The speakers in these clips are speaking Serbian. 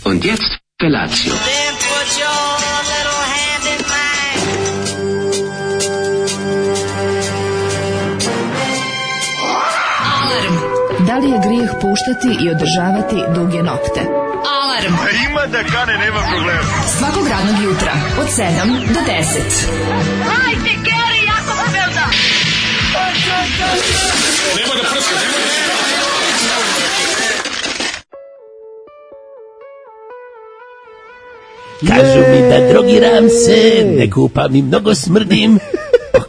Und jetzt Felatio. Then put your little hand in mine. Da li je grijeh puštati i održavati duge nokte? Alarm! Ima da kane, nema problema. Svakog radnog jutra od 7 do 10. Hajde, Geri, jako se velda! Nema da prska, nema da... Kažu mi da drogiram se, ne kupam i mnogo smrdim.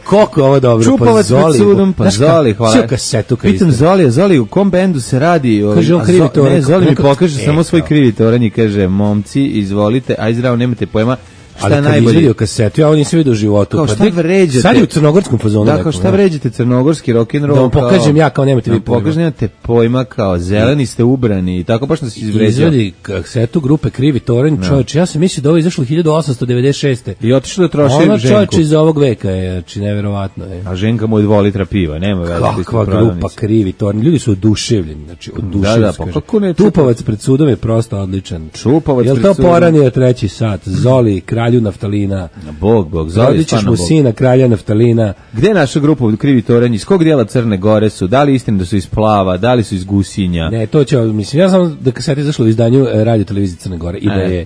Koliko je ovo dobro? Čupavac pred sudom, pa Zoli, hvala. Sve kasetu kad pitam Zoli, u kom bendu se radi? Kaže on krivi toranj. Ne, Zoli mi pokaže samo svoj krivi toranj i kaže, momci, izvolite, aj zdravo, nemate pojma. Ali kad najbolje izvidio kasetu, ja ovo nisam vidio u životu. Kao šta vređate? Sad je u crnogorskom fazonu. Da, kao šta vređate crnogorski rock'n'roll? Da vam pokažem ja kao nemate vi pojma. Pokažem nemate pojma kao zeleni ste ubrani i tako baš da se izvređao. Izvedi kasetu grupe Krivi toranj, čovječ, ja sam mislio da ovo izašlo 1896. I otišlo da troši Ženku. Ona Ženku. čovječ iz ovog veka je, znači neverovatno je. A Ženka mu je 2 litra piva, nema veze. Kakva grupa Krivi toranj, ljudi su oduševljeni, znači oduševljeni. Da, pa kako ne? Tupavac pred sudom je prosto odličan. Čupavac pred sudom. Jel to poranio treći sat? Zoli, kralju naftalina. Bog, Zoli, ćeš mu sina kralja naftalina. Gde je naša grupa Krivi toranj? Iz kog dijela Crne Gore su? Da li istina da su iz Plava? Da li su iz Gusinja? Ne, to će, mislim, ja sam da kaseta izašla u izdanju Radio televizije Crne Gore i da je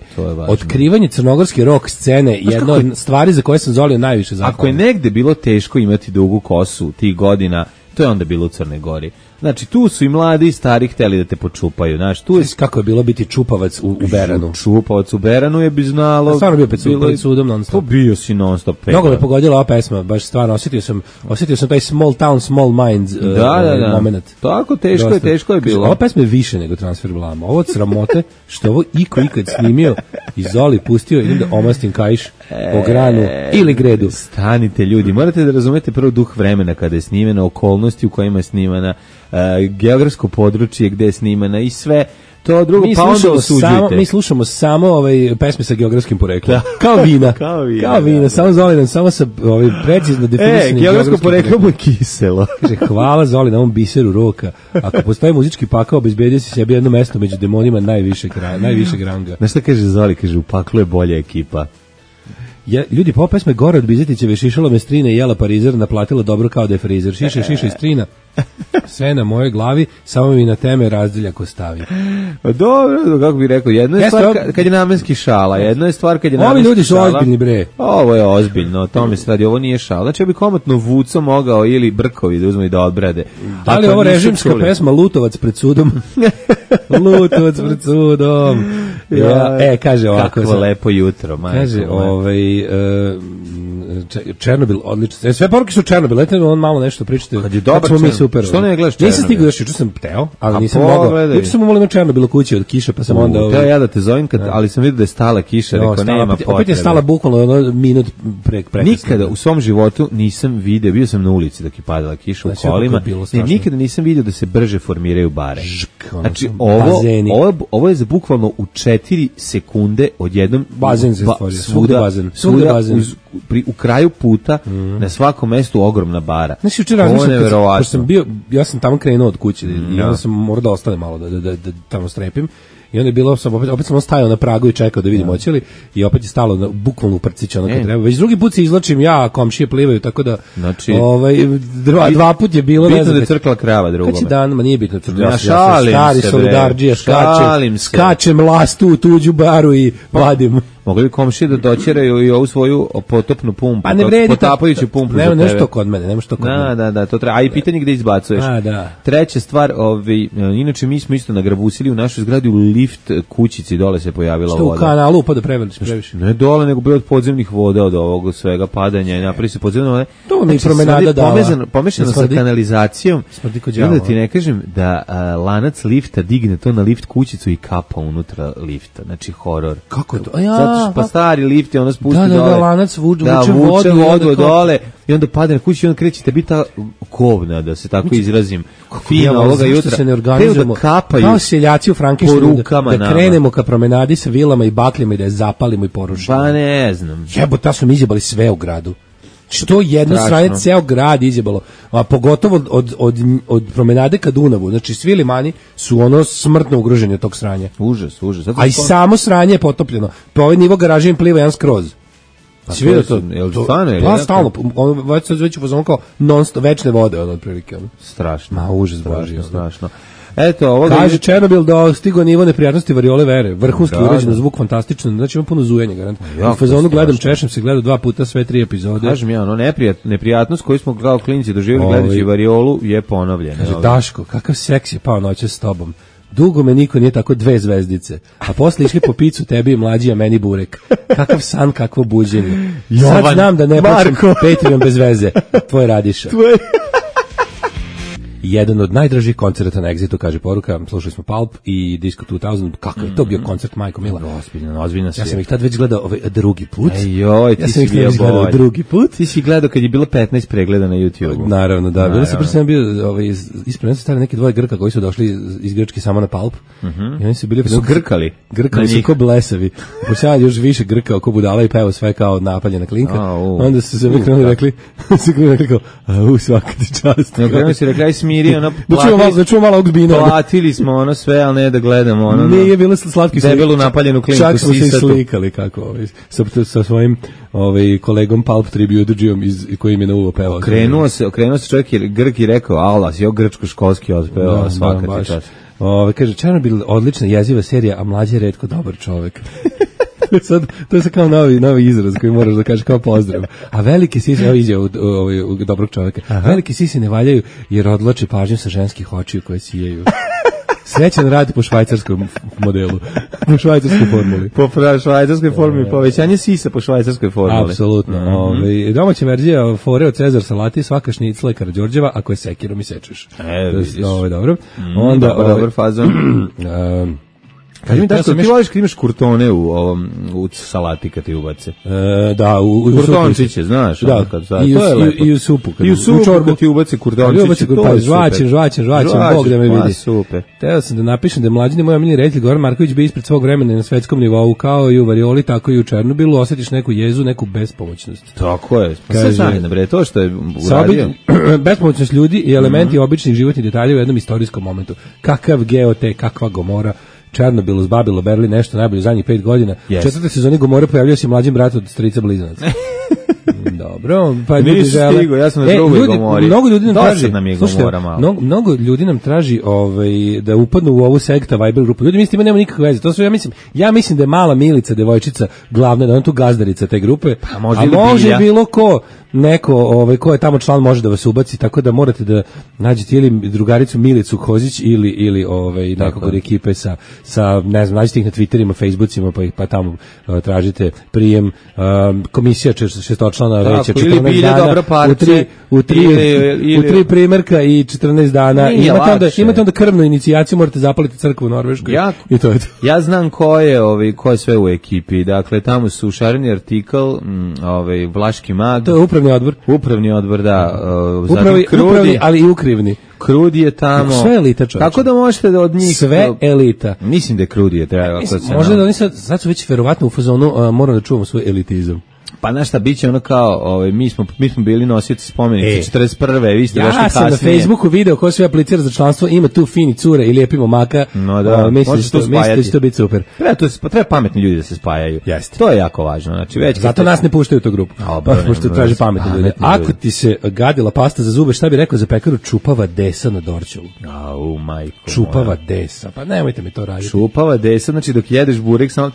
otkrivanje crnogorske rock scene jedna od stvari za koje sam Zolio najviše zahvalan. Ako je negde bilo teško imati dugu kosu tih godina, to je onda bilo u Crnoj Gori. Znači, tu su i mladi i stari hteli da te počupaju, znaš, tu je... Kako je bilo biti čupavac u Beranu? Čupavac u Beranu je bi znalo... Stvarno bio pred sudom non stop. Bio si non stop. Mnogo me pogodila ova pesma, baš stvarno, osjetio sam taj small town, small minds moment. Tako, teško je bilo. Ova pesma je više nego Transfer Blama. Ovo od sramote, što ovo ikad snimio i Zoli pustio, idem da omastim kaiš po granu ili gredu. Stanite ljudi, morate da razumete prvo duh vremena kada je snimena, okolnosti u kojima je snimana, geografsko područje gde je snimana i sve to drugo, pa onda osuđujete. Mi slušamo samo pesme sa geografskim poreklom. Kao vina. Kao vina, samo Zolidan, samo sa precizno definisanim geografsko poreklo mu je kiselo. Kaže, hvala Zoli na ovom biseru roka. Ako postoji muzički pakao, obezbedio si sebi jedno mesto među demonima najvišeg ranga. Znaš šta kaže Zoli? Kaže, u paklu je bolja ekipa. Ljudi, po pesme gore od Bizetićeve šišala me strine i jela parizer, naplatila dobro kao da je frizer. Šiša i strina. Sve na mojoj glavi, samo mi na teme razdeljak ostavi. Dobro, kako bih rekao, jedno je stvar kad je namenski šala, jedno je stvar kad je namenski šala. Ovi ljudi su ozbiljni, bre. Ovo je ozbiljno, to mi se radi, ovo nije šala. Znači, ja bi komotno Vuco mogao ili Brkovi da uzmu i da odbrade. Da li ovo režimska pesma Lutovac pred sudom? Lutovac pred sudom. Kaže ovako. Kako lepo jutro, majko. Kaže, Černobil, odlično. Sve poruke su Černobil, letite on malo nešto pričate. Kad je dobar Černobil. Super. Što ne gledaš Černobil? Nisam stigao još, juče sam teo, ali nisam mogao. Juče sam umolio Černobil u kući od kiše, pa sam onda... Teo ja da te zovem, ali sam vidio da je stala kiša, rekao nema potrebe. Opet je stala bukvalno minut prekasno. Nikada u svom životu nisam video, bio sam na ulici dok je padala kiša u kolima, nikada nisam video da se brže formiraju bare. Znači, ovo je za bukvalno u 4 sekunde odjednom... Bazen se stvorio, svugde bazen. U kraju puta, na svakom mestu ogromna bara. Znači, juče razmišljam, ja sam tamo krenuo od kuće i onda sam morao da ostane malo da tamo strepim. I onda je bilo, opet sam stajao na pragu i čekao da vidim hoće li, i opet je stalo bukvalno u prcić ono kad treba. Već drugi put se izlačim ja, komšije plivaju, tako da znači, dva put je bilo. Bitno da je crkla krava drugome. Kad će dan, ma nije bitno crkla. Ja šalim stari solidarđija, skačem lastu u tuđu baru i vadim. Mogli bi komšije da doćeraju i ovu svoju potopnu pumpu, potapajuću pumpu za tebe. Nešto kod mene, Da, to treba. A i pitanje gde izbacuješ. Treća stvar, inače mi smo isto nagrabusili u našoj zgradi u lift kućici, dole se pojavila voda. Što u kanalu upada previše? Ne dole, nego bilo od podzemnih voda, od ovog svega padanja i napravi se podzemna voda. To mi promenada dala. Pomešano sa kanalizacijom. I onda ti ne kažem da lanac lifta digne to na lift kućicu i kapa unutra lifta. Znači horor. Kako je to? Pa stari lift je onda spusti dole. Da, lanac vuče vodu dole i onda padne na kuću i onda krećete biti ta kovna, da se tako izrazim. Fina ovoga jutra. Se ne organizujemo kao seljaci u Frankensteinu da krenemo ka promenadi sa vilama i bakljama i da je zapalimo i porušimo. Pa ne znam. Jebote, su mi izjebali sve u gradu. Što jedno sranje ceo grad izjebalo, a pogotovo od promenade ka Dunavu, znači svi limani su ono smrtno ugroženi od tog sranja. Užas. A i samo sranje je potopljeno, pa ovaj nivo garaže im pliva jedan skroz. Si vidio to? Pa stalno, već u fazonu kao non-stop, večne vode, ono, otprilike. Strašno. Ma, užas božji. Strašno. Eto, ovo kaže Černobil dostigo nivo neprijatnosti variole vere. Vrhunski urađen, zvuk fantastično. Znači ima puno zujenja, garant. U fazonu gledam, češem se, gledao 2 puta sve 3 epizode. Kažem ja, ono neprijatnost koju smo kao klinci doživjeli gledajući variolu je ponovljena. Kaže Daško, kakav seks je pao noćas s tobom. Dugo me niko nije tako 2 zvezdice. A posle išli po picu tebi i mlađi, a meni burek. Kakav san, kakvo buđenje. Sad znam da ne počnem Patreon bez veze. Tvoj Radiša. Jedan od najdražih koncerta na Exitu, kaže poruka, slušali smo Pulp i Disco 2000, kakav je to bio koncert, majko mila. Ozbiljno ja sam ih tad već gledao drugi put. Ti si bio drugi put. Ti si gledao kad je bilo 15 pregleda na YouTube. Naravno, da. Bilo se prvo bio ispred nas stali neki 2 Grka koji su došli iz Grčke samo na Pulp. I oni su bili grkali su ko blesavi. Pošto još više Grka oko budala i pevao sve kao napaljena klinka. Onda su se mi rekli kao, svaka ti čast. Nekako si rekli, smiri, ono, da čuo malo Ogbina. Platili smo ono sve, ali ne da gledamo ono. Nije bilo slatki debelu napaljenu klinku. Čak smo se i slikali kako sa svojim kolegom Pulp Tribute-đijom koji im je na uvo pevao. Okrenuo se čovjek Grk i rekao, ala, si grčko-školski odpevao, svaka ti čast. Kaže, Černobil odlična jeziva serija, a mlađi je retko dobar čovjek. To je kao novi izraz koji moraš da kažeš kao pozdrav. A velike sise, evo izjava dobrog čovjeka, velike sise ne valjaju jer odlače pažnju sa ženskih očiju koje sijaju. Srećan radi po švajcarskom modelu, po švajcarskoj formuli. Po švajcarskoj formuli, povećanje sisa po švajcarskoj formuli. Apsolutno. Domaća verzija fore od Cezar salati, svaka šnicla je Karađorđeva, ako je sekirom i sečeš. Vidiš. Ovo je dobro. Dobar fazon. Kaži mi da ti voliš kad imaš kurtone u salati kad ti ubace. Da, u kurtončiće, znaš. Da, i u supu. I u supu kad ti ubace kurtončiće. Žvačen, Bog da me vidi. Super. Teo sam da napišem da je mlađi moj omiljeni reditelj Goran Marković bio ispred svog vremena na svetskom nivou, kao i u varioli, tako i u Černobilu, osjetiš neku jezu, neku bespomoćnost. Tako je. Sve zajedno, bre, to što je uradio. Bespomoćnost ljudi i elementi običnih životnih detalja u jednom istorijskom momentu. Kakav Geote, kakva Gomora, Černobil, uzbabilo Berlin, nešto najbolje zadnjih 5 godina. U 4. sezoni Gomore pojavljao se mlađim brat od strica blizanaca. Dobro, pa ljudi žele. Stigo, ja sam na drugoj Gomori. Mnogo ljudi nam traži. Mnogo ljudi nam traži da upadnu u ovu sekta Viber grupu. Ljudi mislim da nema nikakve veze. To su ja mislim da je mala Milica devojčica glavna, da ona tu gazdarica te grupe. Pa može bilo ko neko ko je tamo član može da vas ubaci, tako da morate da nađete ili drugaricu Milicu Kozić ili nekog od ekipe sa ne znam, nađite ih na Twitterima, Facebookima, pa tamo tražite prijem. Komisija šestočlana veća 14 dana u tri primjerka i 14 dana. Imate onda krvnu inicijaciju, morate zapaliti crkvu u Norveškoj. I to je to. Ja znam ko je sve u ekipi. Dakle, tamo su Šareni Artikl, Vlaški mag. To je Upravni odbor, da. Upravni, ali i ukrivni. Krudi je tamo. Sve elita, čovječe. Tako da možete da od njih... Sve elita. Mislim da je Krudi je treba. Možda da oni sad su već verovatno u fazonu, moram da čuvamo svoj elitizam. Pa znaš šta, bit će ono kao, mi smo bili nosioci spomenika 41. Vi ste došli kasnije. Ja sam na Facebooku video ko sve aplicira za članstvo, ima tu fini cure i lijepi momaka. No da, mislim da će to biti super. Treba pametni ljudi da se spajaju. Jeste. To je jako važno. Znači, zato nas ne puštaju u tu grupu. Pošto traži pametni ljudi. Ako ti se gadila pasta za zube, šta bi rekao za pekaru? Čupava desa na Dorćolu. Au, majko. Čupava desa. Pa nemojte mi to raditi. Čupava desa, znači dok jedeš burek samo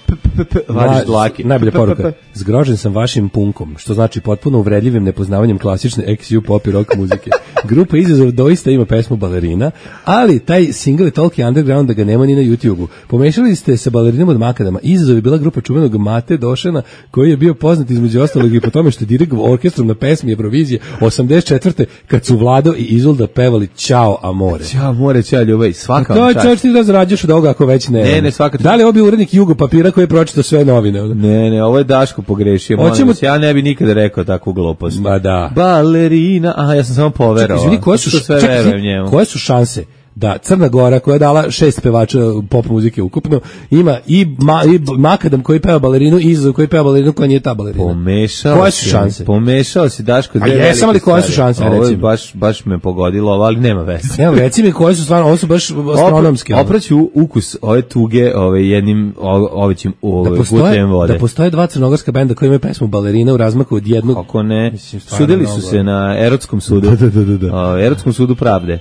vadiš dlake. Najbolja poruka. Zgrožen sam vašim punkom, što znači potpuno uvredljivim nepoznavanjem klasične XU pop i rock muzike. Grupa Izazov doista ima pesmu Balerina, ali taj single je toliki underground da ga nema ni na YouTube-u. Pomešali ste sa Balerinom od Makadama. Izazov je bila grupa čuvenog Mate Došana, koji je bio poznat između ostalog i po tome što je dirigovao orkestrom na pesmi Eurovizije 84. kad su Vlado i Izolda pevali Ćao Amore. Ćao Amore, ćao ljubav, svaka vam čast. To je ti da zarađuješ od ovoga ako već ne. Ne, svaka. Da li je bio urednik Jugo papira koji je pročitao sve novine? Ne, ovo je Daško pogrešio. Ja ne bi nikada rekao takvu glupost. Ma da. Balerina, ja sam samo poverovao. Izvini, koje su šanse da Crna Gora, koja je dala 6 pevača pop muzike ukupno, ima i Makadam koji peva balerinu i Izazov koji peva balerinu koja nije ta balerina. Pomešao si Daško dve velike stvari. Koje su šanse? Ovo je baš me pogodilo, ali nema veze. Evo, reci mi koje su stvarno, ovo su baš astronomske. Opraću ukus ove tuge jednim ovećim gutljem vode. Da postoje 2 crnogorska benda koji imaju pesmu Balerina u razmaku od jednog. Kako ne? Sudili su se na erotskom sudu. Da. Erotskom sudu pravde.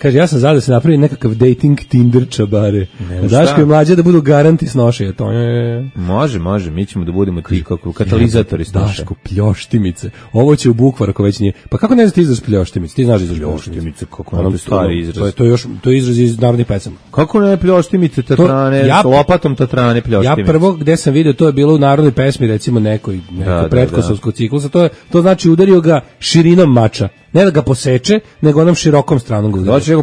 Kaže, ja sam da se napravi nekakav dating Tinder čabare. Daško i Mlađa da budu garanti snošaja. To je... Može, mi ćemo da budemo ti kako katalizatori snošaja. Daško, pljoštimice. Ovo će u Bukvar ako već nije. Pa kako ne znaš ti izraz pljoštimice? Ti znaš izraz pljoštimice, kako nam to stari izraz. To je izraz iz narodnih pesama. Kako ne pljoštimice, tatrane, s lopatom tatrane pljoštimice. Ja prvo gde sam vidio, to je bilo u narodnoj pesmi, recimo nekoj pretkosovskog ciklusa. To znači udario ga širinom mača. Ne da ga poseče, nego onom širokom stranom ga udari. Znači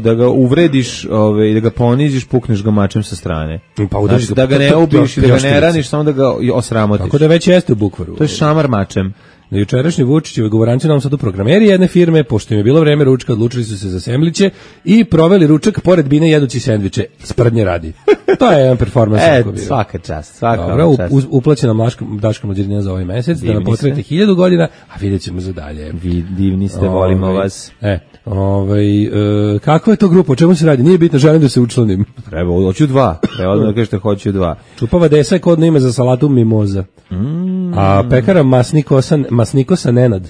da ga uvrediš, da ga poniziš, pukneš ga mačem sa strane. Pa udariš da ga ne ubiš i da ga ne raniš, samo da ga osramotiš. Tako da već jeste u Bukvaru. To je šamar mačem. Na jučerašnji Vučićevi govoranci nam Sadu programeri jedne firme, pošto im je bilo vreme ručka, odlučili su se za semliće i proveli ručak pored bine jedući sendviče. Sprdnje radi. To je jedan performans. Svaka čast. Uplaćena Daška Mlađarina za ovaj mesec, da nam potrebite 1000 godina, a vidjet ćemo za dalje. Vi divni ste, volimo vas. Kakva je to grupa, o čemu se radi? Nije bitno, želim da se učlanim. Treba, hoću 2. Treba odmah da kažete hoću 2. Čupava desa je kodno ime za salatu mimoza. A pekara Masnikosa Nenad.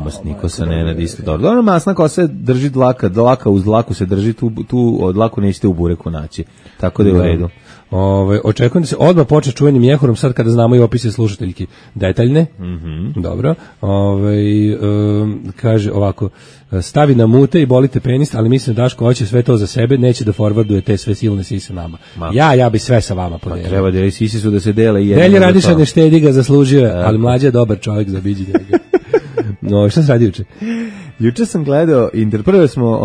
Masnikosa Nenad isto dobro. Dobro, masna kosa drži dlaka uz dlaku se drži, tu od dlaku nećete u bureku naći. Tako da je u redu. Očekujem da se odmah počne čuvenim mjehurom sad kada znamo i opise slušateljki detaljne. Dobro. Kaže ovako, stavi na mute i bolite penis, ali mislim da Daško hoće sve to za sebe, neće da forwarduje te sve silne sise nama. Ja bi sve sa vama podelio. Treba da sise su da se dele i Delje Radiša ne štedi ga, zaslužio, ali Mlađa je dobar čovjek, zabiđite ga. Šta se radi juče? Juče sam gledao, prvo smo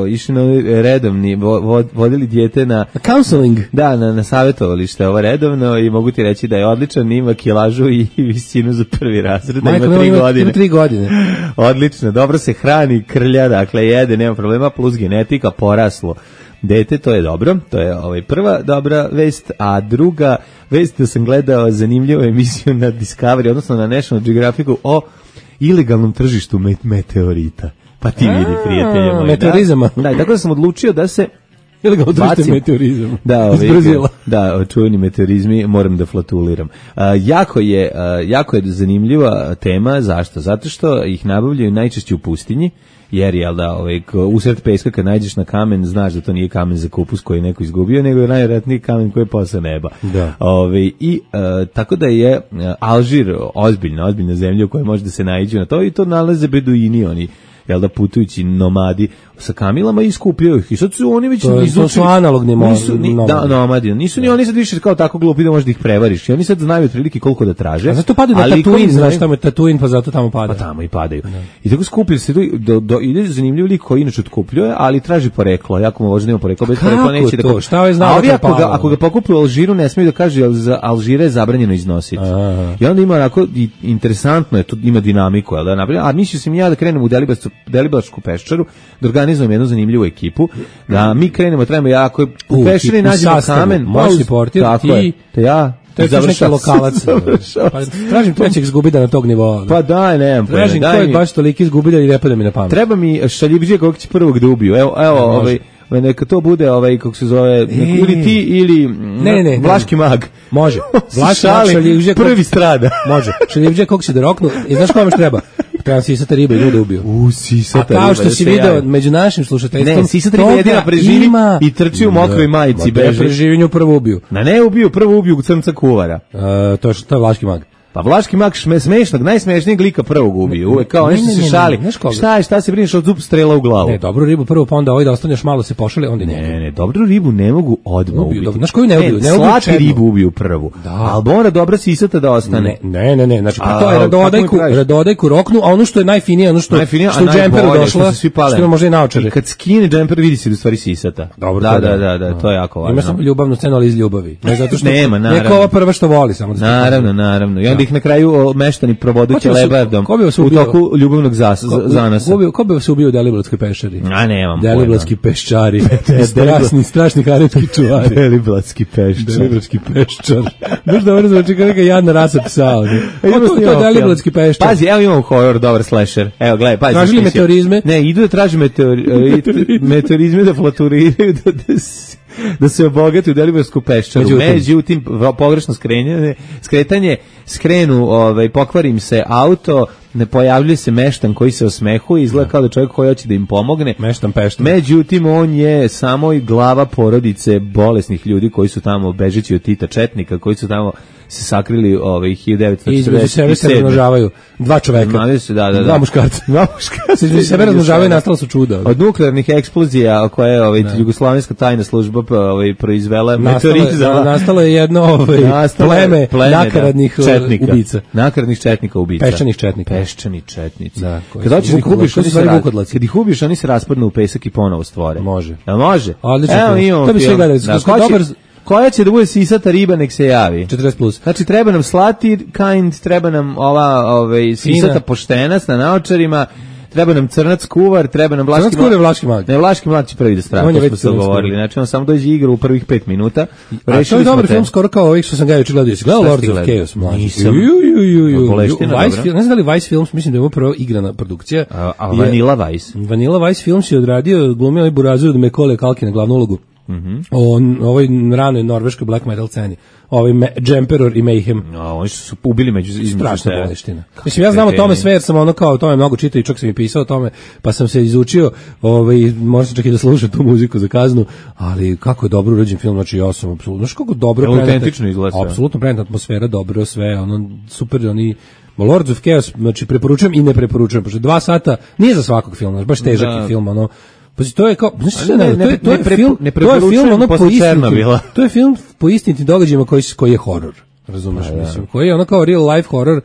išli na redovni, vodili dijete na counseling. Da, na savjetovalište, ovo redovno, i mogu ti reći da je odličan, ima kilažu i visinu za prvi razred, da ima 3 godine. Ima 3 godine. Odlično, dobro se hrani, krlja, dakle jede, nema problema, plus genetika, poraslo dete, to je dobro, to je prva dobra vest, a druga vest da sam gledao zanimljivu emisiju na Discovery, odnosno na National Geographicu o ilegalnom tržištu meteorita. Pa ti vidi, prijatelje moji. Meteorizama. Da, tako da sam odlučio da se ilegalno tržište meteorizama. Da, čuveni meteorizmi, moram da flatuliram. Jako je zanimljiva tema, zašto? Zato što ih nabavljaju najčešće u pustinji, jer usred peska kad nađeš na kamen, znaš da to nije kamen za kupus koji je neko izgubio, nego je najvjerojatniji kamen koji je posao neba. Tako da je Alžir ozbiljna zemlja u kojoj može da se naiđu na to, i to nalaze beduini, oni putujući nomadi sa kamilama i skupljaju ih. I sad su oni već to su analogni nomadi. Nisu ni oni sad više kao tako glupi da možeš da ih prevariš. I oni sad znaju otprilike koliko da traže. A zato padaju na Tatuin, znaš tamo je Tatuin, pa zato tamo padaju. Pa tamo i padaju. I tako skupljaju se, ide zanimljiv lik koji inače otkupljuje, ali traži poreklo. Jako mu važno, nema poreklo, bez porekla neće da... Šta je znao? Ako ga pokupi u Alžiru, ne smiju da kaže, jer za Alžire je zabranjeno iznositi. I onda ima onako, interesantno je, to ima dinamiku, a mislio sam ja da krenem u Deliblačku peščaru, da organizujem jednu zanimljivu ekipu, da mi krenemo, trebamo jako u peščari nađemo kamen, moćni portir, to je završao lokalac. Tražim trećeg zgubida na tog nivoa. Pa daj, nemam pojma. Tražim ko je baš toliki zgubida i ne pada mi na pamet. Treba mi šaljivđija kog će prvog da ubiju. Evo, neka to bude kako se zove, ili ti ili Vlaški mag. Može. Vlaški mag, šaljivđija prvi strada. Može. Šaljivđija kog će da roknu. I znaš kome što treba? Treba sisata riba i ljude ubio. Sisata riba. A kao što si video među našim slušateljstvom, ne, sisata riba jedina preživi i trči u mokroj majici. Preživi nju prvo ubiju. Prvo ubiju crnca kuvara. To je Vlaški mag. Pa Vlaški mag smešnog, najsmešnijeg lika prvog ubiju. Uvek kao nešto se šali. Šta se brineš od zub strela u glavu? Ne, dobru ribu prvo, pa onda da ostaneš malo se pošali, onda ne, dobru ribu ne mogu odmah ubiti. Znaš koju ne ubiju? Slati ribu ubiju prvu. Ali mora dobra sisata da ostane. Ne. Znači, pa to je radodajku roknu, a ono što je najfinije, ono što u džemperu došla, što ima možda i naočare. I kad skine džemper, vidi se da stvari sisata. Dobro, da, to je jako važno. Ima samo ljubavnu scenu, ali iz ljubavi. Ne zato što nema, neko ova prva što voli, samo da naravno. I onda ih na kraju meštani provodući lebardom u toku ljubavnog zanasa. Ko bi vas ubio u Deliblatskoj peščari? A nemam. Deliblatski peščari. Strašni haretski čuvari. Deliblatski peščar. Deliblatski peščar. Znaš da ovo zvuči kao neka jadna rasa psa. To je Deliblatski peščar. Pazi, evo imam horor, dobar slasher. Evo, gledaj, pazi. Tražili meteorizme? Ne, idu da traži meteorizme da flaturiraju, da se obogati u Delibarsku peščaru. Međutim, pogrešno skretanje, skrenu, pokvari im se auto, ne pojavljuje se meštan koji se osmehuje, izgleda kao da čovjek koji hoće da im pomogne. Meštan peštan. Međutim, on je samo i glava porodice bolesnih ljudi koji su tamo bežeći od Tita četnika, koji su tamo se sakrili 1947. I između sebe se razmnožavaju dva čoveka. Dva muškarca. Se između sebe razmnožavaju i nastala su čuda. Od nuklearnih eksplozija koje je jugoslovenska tajna služba proizvela meteorizama. Nastalo je jedno pleme nakaradnih ubica. Nakaradnih četnika ubica. Peščanih četnika. Peščani četnici. Kad hoćeš da ih ubiš, oni se raspadnu u pesak i ponovo stvore. Može. Jel može? Odlično. Evo imamo. To bi sve gledali. Koja će da bude sisata riba, nek se javi. 40+. Znači, treba nam slati kind, treba nam ova sisata poštena na naočarima, treba nam crnac kuvar, treba nam vlaški mag. Vlaški mag. Ne, vlaški mag će prvi da strada, to smo se govorili. Znači, on samo dođe igra u prvih 5 minuta. A to je dobar film, skoro kao ovih što sam ga juče gledao. Gledao Lords of Chaos, mlađi. Nisam. Ne znam da li Vice Films, mislim da je ovo prvo igrana produkcija. A Vanilla Vice? Vanilla Vice Films je odradio, glumio ovaj Burazer od Macaulay Culkin na glavnu ulogu. O ovoj ranoj norveškoj black metal sceni. Ovaj Jemperor i Mayhem. Oni su ubili među strašna boleština. Mislim, ja znam o tome sve jer sam ono kao o tome mnogo čitao i čak sam i pisao o tome, pa sam se izučio, možda čak i da slušam tu muziku za kaznu, ali kako je dobro urađen film, znači ja sam apsolutno, znaš kako dobro autentično izgleda. Apsolutno preneta atmosfera, dobro sve, ono super, oni Lords of Chaos, znači preporučujem i ne preporučujem, pošto 2 sata nije za svakog filma, baš težak je film, ono. Pa to je kao, to je film po istinitim događajima koji je horor, razumeš, mislim, koji je ono kao real life horor,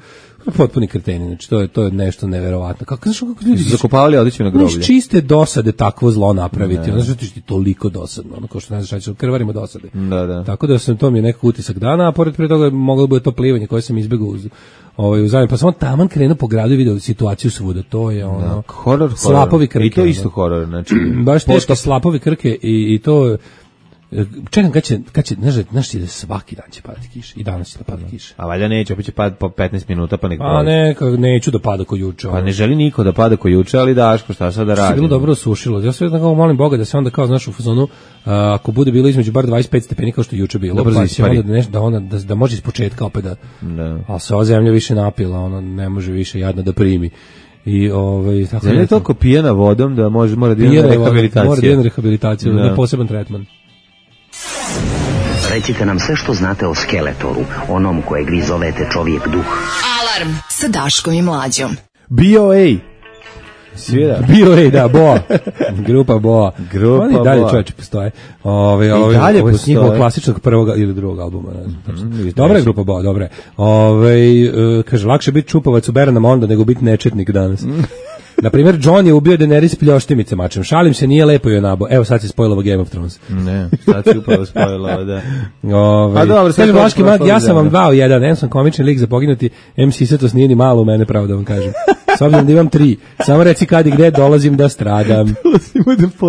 potpuni kreteni, znači to je nešto neverovatno. Kako ljudi zakopavali odeću na groblje. Čiste dosade takvo zlo napraviti, ono što ti toliko dosadno, ono kao što ne znaš, krvarimo dosade. Da. Tako da sam to mi je nekako utisak dana, a pored pre toga moglo bi to plivanje koje sam izbegao uz zajedno, pa samo taman krenuo po gradu i vidio situaciju svuda, to je ono horor, slapovi krke. I to isto horor, znači baš teško slapovi krke i to čekam kad će znaš ti da svaki dan će padati kiša i danas će da pada kiša. A valjda neće, opet će padati po 15 minuta pa nek prođe. A neću da pada ko juče. Pa ne želi niko da pada ko juče, ali Daško šta sad da radi. Se bilo dobro osušilo. Ja sve tako molim Boga da se onda kao znaš u fazonu ako bude bilo između bar 25 stepeni kao što juče bilo, pa će onda da može ispočetka opet da. A se ova zemlja više napila, ona ne može više jadna da primi. I tako je toliko pijena vodom da mora da ide na rehabilitaciju. Mora da ide na rehabilitaciju, na poseban tretman. Recite nam sve što znate o Skeletoru, onom kojeg vi zovete čovjek duh. Alarm sa Daškom i Mlađom. BOA. BOA, da, Boa. Grupa Boa. Oni dalje čovječe postoje. Dalje postoje. Njihovog klasičnog prvog ili drugog albuma. Dobra je grupa Boa, dobra je. Kaže, lakše biti čupavac u Beranama onda nego biti nečetnik danas. Naprimjer, Jon je ubio Daenerys pljoštimice mačem. Šalim se, nije lepo joj nabo. Evo, sad se spojilo Game of Thrones. Ne, sad se upravo spojilo, da. A dobro, sad Vlaški mag, ja sam vam 2 u 1. M sam komični lik za poginuti, M Sisatost nije ni malo u mene, pravo da vam kažem. S obzirom da imam 3. Samo reci kad i gde dolazim da stradam.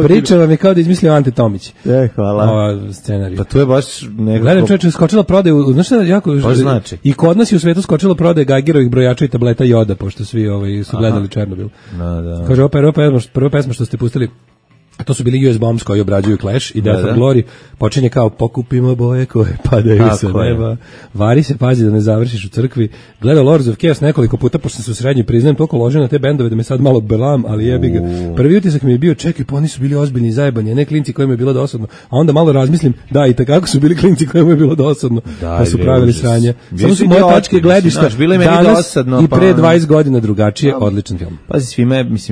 Priča vam je kao da izmislio Ante Tomić. Hvala. Scenarij. Pa to je baš nekako... Gledam čovječe, skočila prodaju, znaš šta jako... Znači. I kod nas je u svetu skočila prodaje Geigerovih brojača i tableta joda, pošto svi su gledali Černobil. Da. Kaže, prva pesma što ste pustili, a to su bili US Bombs koji obrađuju Clash i Death of Glory, počinje kao pokupimo boje koje padaju sa neba, vari se, pazi da ne završiš u crkvi. Gledao Lords of Chaos nekoliko puta, pošto sam se u srednji priznajem, toliko ložio na te bendove da me sad malo belam, ali jebi ga. Prvi utisak mi je bio, čekaj, pa oni su bili ozbiljni i zajebani, ne klinci kojima je bilo dosadno, a onda malo razmislim, da, i takako su bili klinci kojima je bilo dosadno, pa su pravili sranje. Samo su moje tačke gledišta danas i pre 20 godina drugačije, odličan film. Pazi,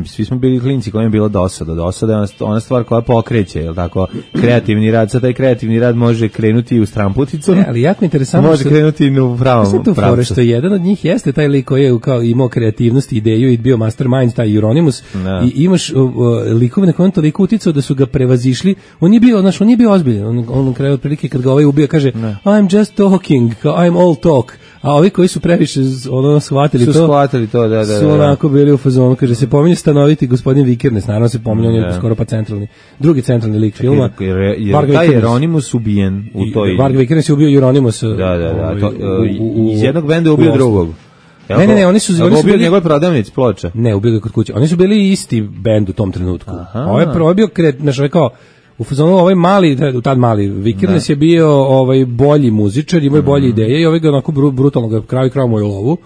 svi smo bili klinci kojima je bilo dosada je ona stvar koja pokreće, je li tako, kreativni rad, sad taj kreativni rad može krenuti u stramputicom, ali jako interesantno može krenuti u pravom pravcu. Što jedan od njih jeste taj lik koji je kao imao kreativnost, ideju i bio mastermind, taj Euronymous, i imaš likove na kojem toliko uticao da su ga prevazišli, on nije bio ozbiljan, on kraju otprilike kad ga ovaj ubija kaže I'm just talking, I'm all talk, a ovi koji su previše shvatili to, da. Su onako bili u fazonu, kaže se pominje stanoviti gospodin Vikernes, naravno se pominje, on je skoro pa drugi centralni lik filma. Jer taj Jeronimus ubijen u toj... Varg Vikernes je ubio Jeronimusa. Da. Iz jednog benda je ubio drugog. Ne, oni su ubio njegove prodavnice ploča. Ne, ubio ga kod kuće. Oni su bili isti bend u tom trenutku. Ovo je bio kao u fazonu ovaj mali Vikernes je bio bolji muzičar, imao je bolje ideje i ovaj ga onako brutalno ga krao mu je lovu.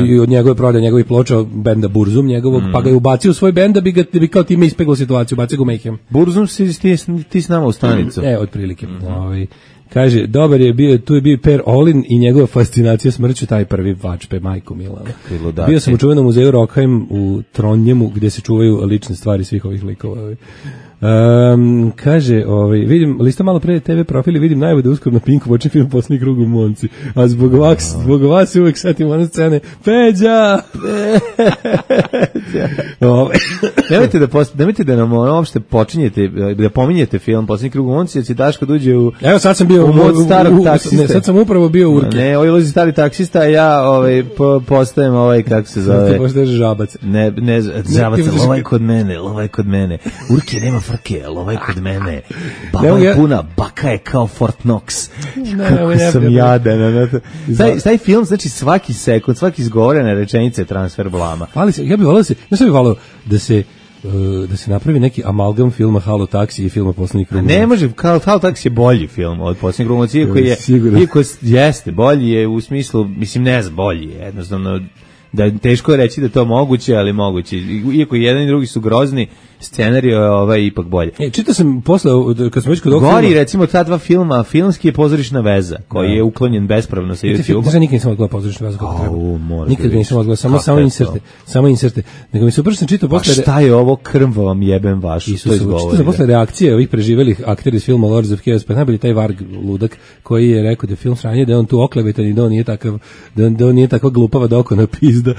I od njegove prodaje njegovih ploča benda Burzum njegovog, pa ga je ubacio u svoj bend da bi kao time ispeglo situaciju, bacio ga u Mayhem. Burzum ti s nama u stanicu. Otprilike. Kaže, dobar je bio, tu je bio Per Olin i njegova fascinacija smrću, taj prvi vačpe, majko Milana. Bio sam u čuvenom muzeju Rockheim u Trondjemu, gdje se čuvaju lične stvari svih ovih likova. Kaže, vidim, lista malo pre TV profili, vidim najavu da uskoro na Pinku počne film Posljednji krug u Monci, a zbog vas se uvek setim one scene, Peđa! Nemojte da nam uopšte počinjete, da pominjete film Posljednji krug u Monci, jer će Daško dođe u... Evo sad sam bio u mod starog taksiste. Ne, sad sam upravo bio u Urke. Ne, ulazi stari taksista, a ja postajem kako se zove... Sad postaješ žabac. Ne, žabac, lovaj kod mene. Urke nema frke, ali ovaj kod mene. Baba je puna, baka je kao Fort Knox. Kako sam jadan. Taj film, znači svaki sekund, svaki izgovorena rečenica je transfer blama. Ja bih volao da se napravi neki amalgam filma Halo Taksi i filma Posljednji krug. Ne može, Halo Taksi je bolji film od Posljednjeg kruga, iako jeste, bolji je u smislu, mislim ne znam, bolji je, jednostavno, da teško je reći da to moguće, ali moguće. Iako jedan i drugi su grozni, scenarij je ipak bolje. Čitao sam posle, kad smo već kod ovog filma... Gori, recimo, ta dva filma, filmski je Pozorišna veza, koji je uklonjen bespravno sa YouTube-a. Nikad nisam odgledao Pozorišna veza kako treba. Nikad nisam odgledao, samo inserte. Nego mi se upravo sam čitao posle... Pa šta je ovo, krv vam jebem vašu, to izgovori. Čitao sam posle reakcije ovih preživelih aktera iz filma Lords of Chaos, pa najbolji taj Varg ludak, koji je rekao da je film sranje, da je on tu oklevetan i da on nije takva glupava dokona pizda,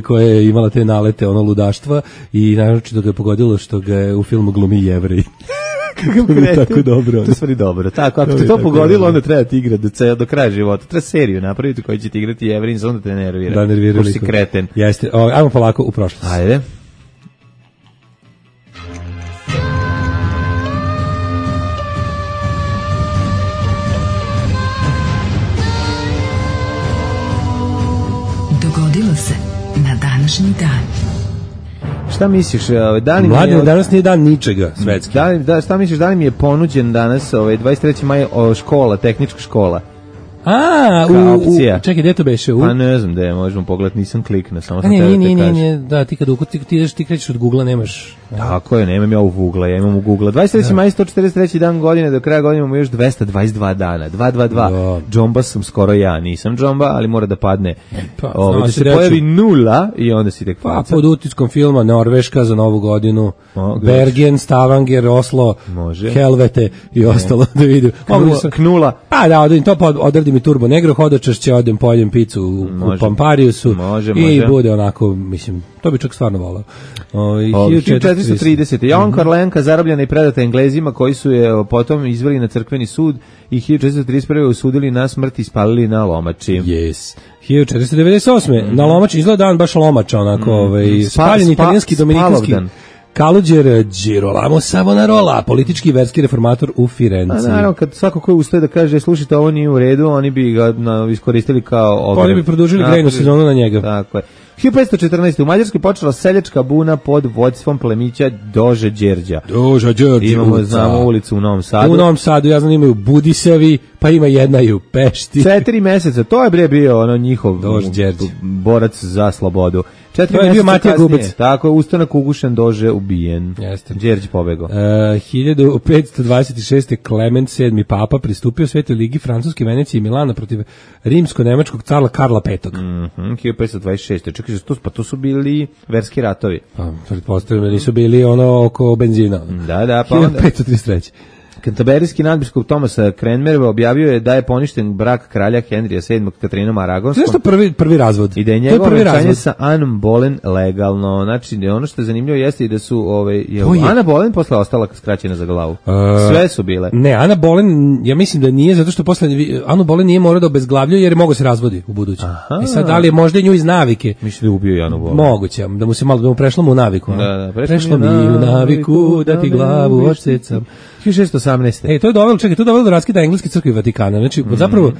koja je imala te nalete, ludaštva i naročito ga je pogodilo što ga je u filmu glumi Jevrej. Kako je tako dobro. To je stvari dobro. Tako, ako te to pogodilo, onda treba ti igrati do kraja života. Treba seriju napraviti koji će ti igrati Jevrej, onda te nervira. Da, nervira. Pošto si kreten. Jeste. Ajmo polako u prošlost. Ajde. Dogodilo se na današnji dan. Šta misliš, Mladen, danas nije dan ničega svetski. Šta misliš, da li mi je ponuđen danas 23. maj škola, tehnička škola? Čekaj, gde to beše? Pa ne znam gde, možemo pogledati, nisam kliknuo, samo sam nije, da, ti kad ti krećeš od Google-a nemaš... Tako je, nemam ja u Google-a, ja imam u Google-a. 23. maj, 143. dan godine, do kraja godine imamo još 222 dana, 222. Džomba sam skoro ja, nisam džomba, ali mora da padne, da se pojavi nula i onda si tek faca. Pod utiskom filma Norveška za novu godinu, Bergen, Stavanger, Oslo, Helvete i ostalo da vidim. Knula. Pa da, odradim i Turbo Negro, hodočašće, odem pojedem picu u Pampariusu i bude onako, mislim, to bi čak stvarno volao. 1430. Jovan Korlenka zarobljena i predata Englezima koji su je potom izveli na crkveni sud i 1431. osudili na smrt i spalili na lomači. Yes. 1498. Na lomači izgleda dan baš lomača, onako, spaljen italijanski dominikanski Kaluđer Girolamo Savonarola, politički i verski reformator u Firenci. Naravno, kad svako ko ustaje da kaže slušajte, ovo nije u redu, oni bi ga iskoristili kao ogrev. Oni bi produžili grejnu sezonu na njega. Tako je. 1514. u Mađarskoj počela seljačka buna pod vodstvom plemića Dože Đerđa. Doža Đerđa. Znamo ulicu u Novom Sadu. U Novom Sadu, ja znam, imaju Budisevi, pa ima jedna i u Pešti. 4 meseca, to je bio njihov borac za slobodu. 4 je bio Matija Gubac. Tako je, ustanak ugušen, Dože ubijen. Jeste. Đerđ pobegao. 1526. Klement VII. Papa pristupio Svetoj ligi Francuske, Venecije i Milana protiv rimsko-nemačkog carla Karla V. 1526. Čekaj, pa to su bili verski ratovi. Pa, pretpostavljam da nisu bili oko benzina. Da, pa 1533. Kantaberijski nadbiskup Tomasa Cranmera objavio je da je poništen brak kralja Henrija VII Katrinom Aragonskom. Zašto prvi razvod? I da je njegovo venčanje sa Anom Boleyn legalno. Znači, ono što je zanimljivo jeste i da su Ana Boleyn posle ostala skraćena za glavu. Sve su bile. Ne, Ana Boleyn, ja mislim da nije, zato što posle Anu Boleyn nije morao da obezglavljuje jer je mogao se razvodi u buduće. I sad da li je možda nju iz navike? Mislim da je ubio Anu Boleyn. Moguće, da mu se malo prešlo mu u naviku. Da, prešlo mi u naviku da ti glavu odsecam. 1618. To je dovelo do raskida Engleske crkve i Vatikana. Znači, zapravo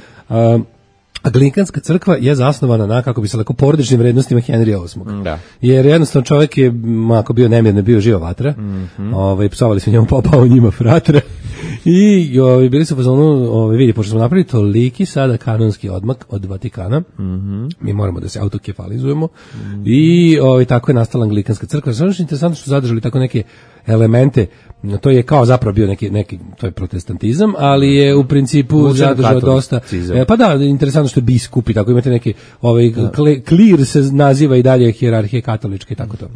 Anglikanska crkva je zasnovana na, kako bi se rekao, porodičnim vrednostima Henrija VIII. Da. Jer jednostavno čovjek je, ako bio nemirno, bio živa vatra. Psovali su njemu popao njima fratra. I bili su u fazonu, vidi, pošto smo napravili toliki sada kanonski odmak od Vatikana, mi moramo da se autokefalizujemo. I tako je nastala Anglikanska crkva. Samo što je interesantno što su zadržali tako neke elemente, to je kao zapravo bio neki to je protestantizam, ali je u principu zadržao dosta. Pa da, interesantno što je biskup i tako imate neki klir se naziva i dalje hijerarhije katoličke i tako to.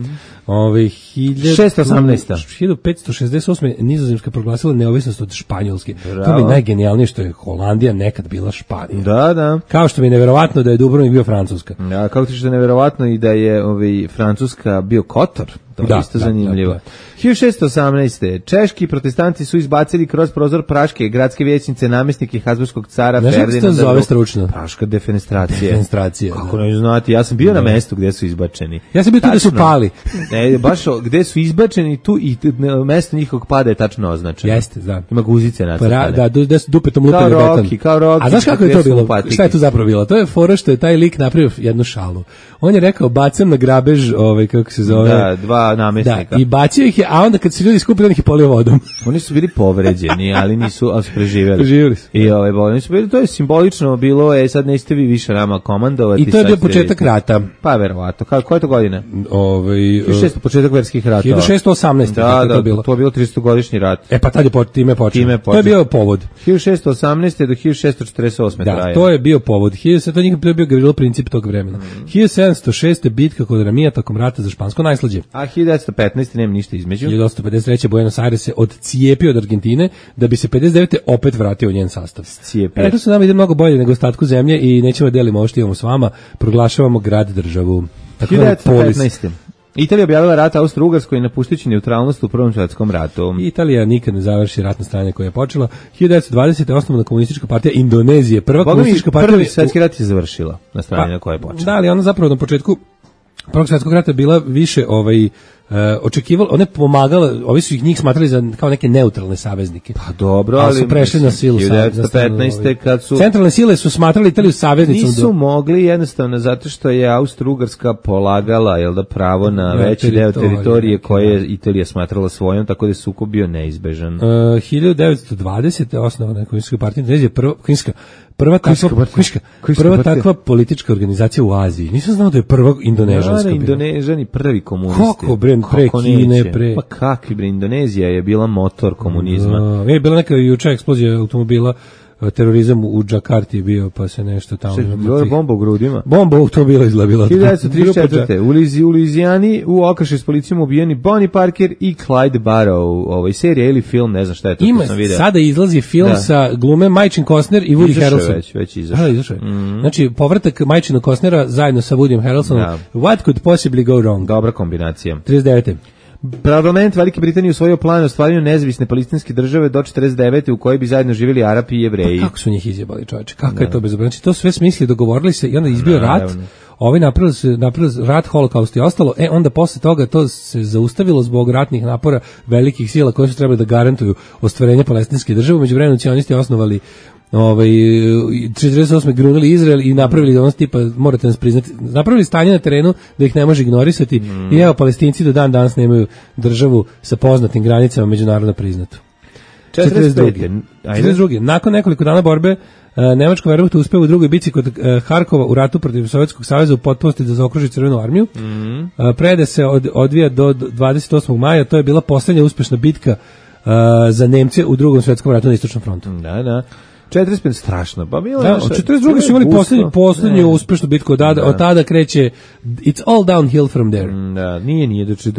1568. Nizozemska proglasila neovisnost od Španjolske. To mi je najgenijalnije što je Holandija nekad bila Španija. Da. Kao što mi je neverovatno da je Dubrovnik bio Francuska. Ja, kako ti što je neverovatno i da je Francuska bio Kotor. To je isto zanimljivo. 1618. Češki protestanti su izbacili kroz prozor praške gradske vijećnice namjesnike Habsburgskog cara Ferdinanda. Znaš kako se zove stručno? Praška defenestracija. Kako ne znati, ja sam bio na mestu gdje su izbačeni. Ja sam bio tu gdje su pali. Ne, baš gdje su izbačeni tu i mesto njihovog pada je tačno označeno. Jeste, da. Ima guzice nacrtane. Da, gdje su dupetom lupili beton. Kao Rocky. A znaš kako je to bilo? Šta je tu zapravo bilo? To je fora što je taj lik napravio jednu šalu. On je rekao, bacam na grabež, kako se zove? Da, dva namjesnika. I bacio ih je, a onda kad se ljudi skupili, on ih je polio vodom. Oni su bili povređeni, ali su preživjeli. Preživjeli su. I oni su bili, to je simbolično bilo, sad nećete vi više nama komandovati. I to je bio početak rata. Pa verovatno. Koje je to godine? 1600 početak verskih rata. 1618. Da, to je bilo 300-godišnji rat. Pa tad je time počeo. To je bio povod. 1618. do 1648. Da, to je bio povod. To je bio Gavrilo princip tog vremena. 1706. bitka kod Ramija tokom rata za Špansko najslađe. A 1915. nema ništa između. 1853. Buenos Aires se odcijepio od Argentine da bi se 59. opet vratio u njen sastav. Rekli su nam ide mnogo bolje nego ostatku zemlje i nećemo delimo ovo što imamo s vama, proglašavamo grad državu. 1915. Italija objavila rat Austro-Ugarskoj napuštajući neutralnost u Prvom svjetskom ratu. Italija nikad ne završi ratno stanje koje je počela. 1920. osnovna komunistička partija Indonezije. Prvi svjetski rat je završila na strani na koje je počela. Da, ali ona zapravo na početku Prvog svjetskog rata bila više očekivalo, one pomagala, ovi su njih smatrali kao neke neutralne saveznike. Pa dobro, ali su prešli na silu. 1915. kad su centralne sile su smatrali Italiju saveznicom. Nisu mogli jednostavno zato što je Austro-Ugarska polagala pravo na veći deo teritorije koje je Italija smatrala svojom, tako da je sukob bio neizbežan. 1920. osnovana komunistička partija Indonezije, prva takva politička organizacija u Aziji. Nisam znao da je prva indonežanska. Indonežani prvi komunisti. Kako bre, pre Kine, pre... Pa kakvi bre, Indonezija je bila motor komunizma. Je bila neka juče eksplozija automobila, terorizam u Džakarti je bio, pa se nešto tamo... Bilo je bomba u grudima. Bomba u automobila izgleda. 1934. U Luizijani u okršaju s policijom ubijeni Bonnie Parker i Clyde Barrow. Serija ili film, ne znam šta je to. Sada izlazi film sa glume Majčin Costner i Woody Harrelson. Već izašao. Znači, povratak Majčina Costnera zajedno sa Woodyem Harrelsonom. What could possibly go wrong? Dobra kombinacija. 39. Parlament Velike Britanije usvojio plan o stvaranju nezavisne palestinske države do 49. u kojoj bi zajedno živjeli Arapi i Jevreji. Pa kako su njih izjebali, čoveče? Kako je to bezobrazno? Znači, to sve smisli, dogovorili se i onda izbio rat. Ovi napravili rat, holokaust i ostalo. Onda posle toga to se zaustavilo zbog ratnih napora velikih sila koje su trebali da garantuju ostvarenje palestinske države. Međuvremenu nacionalisti osnovali 48. grunili Izrael i napravili ono tipa, morate nas priznati, napravili stanje na terenu da ih ne može ignorisati i evo Palestinci do dan danas nemaju državu sa poznatim granicama međunarodno priznatu. 42. Nakon nekoliko dana borbe Nemačka Wehrmacht uspeo u drugoj bici kod Harkova u ratu protiv Sovjetskog saveza u potpunosti da zaokruži Crvenu armiju. Predaja se odvija do 28. maja, to je bila posljednja uspešna bitka za Nemce u Drugom svjetskom ratu na Istočnom frontu. Da. 45 strašno. Pa bilo da, od 42. su imali poslednju uspešnu bitku, od tada kreće it's all downhill from there. Da, nije, znači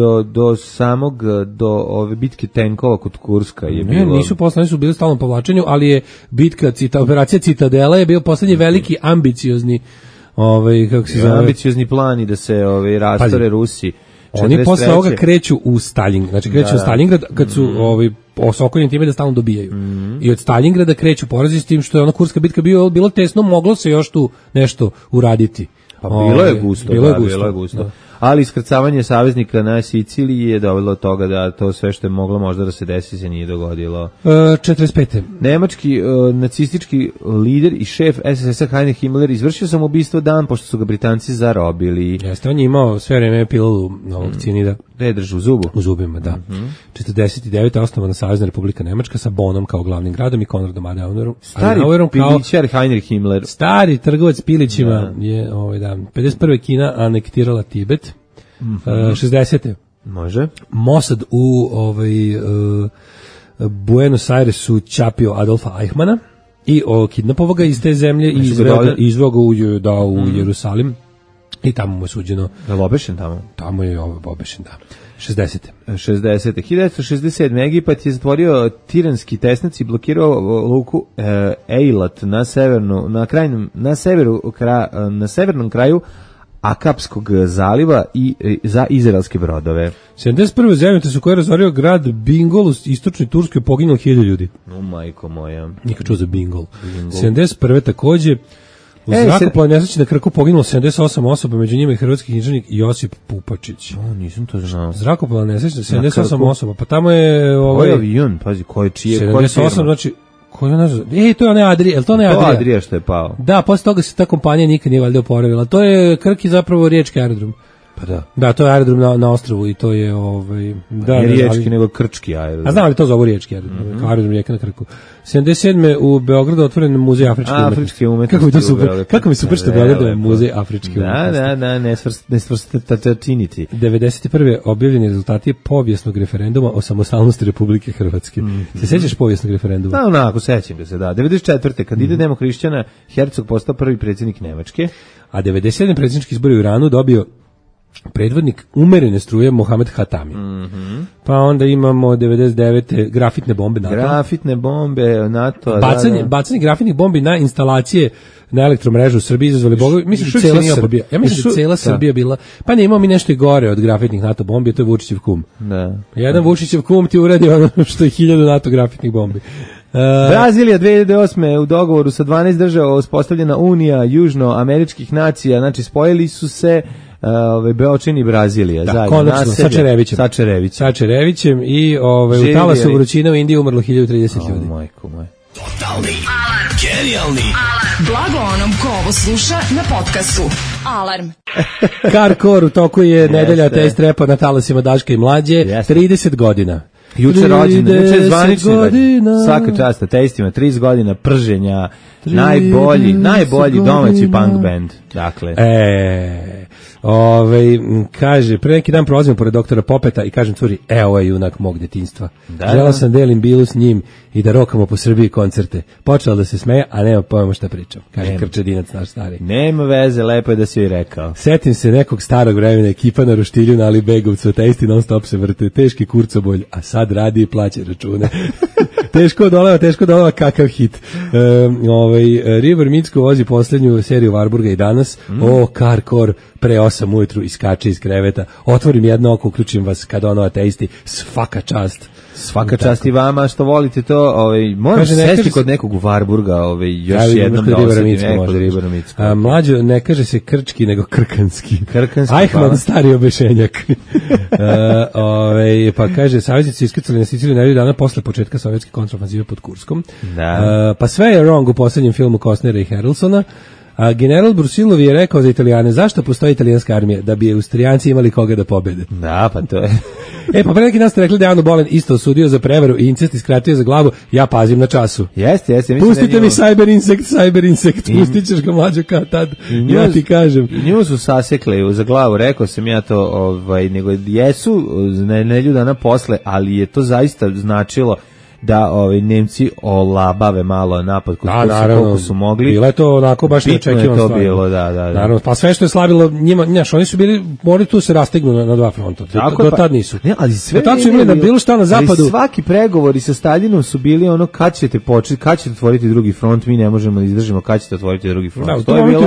do ove bitke tenkova kod Kurska je bilo. Ne, nisu poslani, su bili stalno povlačenju, ali je bitka, operacija Citadela je bio poslednji veliki ambiciozni kako se zove? Ambiciozni plan i da se rastore Rusi. Oni posle ovoga kreću u Stalingrad, znači kreću u Stalingrad kad su osokoljeni time da stalno dobijaju. I od Stalingrada kreću porazi s tim što je ona Kurska bitka bilo tesno, moglo se još tu nešto uraditi. Pa bilo je gusto. Da. Ali iskrcavanje saveznika na Siciliji je dovelo do toga da to sve što je moglo možda da se desi se nije dogodilo. 45. Nemački nacistički lider i šef SS-a Heinrich Himmler izvršio samoubistvo dan pošto su ga Britanci zarobili. Jeste, on je imao sve vreme pilu novog cijanida. Gde drži u zubu? U zubima, da. 49. osnovana Savezna Republika Nemačka sa Bonnom kao glavnim gradom i Konradom Adenauerom. Stari pilićar Heinrich Himmler. Stari trgovac pilićima je 51. Kina anektirala Tibet. 60. Može. Mossad u Buenos Airesu čapio Adolfa Eichmana i kidnapovao ga iz te zemlje i izveo ga u Jerusalim i tamo mu je suđeno. Je li obešen tamo? Tamo je obešen, da. 60. 1967. Egipat je zatvorio tiranski tesnac i blokirao luku Eilat na severnom kraju Akapskog zaliva i za izraelske brodove. 71. zemljotres u kojoj je razorio grad Bingol u istočnoj Turskoj poginulo 1000 ljudi. Majko moja. Nikad čuo za Bingol. 71. takođe u zrakoplovnoj nesreći na Krku poginulo 78 osoba, među njima i hrvatski književnik Josip Pupačić. Nisam to znao. Zrakoplovna nesreća 78 osoba, pa tamo je Koji avion, pazi, koji čije, 78, znači to je onaj Adrija, je to onaj Adrija? To Adrija što je pao. Da, posle toga se ta kompanija nikad nije valjda oporavila. To je Krk i zapravo riječki aerodrom. Pa da. Da, to je aerodrom na ostrvu i to je ne riječki nego krčki aerodrom. A znam li to zovu riječki aerodrom, kao aerodrom rijeka na Krku. 77. u Beogradu otvoren muzej afričke umetnosti. Kako mi to super. Kako mi super što je Beograd muzej afričke umetnosti. Da, nesvrstatačiniti. 91. objavljeni rezultati povijesnog referenduma o samostalnosti Republike Hrvatske. Se sećaš povijesnog referenduma? Da, onako, sećam ga se, da. 94. kandidat demohrišćana Herzog postao prvi predsjednik Nemačke. A 97. predsjednički izbori u Iranu dobio predvodnik umerene struje Mohamed Hatami. Pa onda imamo 99. grafitne bombe NATO. Grafitne bombe NATO. Bacanje grafitnih bombi na instalacije na elektromrežu u Srbiji izazvali bogovi. Mislim da cela Srbija. Ja mislim da cela Srbija bila. Pa ne, imamo mi nešto i gore od grafitnih NATO bombi, to je Vučićev kum. Da. Jedan Vučićev kum ti uradi ono što je 1000 NATO grafitnih bombi. Brazilija 2008. u dogovoru sa 12 država uspostavljena Unija južnoameričkih nacija, znači spojili su se Beočin i Brazilija zajedno. Konačno, sa Čerevićem i u talasu vrućine u Indiji umrlo 1030 ljudi. Majko moj. Totalni alarm. Genijalni alarm. Blago onom ko ovo sluša na podcastu. Alarm. Karkor u toku je nedelja test repa na talasima Daška i Mlađe. 30 godina. Juče rođendan, juče je zvanični rođendan. Svaka čast testima, 30 godina prženja, najbolji domaći punk band. Dakle. Kaže, pre neki dan prolazimo pored doktora Popeta i kažem curi, ovo je junak mog detinjstva. Želao sam delim bilu s njim i da rokamo po Srbiji koncerte. Počela da se smeje, a nema pojma šta pričam. Kaže Krčedinac naš stari. Nema veze, lepo je da si joj rekao. Setim se nekog starog vremena, ekipa na roštilju na Alibegovcu, ta isti non stop se vrte, teški kurcobolj, a sad radi i plaća račune. Teško doleva, kakav hit. River Micko vozi poslednju seriju Varburga i danas. Karkor, pre 8 ujutru iskače iz kreveta. Otvorim jedno oko, uključim vas kad ono ateisti. Svaka čast. Svaka čast i vama što volite to. Moram sesti kod nekog u Varburga, još jednom da osetim kod Ribara Micko. Mlađo, ne kaže se krčki, nego krkanski. Eichmann, stari obešenjak. Pa kaže, saveznici iskrcali na Siciliju nedelju dana posle početka sovjetske kontraofanzive pod Kurskom. Pa sve je wrong u poslednjem filmu Costnera i Harrelsona. A general Brusilov je rekao za Italijane, zašto postoji italijanska armija? Da bi Austrijanci imali koga da pobede. Da, pa to je. Pa pre neki dan ste rekli da je Anu Bolen isto osudio za prevaru i incest i skratio za glavu. Ja pazim na času. Jeste. Pustite mi cyber insekt, pustit ćeš ga Mlađo kad tad. Ja ti kažem. Nju su sasekli za glavu, rekao sam ja to, nego jesu nedelju dana posle, ali je to zaista značilo da Nemci olabave malo napad koliko su mogli. Bilo je to onako baš neočekivano stvar. Bilo, da. Naravno, pa sve što je slavilo njima, oni su bili, morali tu se rastegnu na dva fronta. Do tad nisu. Ne, ali sve do tad su imali da bilo šta na zapadu. Ali svaki pregovori sa Staljinom su bili ono kad ćete otvoriti drugi front, mi ne možemo da izdržimo kad ćete otvoriti drugi front. Da, to je bilo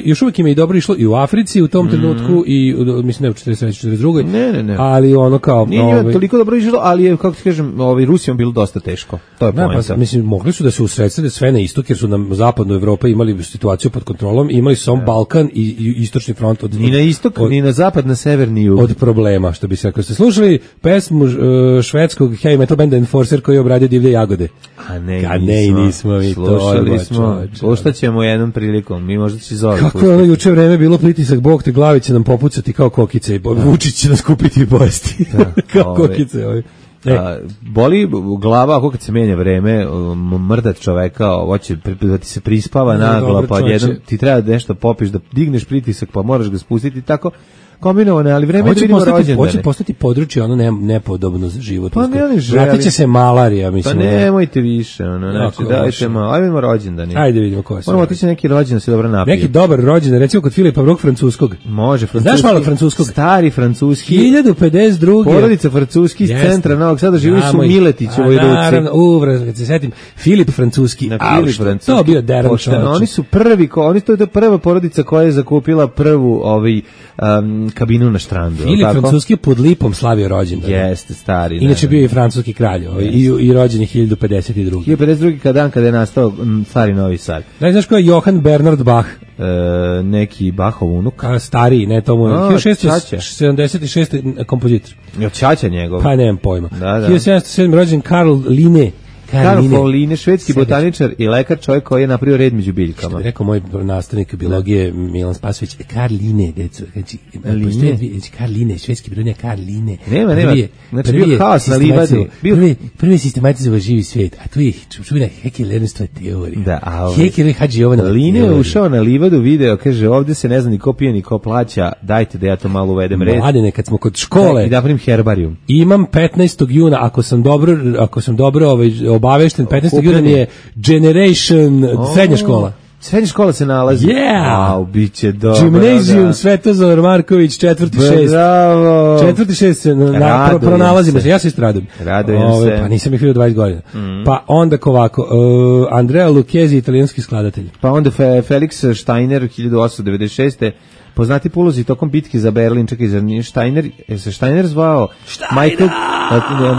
još uvijek im je dobro išlo i u Africi u tom trenutku i mislim ne u 43. Ne. Ali ono kao nije toliko dobro išlo, ali je kako ti kažem, Rusijom bilo dosta teško. To je poenta. Pa, mislim mogli su da se usredsrede sve na istok jer su na zapadnoj Evropi imali situaciju pod kontrolom, imali su samo Balkan i istočni front ni na istok, ni na zapad, na sever, ni jug. Od problema, što bi se rekao. Ste slušali pesmu švedskog heavy metal benda Enforcer koji je obradio Divlje jagode? A ne, nismo mi to. Slušali smo. Slušat ćemo jednom prilikom. Mi možda će zove. Kako je ono juče vreme bilo pritisak, Bog te glavi će nam popucati kao kokice i Vučić će nas kupiti i pojesti. Kao kokice ovi. Boli glava ako kad se menja vreme, mrdat čoveka, hoće da ti se prispava nagla, pa jednom ti treba nešto popiš da digneš pritisak, pa moraš ga spustiti tako. Kombinovane, ali vreme će vidimo rođendane. Hoće postati područje ono nepodobno za život. Pa vratit će se malarija, mislim. Pa nemojte više, znači dajte malo. Ajde vidimo rođendane. Ajde vidimo ko je. Moramo otići neki rođendan se dobro napije. Neki dobar rođendan, recimo kod Filipa II francuskog. Može, francuski. Znaš malo francuskog? Stari francuski. 1052. Porodica francuski iz centra Novog Sada živi su u Miletićevoj ruci. Naravno, kad se setim, Filip francuski. To bio deran čovječ. Oni su prvi, to je prva porodica koja je zakupila prvu kabinu na štrandu. Filip francuski pod lipom slavio rođendan. Jeste, stari. Inače bio i francuski kralj i rođen je 1052. 1052 kada je nastao stari Novi Sad. Znaš ko je Johann Bernhard Bach? Neki Bachov unuk. Stariji, ne tomu. 1676. kompozitor. Čača njegov. Pa nemam pojma. 1707. rođen Karl Linné. Karl Linné, švedski botaničar i lekar, čovjek koji je napravio red među biljkama. Što bi rekao moj nastavnik biologije Milan Spasović, Karl Linné, deco, znači, Karl Linné, švedski biologija Karl Linné. Nema, znači bio haos na livadi. Prvi sistematizovao živi svijet, a tu je čuvena Hekelerstva teorija. Da, Hekeler Hadži Jovanova teorija. Linné je ušao na livadu, video, kaže, ovdje se ne zna ni ko pije, ni ko plaća, dajte da ja to malo uvedem red. Mladene, kad smo kod škole. I da napravim herbarijum. Imam 15. juna, ako sam dobro obavešten, 15. juna je Generation srednja škola. Srednja škola se nalazi. Biće dobro. Gimnazijum Svetozar Marković, 4.6. Bravo. 4.6 se pronalazimo se. Ja se istradujem. Radujem se. Pa nisam ih vidio 20 godina. Pa onda ovako, Andrea Lucchesi, italijanski skladatelj. Pa onda Felix Steiner, 1896. Poznati po ulozi tokom bitke za Berlin, čekaj, zar nije Steiner, je se Steiner zvao?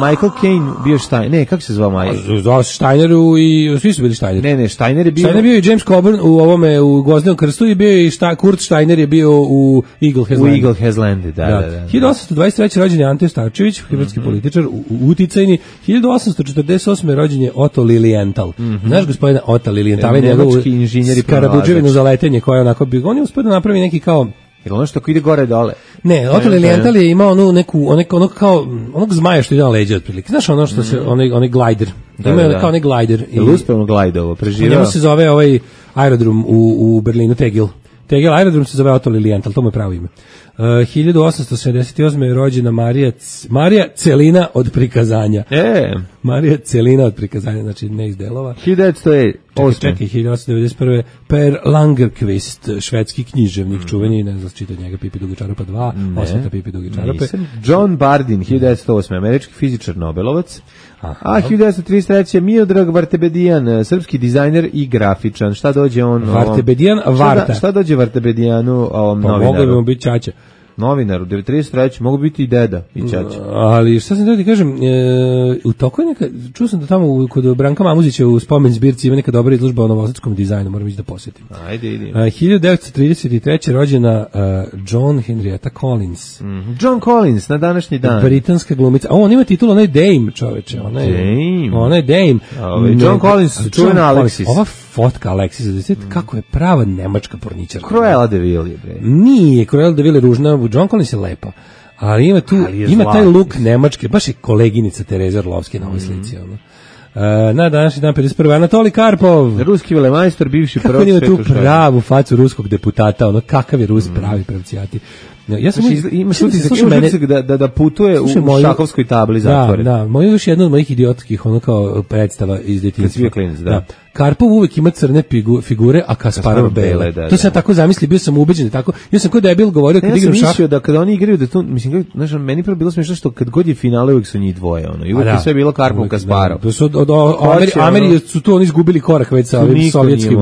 Michael Caine bio Steiner, ne, kako se zvao Michael? Zvao se Steineru i svi su bili Steiner. Ne, Steiner je bio... Steiner bio i James Coburn u Gvozdenom krstu i bio i Kurt Steiner je bio u Eagle Has Landed. U Eagle Has Landed, da. 1823. rođen je Ante Starčević, hrvatski političar, uticajni. 1848. rođen je Otto Lilienthal. Znaš gospodina Otta Lilienthal, nemački inženjer i Karabuđevinu za letenje koja je onako bio, on je uspio da napravi neki kao jer ono što ide gore dole. Ne, Otto Lilienthal je imao onog kao onog zmaja što ide na leđa otprilike. Znaš ono što se onaj glider. Ima kao onaj glider i uspevno glajdovo preživio. Njemu se zove ovaj aerodrom u Berlinu Tegel. Tegel aerodrom se zove Otto Lilienthal, to mu je pravo ime. 1878. je rođena Marija Celina od prikazanja. Marija Celina od prikazanja, znači ne iz delova. 1908. Čekaj, 1891. Per Langerqvist, švedski književnik, čuveni, ne znam čitao njega, Pipi duge čarape 2, Osveta Pipi duge čarape. John Bardeen, 1908. američki fizičar Nobelovac. A 1933. Miodrag Vartebedijan, srpski dizajner i grafičan. Šta dođe on? Vartebedijan Varta. Šta dođe Vartebedijanu ovom novinaru? Mogao bi mu biti čača. Novinaru, 1933. mogu biti i deda i čača. Ali šta sam da ti kažem, u toku je neka, čuo sam da tamo kod Branka Mamuzića u spomen zbirci ima neka dobra izložba o novosadskom dizajnu, moram ići da posjetim. Ajde, idi. 1933. rođena John Henrietta Collins. John Collins, na današnji dan. Britanska glumica. On ima titul, ona je Dame, čoveče. Ona je Dame. John Collins, čuvena Alexis. Ova fotka Alexis, kako je prava nemačka porničarka. Cruella de Vil je, bre. Nije, Cruella de Vil je ružna, John Collins je lepa. Ali ima taj look nemačke, baš je koleginica Tereza Orlovski na ovoj slici. Na današnji dan 51. Anatolij Karpov. Ruski velemajstor, bivši prvog sveta. Kako ima tu pravu facu ruskog deputata, kakav je Rus pravi pravcijati. Ja sam imaš utisak da putuje u šahovskoj tabli zatvore. Da, još jedna od mojih idiotskih ono kao predstava iz detinjstva. Kad si bio klinac, da. Karpov uvek ima crne figure, a Kasparov bele. To sam tako zamislio, bio sam ubeđen tako. Ja sam kao debil govorio kad igram šah. Ja sam mislio da kada oni igraju da to, mislim, znaš, meni prvo bilo smiješno što kad god je finale uvek su njih dvoje, ono. I uvek je sve bilo Karpov, Kasparov. To su Ameri su tu oni izgubili korak već sa ovim sovjetskim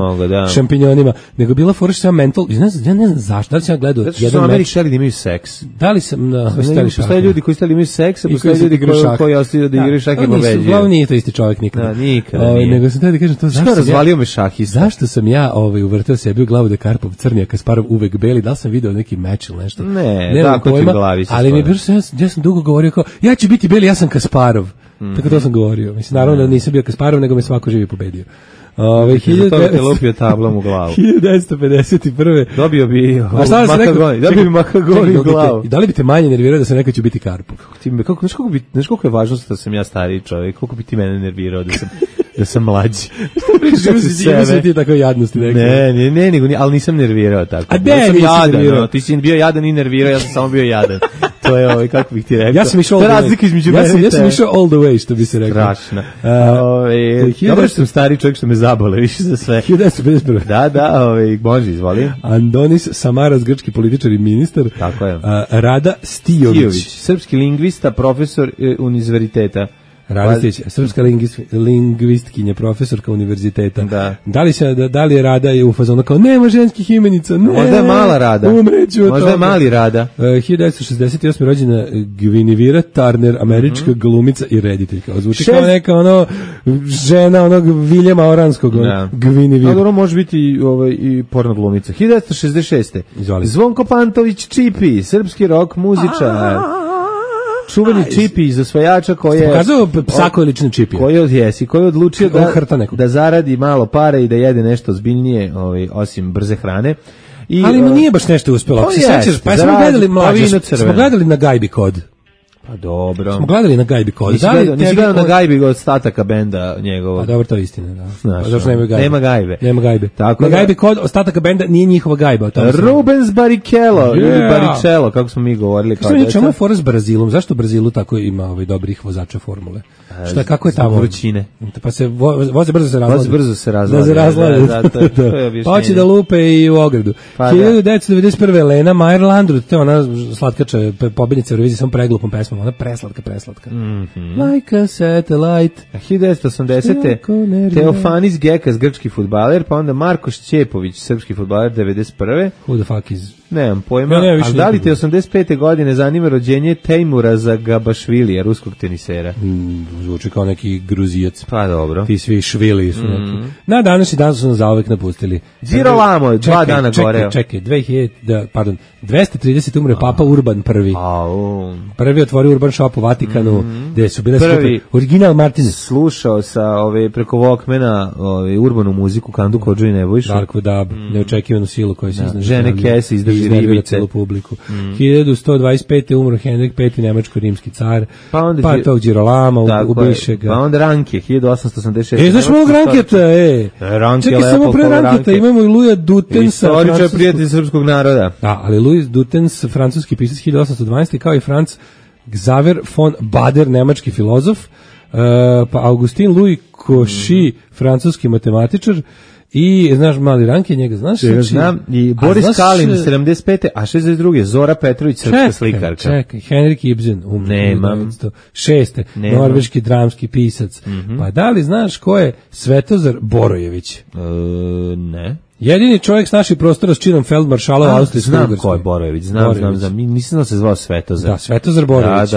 šampinjonima. Nego bila fora što mental, ja ne znam zašto, da li sam ja gledao jedan meč. Ameri hteli da imaju seks. Da li sam postoje ljudi koji hteli da imaju seks, a postoje ljudi koji ostaju da igraju šah i pobeđuju. Uglavnom nije to isti čovjek nikada. Nego sam tada kažem to zašto razvalio me šahista. Zašto sam ja uvrteo sebi u glavu da Karpov crni, a Kasparov uvek beli? Da li sam video neki meč ili nešto? Ne, tako ti u glavi se ali mi je bilo ja sam dugo govorio kao, ja ću biti beli, ja sam Kasparov. Tako to sam govorio. Mislim, naravno da nisam bio Kasparov, nego me svako živi pobedio. Te lupio tablom u glavu. 1951. Dobio bi Makagoni u glavu. Da li bi te manje nervirao da sam rekao ću biti Karpov? Znaš koliko je važno da sam ja stariji čovjek, koliko bi ti mene nervirao da sam mlađi. Ima se ti tako jadnosti. Ne, ali nisam nervirao tako. A ne, nisam jadan. Ti si bio jadan i nervirao, ja sam samo bio jadan. To je kako bih ti rekao. Ja sam išao all the way. Razlika između mene. Ja sam išao all the way, što bi se rekao. Strašno. Dobro što sam stari čovjek što me zabole više za sve. 1951. Da, može, izvoli. Andonis Samaras, grčki političar i ministar. Tako je. Rada Stijović, srpski lingvista, profesor univerziteta. Radistić, srpska lingvistkinja, profesorka univerziteta. Da. Da li je Rada je u fazonu kao nema ženskih imenica, ne. Možda je mala Rada. Umreću od možda je mali Rada. 1968. rođena Guinevere Turner, američka glumica i rediteljka. Zvuči kao neka žena onog Viljama Oranskog. Guinevere. Dobro, može biti i porno glumica. 1966. Zvonko Pantović Čipi, srpski rock muzičar. Čuveni Čipi iz osvajača koji je pokazao psako lični Čipi. Koji je odlučio da zaradi malo pare i da jede nešto ozbiljnije, osim brze hrane. Ali mu nije baš nešto uspelo. Ako se sećaš, pa smo gledali na Gajbi kod. Pa dobro. Smo gledali na Gajbi kod. Nisi gledao na Gajbi od ostataka benda njegovog. Pa dobro, to je istina, da. Zašto nema Gajbe? Nema Gajbe. Na Gajbi kod ostataka benda nije njihova Gajba. Rubens Barrichello, ili Barrichello, kako smo mi govorili. Čemu je fora s Brazilom? Zašto Brazilu tako ima dobrih vozača formule? Kako je tamo? Vrućine. Pa se voze brzo se razlade. Da se razlade. Pa hoće da lupe i u ogradu. 1991. Lena Meyer Landrut, to je ona slatkača, pobednica Eurovizije, samo preglupom pesmom, ona preslatka. Like a satellite. 1980. Teofanis Gekas, grčki fudbaler, pa onda Marko Šćepović, srpski fudbaler, 91. Who the fuck is... Nemam pojma, ali da li te 85. godine zanima rođenje Tejmura Zagabašvilija, ruskog tenisera? Zvuči kao neki Gruzijac. Pa dobro. Ti svi švili su neki. Na današnji dan su nas zauvek napustili. Girolamo, 2 dana gore. Čekaj, 230. umre Papa Urban prvi. Prvi otvorio Urban Shop u Vatikanu, gde su bile super. Original Martin. Slušao sa preko Walkmana urbanu muziku, Kandu Kodžu i Nebojšu. Dark Dub, neočekivanu silu koja se izdrži. Žene Kese izdrži ribice. Celu publiku. 1125. umro Henrik V, nemačko-rimski car. Pa tog Girolama ubiše ga. Pa onda Ranke, 1886. Znaš mog Ranketa, Čekaj, samo pre Ranketa imamo i Luja Dutensa. Istoričar prijatelj srpskog naroda. Da, ali Louis Dutens, francuski pisac 1812. kao i Franz Xaver von Bader, nemački filozof. Pa Augustin Louis Cauchy, francuski matematičar. I, znaš, mali Ranke, njega znaš? Znam, i Boris Kalin, 75. A 62. Zora Petrović, srpska slikarka. Čekaj, Henrik Ibsen, Nemam. 6. Norveški dramski pisac. Pa da li znaš ko je Svetozar Borojević? Ne. Jedini čovjek s naših prostora s činom feldmaršala austrijskog. Znam ko je Borojević, znam. Nisam da se zvao Svetozar. Da, Svetozar Borojević.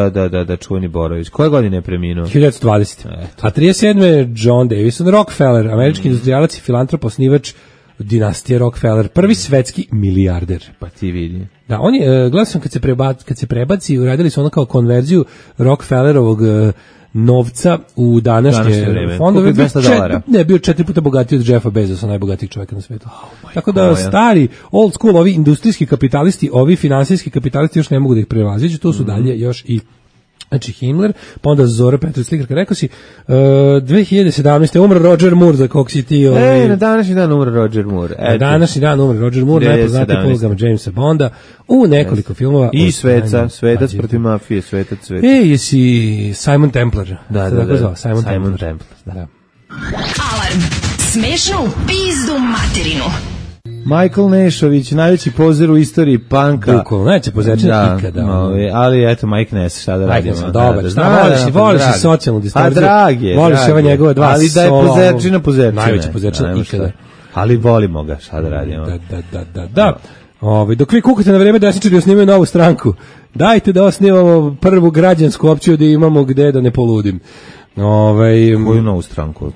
Da, čuveni Borojević. Koje godine je preminuo? 1920. A 37. John Davison Rockefeller, američki industrijalac i filantrop, osnivač dinastije Rockefeller, prvi svetski milijarder. Pa ti vidi. Da, on je, gledao sam kad se prebaci, uradili su ono kao konverziju Rockefellerovog novca u današnje fondove. Ne, bio 4 puta bogatiji od Jeffa Bezosa, najbogatijeg čovjeka na svijetu. Tako da stari, old school, ovi industrijski kapitalisti, ovi finansijski kapitalisti još ne mogu da ih prevaziđu, to su dalje još i Znači Himmler, pa onda Zora Petrović slikarka, rekao si, 2017. umro Roger Moore, za kog si ti... na današnji dan umro Roger Moore. Na današnji dan umro Roger Moore, najpoznatiji po ulogama Jamesa Bonda, u nekoliko filmova. I Svetac protiv mafije, Svetac. Jesi Simon Templar. Da. Simon Templar. Da. Alarm. Smešno u pizdu materinu. Michael Nešović, najveći pozer u istoriji panka. Bukvalno, najveći pozerčina ikada. Ali eto, Mike Ness, šta da radimo? Dobar, voliš i socijalnu distorziju. A dragi. Voliš ove njegove dva ali da je pozerčina. Najveći pozerčina ikada. Ali volimo ga, šta da radimo? Da. Dok vi kukate na vreme desničari osnimaju novu stranku, dajte da osnivamo prvu građansku opciju da imamo gde da ne poludim. Koju novu stranku?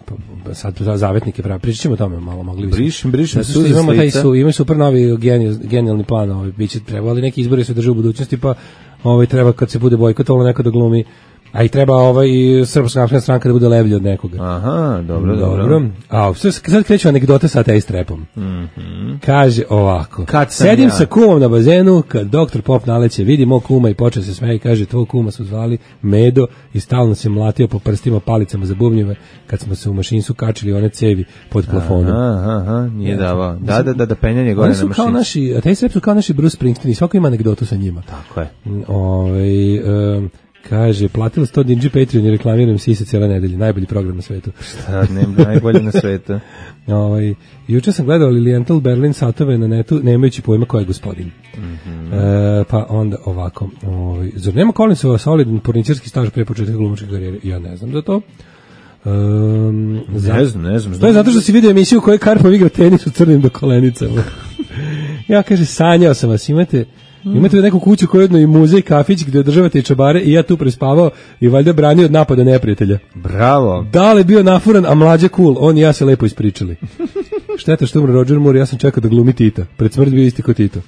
Sad zavetnike pravi. Pričat ćemo o tome malo, mogli bismo. Brišem imamo super novi genijalni plan, biće trebali neki izbori se drže u budućnosti, pa treba kad se bude bojkotovalo neko da glumi, a i treba Srpska napredna stranka da bude levlji od nekoga. Aha, dobro. A sad kreću anegdote sa ateist repom. Kaže ovako. Sedim sa kumom na bazenu, kad doktor Pop naleće, vidi mog kuma i počne se smeje i kaže, tvoj kuma su zvali Medo i stalno se mlatio po prstima palicama za bubnjeve kad smo se u mašincu kačili one cevi pod plafonom. Aha, nije davao. Da, penjanje gore na mašincu. Ateist rep su kao naši Bruce Springsteen i svako ima anegdotu sa njima. Tako je. Kaže, platila 100 dinđi Patreon i reklamiram Sise cijela nedelja. Najbolji program na svetu. Šta, najbolji na svetu. Juče sam gledao Lilienthal Berlin satove na netu, nemajući pojma ko je gospodin. Pa onda ovako. Zar nema Collinsova solidan porničarski staž pre početka glumačke karijere? Ja ne znam za to. Ne znam. To je zato što si vidio emisiju u kojoj Karpov igra tenis u crnim do kolenicama. Ja, kaže, sanjao sam vas, imate neku kuću koju jedno i muzej, kafić gde održavate i čabare i ja tu prespavao i valjda branio od napada neprijatelja. Bravo. Dale bio nafuran, a mlađe cool, on i ja se lepo ispričali. Šteta što umre Roger Moore, ja sam čekao da glumi Tita. Pred smrt bio isti ko Tito.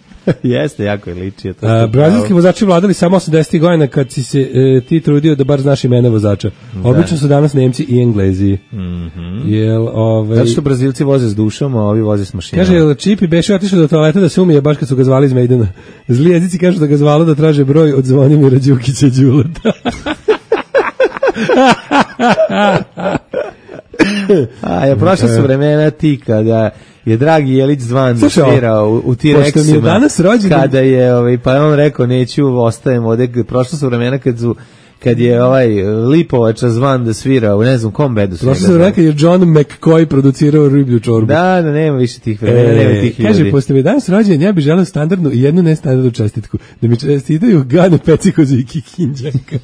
Jeste, jako je ličio. Brazilski vozači vladali samo 80. godina kad si se ti trudio da bar znaš imena vozača. Obično su danas Nemci i Englezi. Zato što Brazilci voze s dušom, a ovi voze s mašinom. Kaže, Čipi beše otišao do toaleta da se umije baš kad su ga zvali iz Mejdana. Zli jezici kažu da ga zvalo da traže broj od Zvonimira Đukića Đuleta. Prošla su vremena ti kada je Dragi Jelić Zvan svirao u T-Rexima, kada je, pa on rekao neću, ostajem ovde, prošla su vremena kad je Lipovača Zvan da svira u ne znam kom bedu. Prošla su vremena kad je John McCoy producirao riblju čorbu. Da, nema više tih vremena, nema tih ljudi. Kaže, pošto mi je danas rođen, ja bih želeo standardnu i jednu nestandardnu čestitku, da mi čestitaju Gane Pecikozi i Kikinđanka.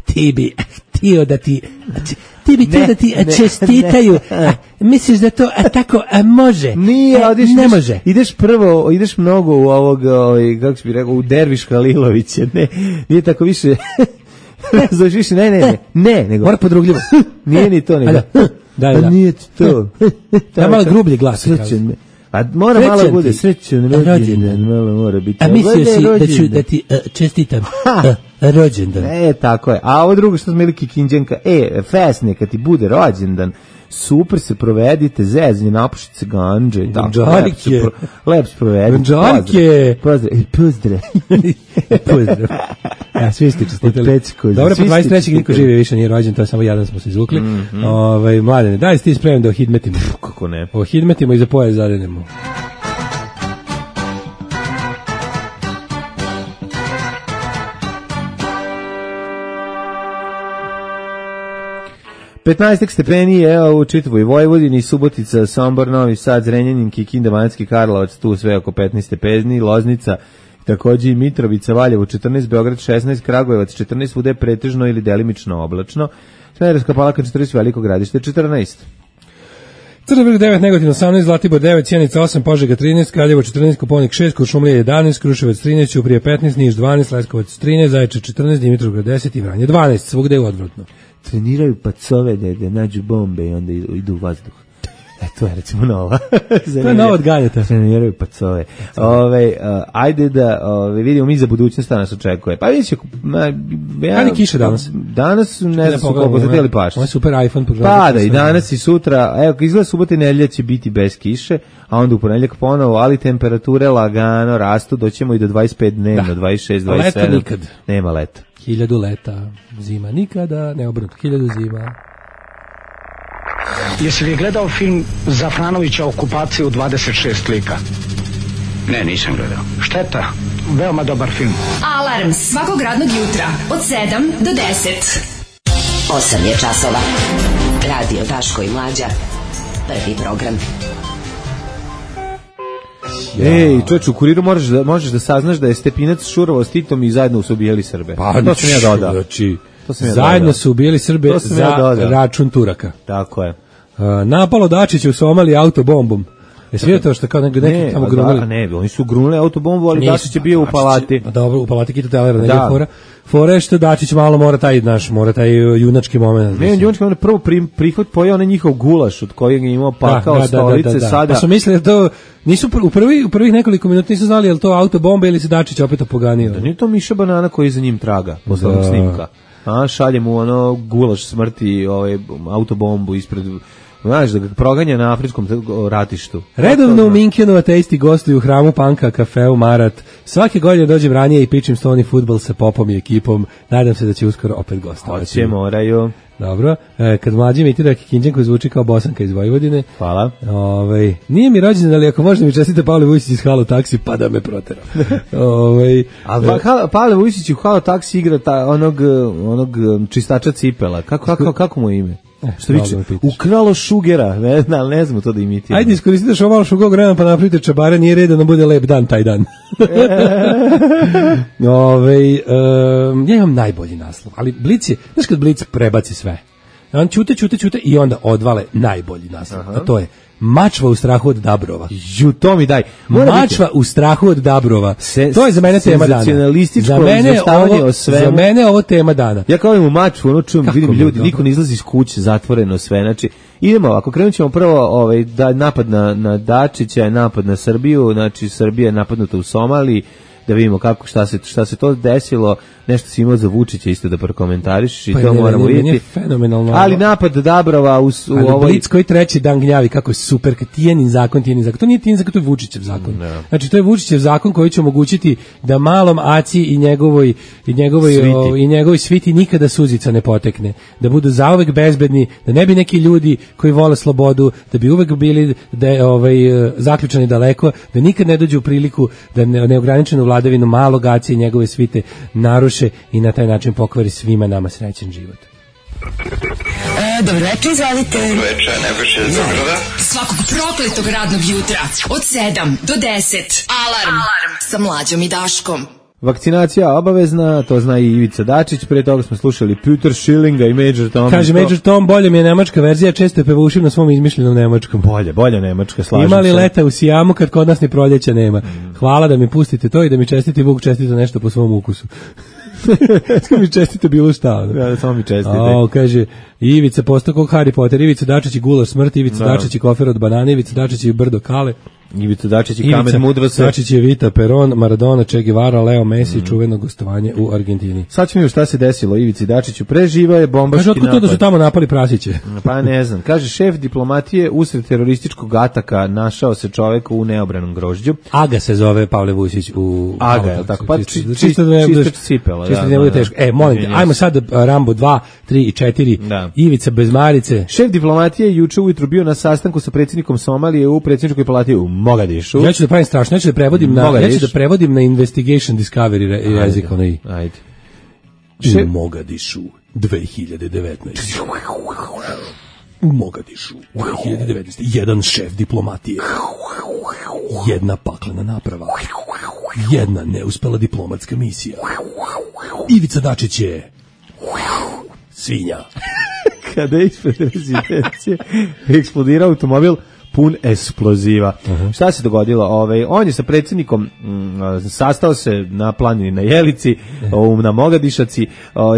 Ti bi htio da ti čestitaju. Misliš da to tako može? Nije, ne može. Ideš mnogo u ovog, kako bi rekao, u Derviš Halilovića. Nije tako više. Znaš više, ne, nego. Mora podrugljivo. Nije ni to, nego. Da. Nije to. Da malo grublji glas. A mora malo bude srećan rođendan, malo mora biti. A mislio si da ti čestitam rođendan. Tako je. A ovo drugo što smo imali Kikinđanka, fesne, kad ti bude rođendan, super se provedite, zezanje, napušite se ganđe i tako. Lep se provedite. Pozdrav. Svi ste čestitali. Dobro, po 23. niko živi više nije rođen, to je samo jedan smo se izvukli. Mladene, daj si ti spremno da ohidmetimo. Kako ne? Ohidmetimo i za pojas zadenemo. Petnaestak stepeni je u čitavoj Vojvodini, Subotica, Sombor, Novi Sad, Zrenjanin, Kikinda, Banatski Karlovac, tu sve oko 15 stepeni, Loznica, takođe i Mitrovica, Valjevo 14, Beograd 16, Kragujevac 14, svuda je pretežno ili delimično oblačno, Smederevska Palanka 14, Veliko Gradište 14. Crni vrh 9, Negotin 18, Zlatibor 9, Sjenica 8, Požega 13, Kraljevo 14, Koponik 6, Kuršumlija 11, Kruševac 13, Ćuprija 15, Niš 12, Leskovac 13, Zaječar 14, Dimitrovgrad 10 i Vranje 12, svugde je odvratno. Treniraju pacove da nađu bombe i onda idu u vazduh. To je recimo nova. To je nova od Galjeta. Treniraju pacove. Ajde da vidimo mi za budućnost nas očekuje. Pa vidjet će... Kada kiše danas? Danas ne znam koliko se tijeli pašće. Ovo je super iPhone. Pada i danas i sutra. Evo, izgleda subota i nedelja će biti bez kiše, a onda u ponedjeljak ponovo, ali temperature lagano rastu, doćemo i do 25 dnevno, 26, 27. Leta nikad. Nema leta. 1000 leta, zima nikada, ne obrnuto, 1000 zima. Jesi li gledao film Zafranovića Okupaciju 26 lika? Ne, nisam gledao. Šteta, veoma dobar film. Alarm svakog radnog jutra od 7 do 10. 8 je časova. Radio Daško i Mlađa. Prvi program. Ej, čovječ, u Kuriru možeš da saznaš da je Stepinac šurovao s Titom i zajedno su ubijali Srbe. Pa, to sam ja dodao. Zajedno su ubijali Srbe za račun Turaka. Tako je. Napalo Dačića u Somaliji autobombom. Jesi vidio to što kao neki tamo grunuli? Ne, oni su grunuli autobombu, ali Dačić je bio u palati. Dobro, u palati Kita Telera, ne je fora. Fora je što Dačić malo mora taj junački moment. Ne, junački moment, prvo prihvat pojao onaj njihov gulaš od kojeg je imao pakao stolice sada. Pa su mislili da to, nisu u prvih nekoliko minuta nisu znali je li to autobomba ili se Dačić opet opoganio. Da nije to Miša Banana koji za njim traga, posle onog snimka. Šalje mu ono gulaš smrti, autobombu ispred... Znaš, da ga proganja na afričkom ratištu. Redovno u Minkenu ateisti gostuju u hramu Panka, kafeu Marat. Svake godine dođem ranije i pičim stoni fudbal sa Popom i ekipom. Nadam se da će uskoro opet gostovati. Hoće, moraju. Dobro. Kad mlađi imitira Kikinđan koji zvuči kao Bosanka iz Vojvodine. Hvala. Nije mi rođendan, ali ako možda mi čestite Pavle Vujčić iz Halo Taksi, pa da me protera. Pavle Vujčić u Halo Taksi igra onog čistača cipela. Kako mu je ime? Što viče, ukralo šugera, ne znam to da imitiramo. Ajde, iskoristite što malo šugog vremena pa napravite čabare, nije red da nam bude lep dan taj dan. Ja imam najbolji naslov, ali Blic je, znaš kad Blic prebaci sve, on ćute i onda odvale najbolji naslov, a to je Mačva u strahu od Dabrova. To mi daj. Mačva u strahu od Dabrova. To je za mene tema dana. Za mene je ovo tema dana. Ja kao imam Mačvu, ono čujem, vidim ljudi, niko ne izlazi iz kuće, zatvoreno sve. Znači, idemo ovako, krenut ćemo prvo napad na Dačića, napad na Srbiju, znači Srbija je napadnuta u Somaliji, da vidimo šta se to desilo, nešto si imao za Vučića isto da prokomentariš i to moramo vidjeti. Ali napad Dabrova u ovoj... Blic koji treći dan gnjavi kako je super, kad Tijanin zakon. To nije Tijanin zakon, to je Vučićev zakon. Znači to je Vučićev zakon koji će omogućiti da malom Aci i njegovoj sviti nikada suzica ne potekne. Da budu zauvek bezbedni, da ne bi neki ljudi koji vole slobodu, da bi uvek bili zaključani daleko, da nikad ne dođu u priliku da neograničenu vladavinu malog Aci i njegove svite naruše i na taj način pokvari svima nama srećan život. Dobro večer, izvalite. Dobro večer, Nebojša iz Beograda. Svakog prokletog radnog jutra od 7 do 10. Alarm sa Mlađom i Daškom. Vakcinacija obavezna, to zna i Ivica Dačić, pre toga smo slušali Peter Schillinga i Major Tom. Kaže Major Tom, bolje mi je nemačka verzija, često je pevušim na svom izmišljenom nemačkom. Bolje nemačka, slažem se. Imali leta u Sijamu kad kod nas ni proljeća nema. Hvala da mi pustite to i da mi čestiti Vuk čestite nešto po svom ukusu. Samo mi čestite bilo šta. Da, samo mi čestite. Kaže, Ivica postao kog Harry Potter, Ivica Dačić i gulaš smrti, Ivica Dačić i kofer od banane, Ivica Dačić i brdo kale. Ivica Dačić i kamen mudrosti. Dačić je Vita Peron, Maradona, Che Guevara, Leo Messi, čuveno gostovanje u Argentini. Sad ćemo šta se desilo Ivici Dačiću. Preživao je bombaški napad. Kaže, otkud to da su tamo napali prasiće? Pa ne znam. Kaže, šef diplomatije usred terorističkog ataka našao se čovek u neobranom grožđu. Aga se zove Pavle Vujčić u... Aga, tako. Pa čisto cipela. Čisto ne bude teško. Molim te, ajmo sad Rambo 2, 3 i 4. Ivica bez marice. Šef diplomatije juče ujutro bio na sastanku sa predsjednikom Somalije u predsjedničkoj palati u Mogadišu. Ja ću da pravim strašno, ja ću da prevodim na Investigation Discovery jezik. Ajde. U Mogadišu 2019. U Mogadišu 2019. Jedan šef diplomatije. Jedna paklena naprava. Jedna neuspela diplomatska misija. Ivica Dačić je svinja. Kada je ispred rezidencije eksplodirao automobil pun eksploziva. Šta se dogodilo? On je sa predsjednikom sastao se na planini na Jelici, na Mogadišaci,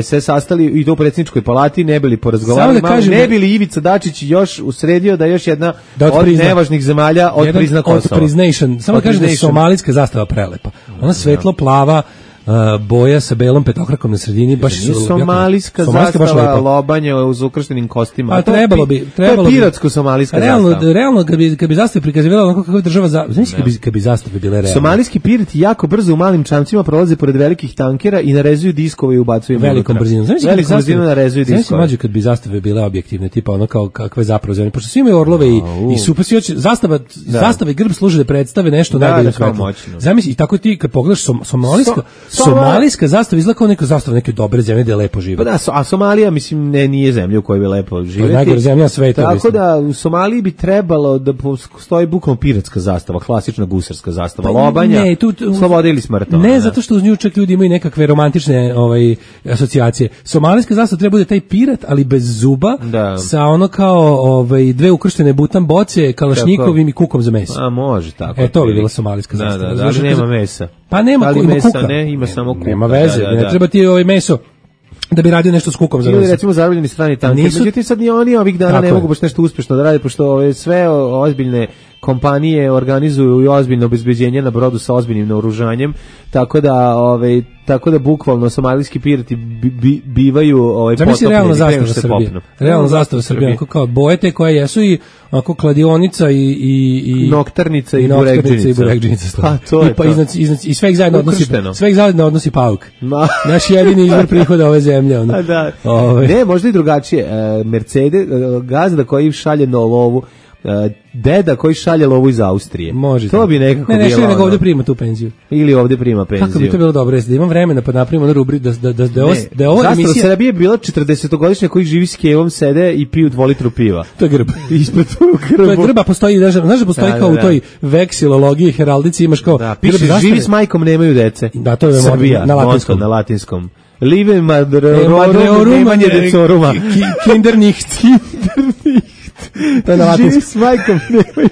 se sastali i to u predsjedničkoj palati, ne bili porazgovarali, ne bili Ivica Dačić još usredio da još jedna od nevažnih zemalja odprizna Kosovo. Samo da kažem da je somalijska zastava prelepa. Ona svetlo plava, boja sa belom petokrakom na sredini, baš su somalijska zastava lobanje uz ukrštenim kostima. A trebalo bi to je piratsko-somalijska zastava. Realno kad bi zastave prikazivala onako kako je država znači kad bi zastave bile realne. Somalijski pirati jako brzo u malim čamcima prolaze pored velikih tankera i narezuju diskove i ubacuju velikom brzinom. Velikom brzinom narezuju diskove. Znači kad bi zastave bile objektivne, tipa ono kao kakve zapravo zemlje, pošto svi imaju orlove i super zastava i grb služe da predstave nešto najbolje svetlo. Zamisli i tako ti kad pogledaš somalijska zastava izgleda kao neka zastava neke dobre zemlje gde lepo žive. Pa da, a Somalija mislim nije zemlja u kojoj bi lepo živeti. Najgore zemlja sveta. Tako mislim. Da u Somaliji bi trebalo da stoji bukvalno piratska zastava, klasična gusarska zastava, lobanja, sloboda ili smrt. Ne, zato što uz nju čak ljudi imaju nekakve romantične asocijacije. Somalijska zastava treba bude taj pirat, ali bez zuba, sa ono kao dve ukrštene butan boce, kalašnjikovim i kukom za meso. A može tako. To bi bila somalijska zastava. Da, ali nema mesa. Pa nema kuka. Ne, ima samo kuka. Nema veze, ne treba ti meso da bi radio nešto s kukom za ili recimo zarobljeni strani tanker. Međutim sad ni oni ovih dana ne mogu baš nešto uspješno da rade, pošto sve ozbiljne kompanije organizuju i ozbiljno obezbeđenje na brodu sa ozbiljnim naoružanjem, tako da bukvalno somalijski pirati bivaju potopljeni. Realna zastava Srbije, kao bojete koje jesu i ako kladionica i noktarnica i burekdžinica. Pa to je i sve ih zajedno odnosi pauk. Naš jedini izvor prihoda ove zemlje. Ne, možda i drugačije. Mercedes, gazda koji šalje na lovu, deda koji šalje lovu iz Austrije. Može. To bi nekako bilo. Ne šalje nego ovdje prima tu penziju. Ili ovdje prima penziju. Kako bi to bilo dobro, da imam vremena pa napravimo na rubri da je ova emisija. Zastava Srbije je bila 40-godišnja koji živi s kevom, sede i piju 2 litru piva. To je grb. Ispred grbu. To je grba, postoji, znaš da postoji kao u toj veksilologiji, heraldici, imaš kao piše živi s majkom, nemaju dece. Da, to je Srbija, na latinskom. Live madreorum, nemanje decoruma. Kindernicht. To je na latinskom. S majkom nemaju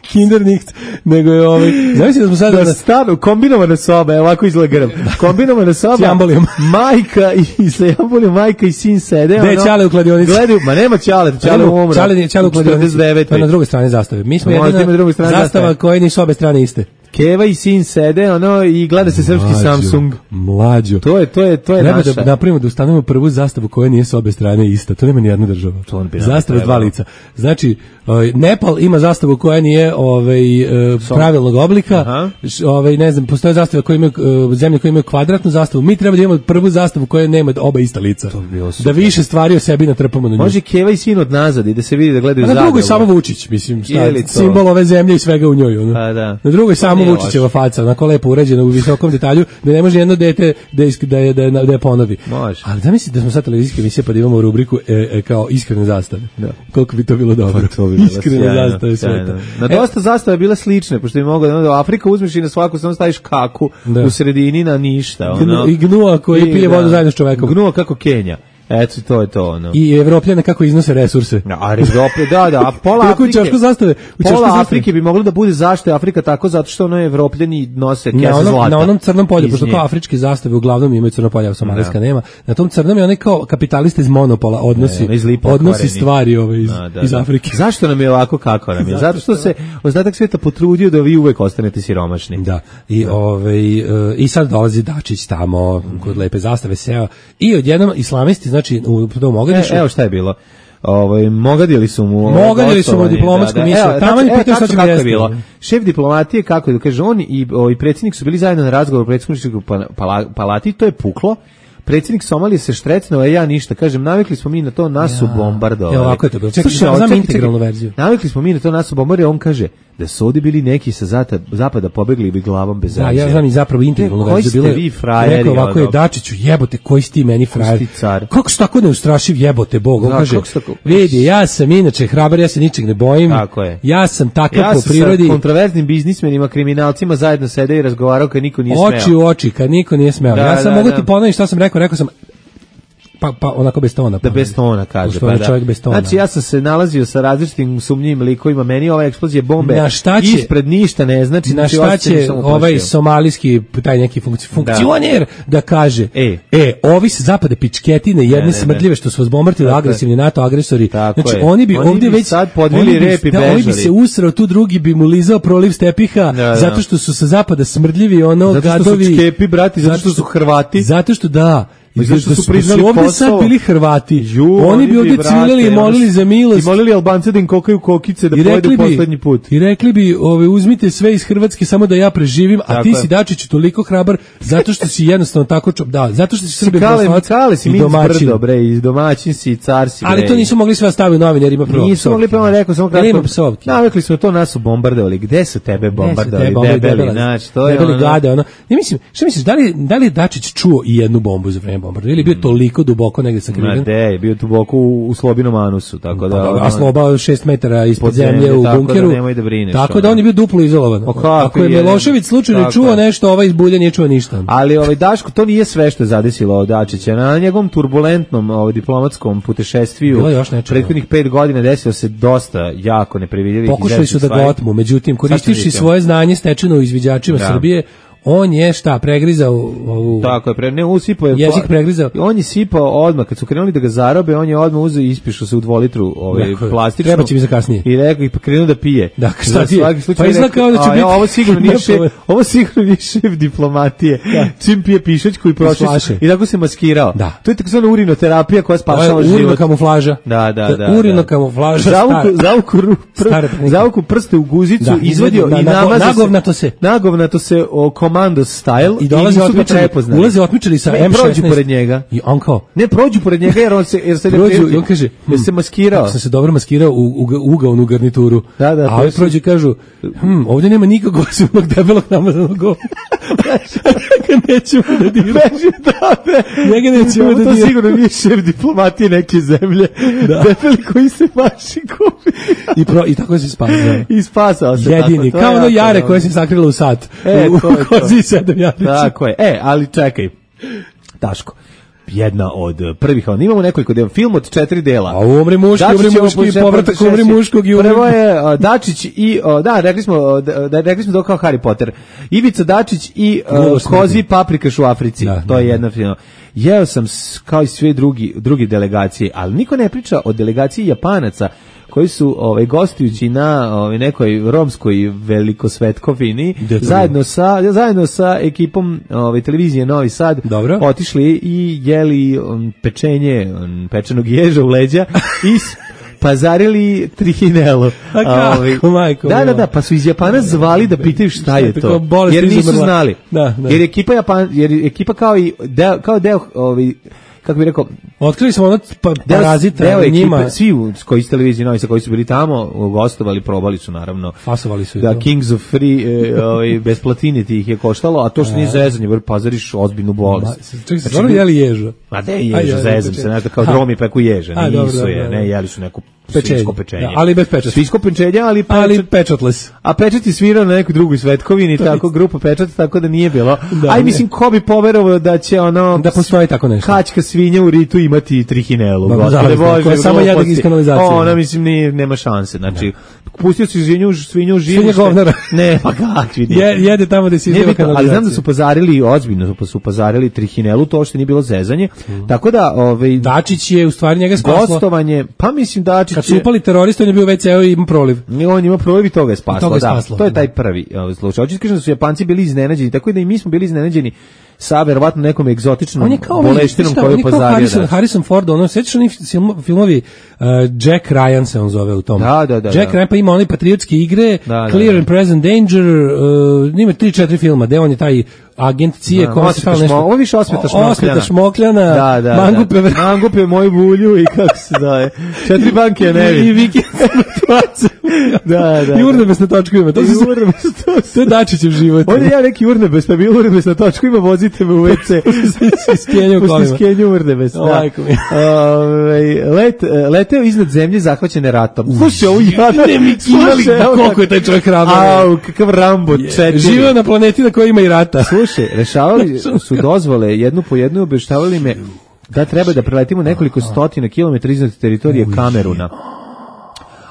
Kindernicht, nego je znači da smo sada na stanu kombinovana soba, ovako izgleda grb. Kombinovana soba. S jambolijom. Majka i sa jambolijom, majka i sin sede. Gde je Ćale u kladionici? Gledaju, ma nema Ćale umro. Ćale u kladionici. To je na drugoj strani zastave. Mi smo jedina zastava koja nisu obe strane iste. Keva i sin sede, i gleda se srpski Samsung. Mlađo. To je treba naša. Da napravimo da ustanovimo prvu zastavu koja nije s obe strane ista. To nema ni jedna država. Zastava s 2 lica. Znači, Nepal ima zastavu koja nije pravilnog oblika. Ne znam, postoje zastave koje imaju zemlje koje imaju kvadratnu zastavu. Mi treba da imamo prvu zastavu koja nema oba ista lica. Da više stvari o sebi natrpamo na nju. Može Keva i sin od nazad i da se vidi da gledaju zadnje. Na drugoj samo Vučić, mislim, simbol ove zemlje i svega u njoj. Na drugoj samo Vučićeva faca, onako lepo uređena u visokom detalju, da ne može jedno dete da je ponovi. Može. Ali da misli da smo sad televizijske emisije pa da imamo rubriku kao iskrene zastave. Koliko bi to bilo dobro. Iskrene zastave sveta. Na dosta zastave bila slične, pošto bi moglo da Afrika uzmeš i na svaku samo staviš kaku u sredini na ništa. I gnua koji pije vodu zajedno s čovekom. Gnua kako Kenja. Eto, to je to, I Evropljane kako iznose resurse. A Evrope, da, a pola Afrike bi moglo da bude zašto je Afrika tako, zato što Evropljani nose kese zlata. Na onom crnom polju, pošto kao afričke zastave uglavnom imaju crno polje, a somalijska nema, na tom crnom je onaj kao kapitalista iz monopola odnosi stvari iz Afrike. Zašto nam je ovako kako nam je? Zato što se ostatak sveta potrudio da vi uvek ostanete siromašni. Da, i sad dolazi Dačić tamo, kod lepe zastave seo, i odjednom islamisti, znači u tom Mogadišu. Evo šta je bilo. Mogadili su mu diplomatsku misiju. Tamo je pitao šta će kako je bilo. Šef diplomatije, kako da kaže, on i predsjednik su bili zajedno na razgovoru u predsjedničkoj palati, to je puklo. Predsjednik Somalije se štrecnuo, a ja ništa. Kažem, navikli smo mi na to, nas su bombardovali. Evo ovako je to bilo. Čekaj, znam integralnu verziju. Navikli smo mi na to, nas su bombardovali, on kaže da su ovdje bili neki sa zapada pobegli i bi glavom bez razlije. Ja znam i zapravo integralnu verziju. Koji ste vi frajeri? Rekao ovako je, Dačiću, jebote, koji si ti meni frajer? Kako su tako neustrašiv, jebote Bog? On kaže, vidi, ja sam inače hrabar, ja se ničeg ne bojim. Tako je. Ja sam takav po prirodi. Ja sam sa kontroverznim biznismenima, kriminalcima zajedno sede i razgovarao kad niko nije smeo. Oči u oči, kad niko nije smeo. Ja sam mogu ti ponoviti šta sam rekao, pa onako bez tona. Da bez tona kaže, pa da. Čovjek bez tona. Znači ja sam se nalazio sa različitim sumnjivim likovima, meni ova eksplozija bombe ispred ništa ne znači. Na šta će ovaj somalijski taj neki funkcioner da kaže ovi se zapada pičketine jedne smrdljive što su vas bombardili agresivni NATO agresori. Znači oni bi ovdje već sad podvili rep i bežali. Oni bi se usrao, tu drugi bi mu lizao proliv s tepiha zato što su sa zapada smrdljivi gadovi. Zato što su Čkepi, brati, zato što su Hrvati. Zato što da. Zašto su priznali ovdje Kosovo? sad bili Hrvati. Oni bi ovdje civilili i molili za milost. I molili Albance da im kokaju kokice da pojedu poslednji put. I rekli bi, uzmite sve iz Hrvatske samo da ja preživim, a ti si Dačić toliko hrabar zato što si jednostavno tako zato što si Srbi Kale si mi izbrdo, bre, i domaćin si i car si, bre. Ali to nisu mogli sve staviti u novine jer ima prvo. Nisu mogli, pa rekao samo kratko. Navikli smo to, nas su bombardovali. Gde su tebe bombardovali? Debeli, znači, to je ono. Ja mislim, šta misliš, da li je Dačić čuo i jednu bombu za vreme bombardovanja ili bio toliko duboko negde sakriven? Ma je bio duboko u Slobinom anusu, tako da... A Sloba 6 metara ispod zemlje u bunkeru. Tako da on je bio duplo izolovan. Ako je Milošević slučajno čuo nešto, ovaj iz Bulja nije čuo ništa. Ali Daško, to nije sve što je zadesilo Dačića. Na njegovom turbulentnom diplomatskom putešestviju prethodnih 5 godina desilo se dosta jako neprevidljivih. Pokušali su da ga otmu, međutim, koristivši svoje znanje stečeno u izviđačima Srbije, on je pregrizao ovu... Tako je, usipao je... Jezik pregrizao. On je sipao odmah, kad su krenuli da ga zarobe, on je odmah uzeo i ispišao se u 2 litru plastičnu. Treba će mi za kasnije. I rekao, i krenuo da pije. Da, šta ti je? Pa izlakao da će biti... Ovo sigurno nije šef diplomatije. Čim pije pišačku i prošli i tako se maskirao. Da. To je takozvana urinoterapija koja spašava život. Urino kamuflaža. Da. Urino kamuflaža. Zavuku prste u guzicu, izvadio i nagovnato se Komando style i ulaze otmičari sa M16 prođu pored njega i on kao ne prođu pored njega jer se prođu i on kaže se maskirao sam se dobro maskirao u ugaonu garnituru a ovi prođu i kažu ovdje nema nikog osim onog debelog namazanog govna nećemo da diramo njega nećemo da diramo to sigurno nije šef diplomatije neke zemlje debeli koji se maši kupi i tako se spasao se jedini kao ono Jare koje se sakrilo u sat Kozi 7 jarlića. Tako je. Ali čekaj. Daško. Jedna od prvih, imamo nekoliko dela, film od 4 dela. A umri muški, povratak umri muškog i prvo je Dačić i rekli smo da kao Harry Potter. Ivica Dačić i Kozi paprikaš u Africi. To je jedna film. Jeo sam kao i sve drugi delegacije, ali niko ne priča o delegaciji Japanaca koji su gostujući na nekoj romskoj velikosvetkovini zajedno sa ekipom televizije Novi Sad otišli i jeli pečenog ježa u leđa i pazarili trihinelu. Da, pa su iz Japana zvali da pitaju šta je to. Jer nisu znali. Jer ekipa kao deo kako bih rekao, otkrili smo ono parazita njima. Svi koji iz televizije Novi Sad koji su bili tamo, gostovali, probali su naravno. Fasovali su da Kings of Free, bez platine ti ih je koštalo, a to što nije zezanje, jer pazariš ozbiljnu bolest. Čekaj, se stvarno jeli ježa? Ma da je ježa, zezam se, nekako kao dromi peku ježa, nisu je, ne, jeli su neku svinjsko pečenje. Ali bez pečata. Svinjsko pečenje, ali pečatless. A Pečat je svirao na nekoj drugoj svetkovini, tako grupa Pečat, tako da nije bilo. Aj, mislim, ko bi poverovao da će da postoji tako nešto. Kačka svinja u ritu imati trihinelu. Koja je samo jedan iz kanalizacije. Ona, mislim, nema šanse. Znači, pustio si svinju u živište. Svinja govnara. Ne, pa kakvi nije. Jede tamo gde si izveo kanalizacije. Ali znam da su pozarili, ozbiljno su pozarili trihinelu, to što nije bilo zezanje. Tako da, Dačić je u stvari njega spaslo. Gostovanje, pa mislim Dačić kad su upali teroristi, on je bio WC-o i ima proliv. On ima proliv i toga je spaslo, da. To je taj prvi slučaj. Hoćeš kažem da su Japanci bili iznenađeni, tako da i mi smo bili iznenađeni sa verovatno nekom egzotičnom boleštinom koju je pozario. Harrison Ford, sećaš oni filmovi Jack Ryan se on zove u tom. Da. Jack Ryan pa ima one patriotske igre, Clear and Present Danger, ima 3-4 filma, gde on je taj agent CIA koja se stalo nešto. Ovo više Osmeta Šmokljana, Mangupe moju bulju i kako se zove. 4 banke je nevi. I vikend i urnebes na točku ima. To je Dačićev život. Ovdje ja neki urnebes, pa bi urnebes na točku ima, vozite me u WC. Skenju urnebes. Leteo iznad zemlje zahvaćene ratom. Slušaj, ovo jada. Koliko je taj čovjek hrabar. Kakav Rambo 4. Živio na planeti na kojoj ima i rata. Slušaj, rešavali su dozvole jednu po jednu, obještavali me da treba da preletimo nekoliko stotina kilometara iznad teritorije Kameruna.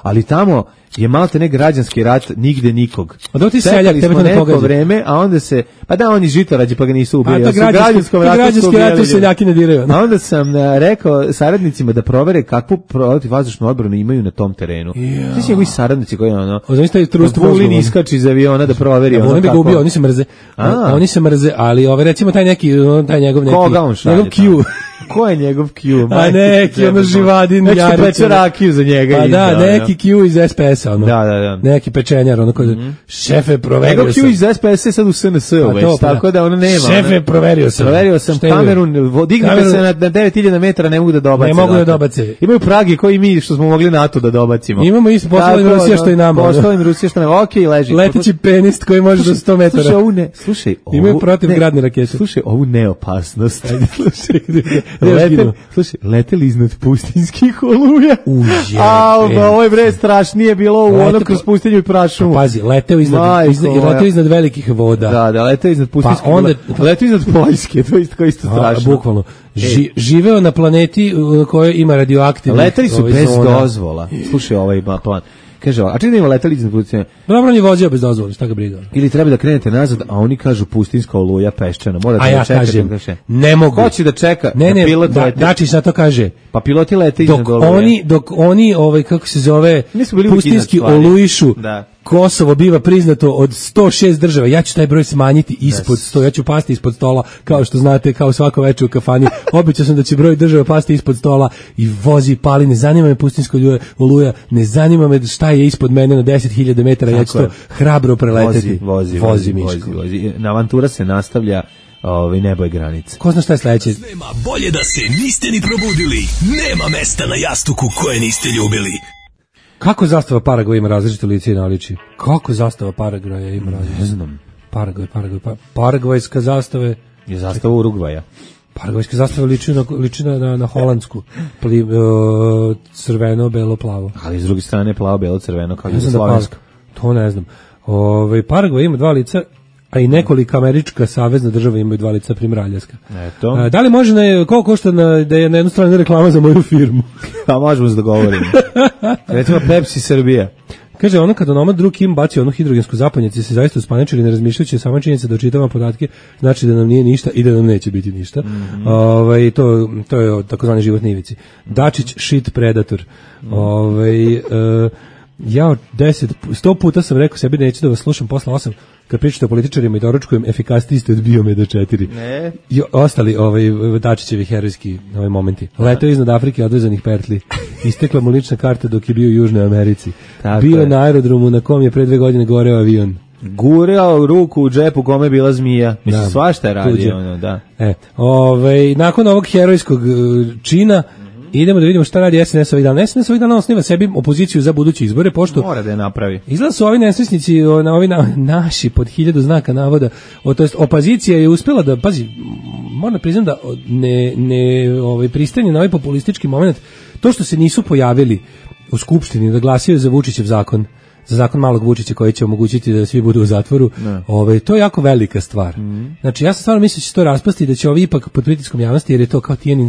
Ali tamo je malte ne građanski rat, nigde nikog. A da ti seljak, tebe to ne pogađa. Vreme, a onda se, pa da, oni žitorađi pa ga nisu ubili. A to građanski rat seljaki ne diraju. A onda sam rekao saradnicima da provere kakvu protivvazdušnu odbranu imaju na tom terenu. Svi su njegovi saradnici koji Vulin iskači iz aviona da proveri. Vulin bi ga ubio, oni se mrze. Oni se mrze, ali recimo taj njegov neki. Koga on šalje? Njegov Q. Ko je njegov Q? A neki, ono živadin. Neki peče rakiju za njega. Pa da, neki Q iz SPS-a, ono. Da. Neki pečenjar, ono koji, šefe, proverio sam. Njegov Q iz SPS je sad u SNS već, tako da ono nema. Šefe, proverio sam Kamerun, dignite se na 9000 metara, ne mogu da dobace. Ne mogu da dobace. Imaju pragi koji mi, što smo mogli NATO da dobacimo. Imamo isto, poslovim Rusija što i nama. Poslovim Rusija što nama, okej, leži. Leteći penist koji može do 100 metara. Slušaj, imaju protivgradne rakete. Slušaj, ovu neopasnost. Slušaj, leteli iznad pustinskih oluja. Ovo je bre strašnije bilo u ono kroz pustinju i prašumu. Pazi, leteo iznad velikih voda. Da, leteo iznad pustinskih voda. Leteo iznad Poljske, to je isto strašno. Bukvalno. Živeo na planeti u kojoj ima radioaktivnih. Leteli su bez dozvola. Slušaj, ovaj ima plan. Kaže, a čini da ima leteli iznad pustinje? Dobro, on je vozio bez dozvole, šta ga briga. Ili treba da krenete nazad, a oni kažu pustinska oluja peščana. A ja kažem, ne mogu. Hoće da čeka, pilot lete. Dačić na to kaže. Pa piloti lete iznad oluja. Dok oni, kako se zove, pustinski olujišu, Kosovo biva priznato od 106 država. Ja ću taj broj smanjiti ispod 100, ja ću pasti ispod stola, kao što znate, kao svako večer u kafani. Obećao sam da će broj država pasti ispod stola i vozi, pali, ne zanima me pustinska oluja, ne zanima me šta je ispod mene na 10.000 metara, ja ću to hrabro preleteti. Vozi, Miško. Avantura se nastavlja, nebo je granica. Ko zna šta je sledeće? Nema bolje da se niste ni probudili, nema mesta na jastuku koje niste ljubili. Kako zastava Paragvaja ima različite lice i naličje? Kako zastava Paragvaja ima različite? Ne znam. Paragvajska zastava je zastava Urugvaja. Paragvajska zastava liči na holandsku. Crveno, belo, plavo. Ali s druge strane plavo, belo, crveno kao jugoslovenska. To ne znam. Paragvaj ima dva lica, a i nekoliko američka savezna država imaju dva lica, primjer Aljaska. Eto. Da li može, koliko košta da je na jednu stranu reklama za moju firmu? Pa možemo se dogovoriti. Recimo Pepsi Srbija. Kaže, ono kada onomad drug Kim baci onu hidrogensku zapadnjaci se zaista uspaničili, ne razmišljajući sama činjenica da očitava podatke, znači da nam nije ništa i da nam neće biti ništa. To je takozvani životni ivici. Dačić shit predator. Ja 100 puta sam rekao sebi da neću da vas slušam posle 8 kad pričate o političarima i doručkujem efikasniji ste od Biomeda 4. Ne. I ostali Dačićevi herojski momenti. Letao iznad Afrike odvezanih pertli. Istekla mu lična karta dok je bio u Južnoj Americi. Bio na aerodromu na kom je pre 2 godine goreo avion. Gurao ruku u džepu kome je bila zmija. Mislim, svašta je radio. Da. Nakon ovog herojskog čina idemo da vidimo šta radi SNS ovih dana. SNS ovih dana osniva sebi opoziciju za buduće izbore, pošto mora da je napravi. Izgleda su ovi nesrećnici, naši pod 1000 znaka navoda, to jest opozicija je uspjela da, pazi, moram priznam da ne pristanje na ovaj populistički moment, to što se nisu pojavili u skupštini da glasaju za Vučićev zakon, za zakon malog Vučića koji će omogućiti da svi budu u zatvoru, to je jako velika stvar. Znači, ja sam stvarno mislio da će to raspasti i da će ovi ipak pod pritiskom javnosti, jer je to kao Tijanin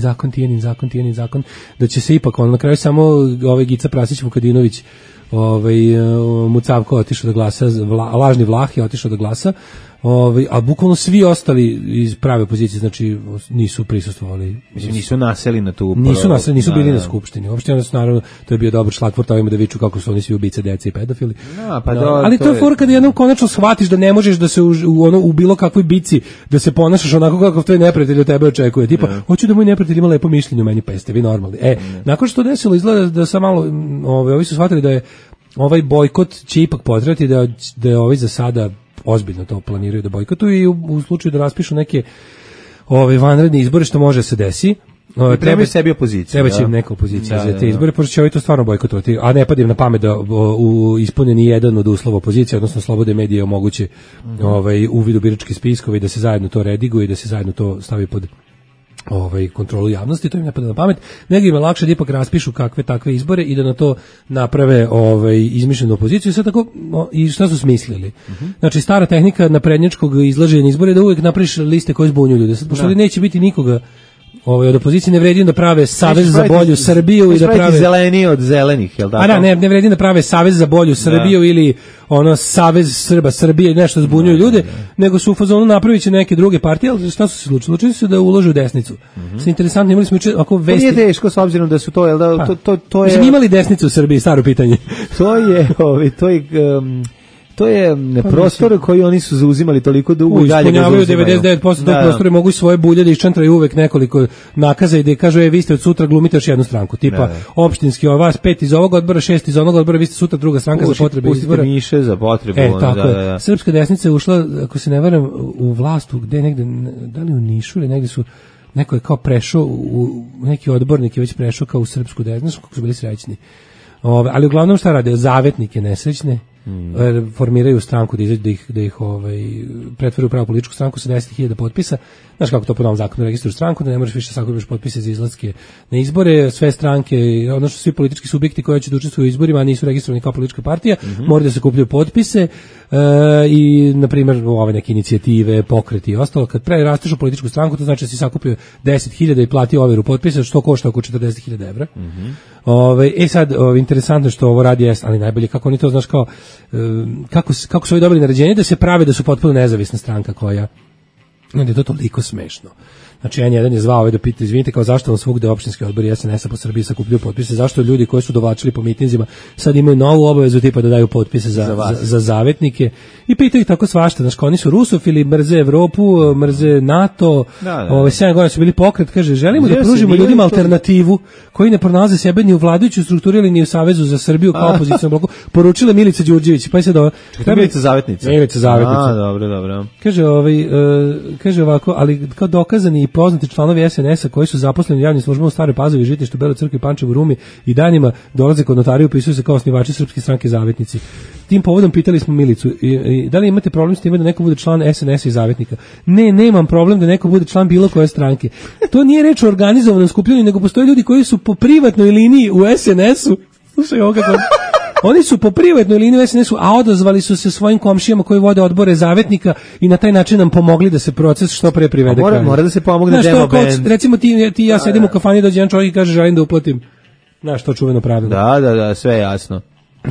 zakon, da će se ipak, na kraju samo Gica Prasić Vukadinović, Mucavko otišao da glasa, lažni Vlah je otišao da glasa, a bukvalno svi ostali iz prave opozicije, znači nisu prisustvovali. Mislim, nisu naseli na tu... Nisu bili na skupštini. Uopšte, naravno, to je bio dobar šlagvort ovima da viču kako su oni svi ubice, dece i pedofili. Ali to je fora kada jednom konačno shvatiš da ne možeš da se u bilo kakvoj bici da se ponašaš onako kako tvoj neprijatelj od tebe očekuje. Tipa, hoću da moj neprijatelj ima lepo mišljenje o meni, pa jeste vi normalni. Nakon što desilo, izgleda da sam malo, ovi su shvatili da je ovaj bojkot će ipak potrati, da je ovi za sada ozbiljno to planiraju da bojkotuju i u slučaju da raspišu neke vanredne izbore, što može se desi. Treba sebi opozicija. Treba će im neka opozicija za te izbore, pošto će ovi to stvarno bojkotovati, a ne padim na pamet da ispune ni jedan od uslova opozicije, odnosno slobode medije omoguće uvid u biračke spiskove i da se zajedno to rediguje i da se zajedno to stavi pod kontrolu javnosti, to im ne pada na pamet, nego im je lakše da ipak raspišu kakve takve izbore i da na to naprave izmišljenu opoziciju. Sve tako, i šta su smislili? Znači, stara tehnika naprednjačkog izlaženja izbora je da uvijek napraviš liste koje zbunju ljude. Pošto neće biti nikoga od opozicije ne vredi da prave savez za bolju Srbiju i da prave zeleni od zelenih, jel' tako? A da, ne vredi da prave savez za bolju Srbiju ili savez Srba Srbije, nešto zbunjuju ljude, nego su u fazonu napraviće neke druge partije, ali šta su se slučili? Slučili su da ulože u desnicu. Sve interesantno, imali smo ako vesti. Nije teško s obzirom da su to, jel da, to je. Smo imali desnicu u Srbiji, staro pitanje. To je prostor koji oni su zauzimali toliko dugo i dalje ga zauzimaju. 99% tog prostora mogu svoje bulje da iščantraju uvek nekoliko nakaza i da kažu vi ste od sutra glumite još jednu stranku. Tipa opštinski vas 5 iz ovog odbora, 6 iz onog odbora, vi ste sutra druga stranka za potrebe izbora. Pustite miše za potrebu. Tako je. Srpska desnica je ušla, ako se ne varam, u vlast, gde negde, da li u Nišu ili negde su, neko je kao prešao, neki odbornik je već prešao kao u srpsku desnicu, kako su bili srećni. Ali uglavnom šta rade? Zavetnike nesrećne formiraju stranku da ih pretvore u pravu političku stranku sa 10.000 potpisa. Znaš kako to po novom zakonu registruju stranku, da ne možeš više sakupiš potpise za izlaske na izbore. Sve stranke, odnosno svi politički subjekti koji će da učestvuju u izborima, a nisu registrovani kao politička partija, moraju da se kupljaju potpise i, na primjer, ove neke inicijative, pokreti i ostalo. Kad prerasteš u političku stranku, to znači da si sakupio 10.000 i platio overu potpisa, što košta oko 40.000 evra. Sad, interesantno što ovo radi, ali najbolje kako oni to, znaš, kao kako su ovi dobili naređenje da se prave da su potpuno nezavisna stranka koja, onda je to toliko smešno. Znači, N1 je zvao da pita, izvinite, kao zašto vam svugde opštinski odbori SNS-a po Srbiji sakupljaju potpise, zašto ljudi koji su dovlačili po mitinzima sad imaju novu obavezu tipa da daju potpise za zavetnike i pitaju ih tako svašta, znači, oni su rusofili, mrze Evropu, mrze NATO, 7 godina su bili pokret, kaže, želimo da pružimo ljudima alternativu koji ne pronalaze sebe ni u vladajućoj strukturi ili ni u Savezu za Srbiju kao opozicijnom bloku, poručila Milica Đurđević, pa je sad Milica Zavetnica. Dobro. Kaže ovako, ali kao dokazani i poznati članovi SNS-a koji su zaposleni u javnim službama u Staroj Pazovi, Žitištu, Beloj Crkvi, Pančevu, Rumi i danima dolaze kod notarija i upisuju se kao osnivači Srpske stranke Zavetnici. Tim povodom pitali smo Milicu, da li imate problem s time da neko bude član SNS-a i Zavetnika? Ne, nemam problem da neko bude član bilo koje stranke. To nije reč o organizovanom skupljanju, nego postoje ljudi koji su po privatnoj liniji u SNS-u. Slušaj ovo kako... Oni su po privatnoj liniji u SNS-u, a odazvali su se svojim komšijama koji vode odbore Zavetnika i na taj način nam pomogli da se proces što pre privede kraju. Mora da se pomogne demo band. Recimo ti i ja sedim u kafani, dođe jedan čovjek i kaže želim da uplatim. Znaš, to čuveno pravilo. Da, sve je jasno.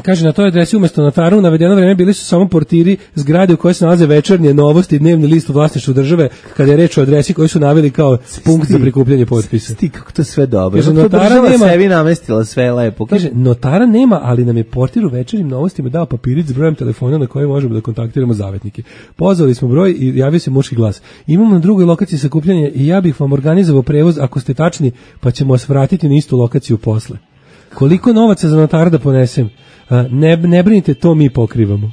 Kaže, na toj adresi umjesto notaru u navedeno vreme bili su samo portiri zgrade u kojoj se nalaze Večernje novosti i Dnevni list u vlasništvu države, kada je reč o adresi koju su naveli kao punkt za prikupljanje potpisa. Kako to sve dobro. Kaže, notara nema, sebi namestila sve lepo. Kaže, notara nema, ali nam je portir u Večernjim novostima dao papirić s brojem telefona na koji možemo da kontaktiramo zavetnike. Pozvali smo broj i javio se muški glas. Imamo na drugoj lokaciji sakupljanje i ja bih vam organizovao prevoz ako ste tačni, pa ćemo vas vratiti na istu lokaciju posle. Koliko novaca za notara da ponesem? Ne brinite, to mi pokrivamo.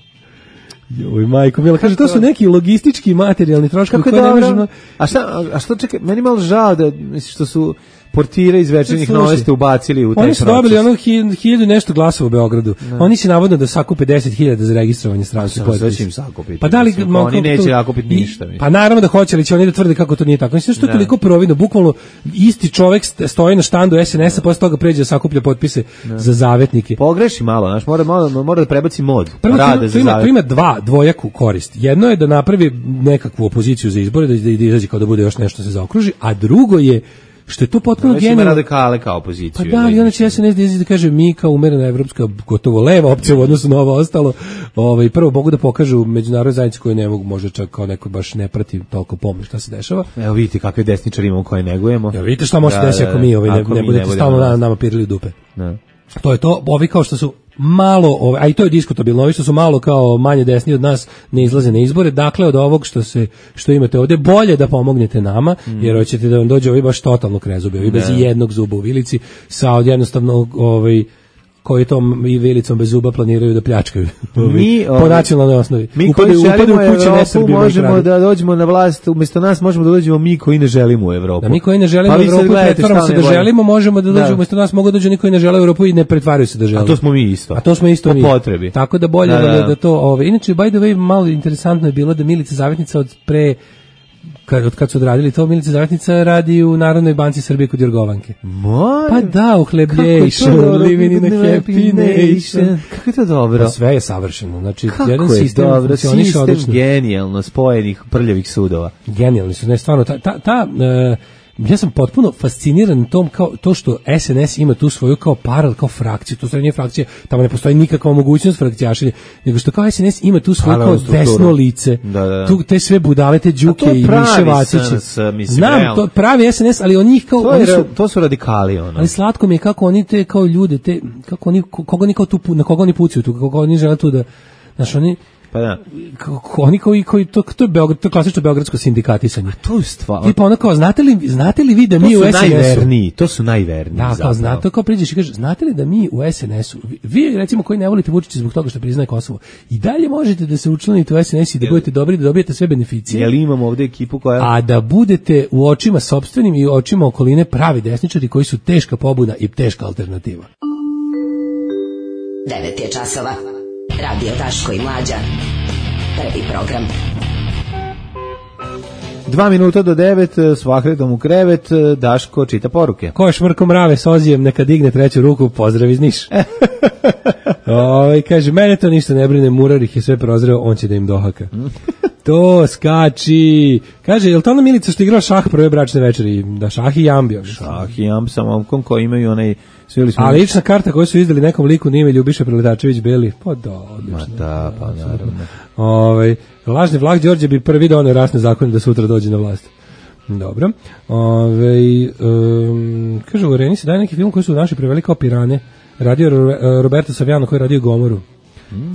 Joj, majko mila, kaže, to su neki logistički materijalni troškovi koje ne možemo... A što, čekaj, meni malo žao da, što su portire iz Večernjih novesti ubacili u taj proces. Oni su dobili ono 1000 nešto glasova u Beogradu. Oni će navodno da sakupe 10.000 za registrovanje stranke. Sve će im sakupiti. Pa da li, oni neće sakupiti ništa. Pa naravno da hoće, ali će oni da tvrde kako to nije tako. Mislim što je toliko providno, bukvalno isti čovjek stoji na štandu SNS-a, posle toga pređe da sakuplja potpise za zavetnike. Pogreši malo, znaš, mora da prebaci mod. To ima dvojaku korist. Jedno je da napravi nekakvu opoziciju za izbore, da izađe kao da bude još nešto se zaokruži, a drugo je što je to potpuno genijalno. Ima radikale kao opoziciju. Pa da, ali onda će SNS da kaže mi kao umerena evropska, gotovo leva opcija u odnosu na ovo ostalo. Prvo mogu da pokažu međunarodnoj zajednici koju ne mogu, možda čak kao neko baš ne prati toliko pomoć šta se dešava. Evo vidite kakve desničari imamo koje negujemo. Evo vidite šta može desiti ako mi ne budete stalno nama pirili dupe. Da. To je to, ovi kao što su malo, a i to je diskutabilno, ovi što su malo kao manje desni od nas ne izlaze na izbore, dakle od ovog što imate ovdje bolje da pomognete nama, jer hoćete da vam dođe ovi baš totalno krezubi, ovi bez jednog zuba u vilici, sa jednostavno koji tom i vilicom bez zuba planiraju da pljačkaju po nacionalnoj osnovi. Mi koji želimo Evropu možemo da dođemo na vlast, umjesto nas možemo da dođemo mi koji ne želimo Evropu. Da mi koji ne želimo Evropu pretvaramo se da želimo, možemo da dođemo, umjesto nas mogu dođu oni koji ne žele Evropu i ne pretvaraju se da žele. A to smo mi isto. Po potrebi. Tako da bolje da to... Inače, by the way, malo interesantno je bilo da Milica Zavetnica od kad su odradili to, Milica Zavetnica radi u Narodnoj banci Srbije kod Jorgovanke. Pa da, uhlebljation, living in a happy nation. Kako je to dobro? Pa sve je savršeno. Znači, kako jedan sistem funkcioniše odlično. Genijalno spojenih prljavih sudova. Genijalni su, ne, stvarno, ja sam potpuno fasciniran tom kao to što SNS ima tu svoju kao paralel, kao frakciju, to nije frakcija, tamo ne postoji nikakva mogućnost frakcijašenja, nego što kao SNS ima tu svoju kao desno lice, tu te sve budale, te Đuke i Miše Vaciće. Znam, to pravi SNS, ali on njih kao... To su radikali, ono. Ali slatko mi je kako oni te kao ljude, te, kako oni, na koga oni pucaju tu, kako oni žele tu da, znaš, oni... Pa da. Oni koji to je Beograd, to je klasično beogradsko sindikatisanje. To je stvar. Tipa ono kao, znate li vi da mi u SNS-u... To su najverniji. Da, kao znate, kao priđeš i kažeš, znate li da mi u SNS-u, vi recimo koji ne volite Vučića zbog toga što priznaje Kosovo, i dalje možete da se učlanite u SNS i da budete dobri, da dobijete sve beneficije. Jel imamo ovde ekipu koja... A da budete u očima sopstvenim i očima okoline pravi desničari koji su teška pobuna i teška alternativa. 9 je časova. Radio Daško i Mlađa. Prvi program. 2 minuta do 9, s Vahredom u krevet, Daško čita poruke. Ko je šmrko mrave s Ozijem, neka digne treću ruku, pozdrav iz Niša. Kaže, mene to ništa ne brine, Murar ih je sve prozreo, on će da im dohaka. To skači. Kaže, je li to ona Milica što igrao šah prve bračne večeri? Da, šah i jambio. Šah i jamb sa momkom koji imaju onaj... A lična karta koju su izdali nekom liku na ime Ljubiša Preletačević Beli. Pa da, odlično. Ma da, pa naravno. Lažni Vlah Đorđe bi prvi doneo rasne zakone da sutra dođe na vlast. Dobro. Kaže, u Areni se daje neki film koji su naši preveli kao Pirane. Radio Roberto Saviano koji je radio Gomoru.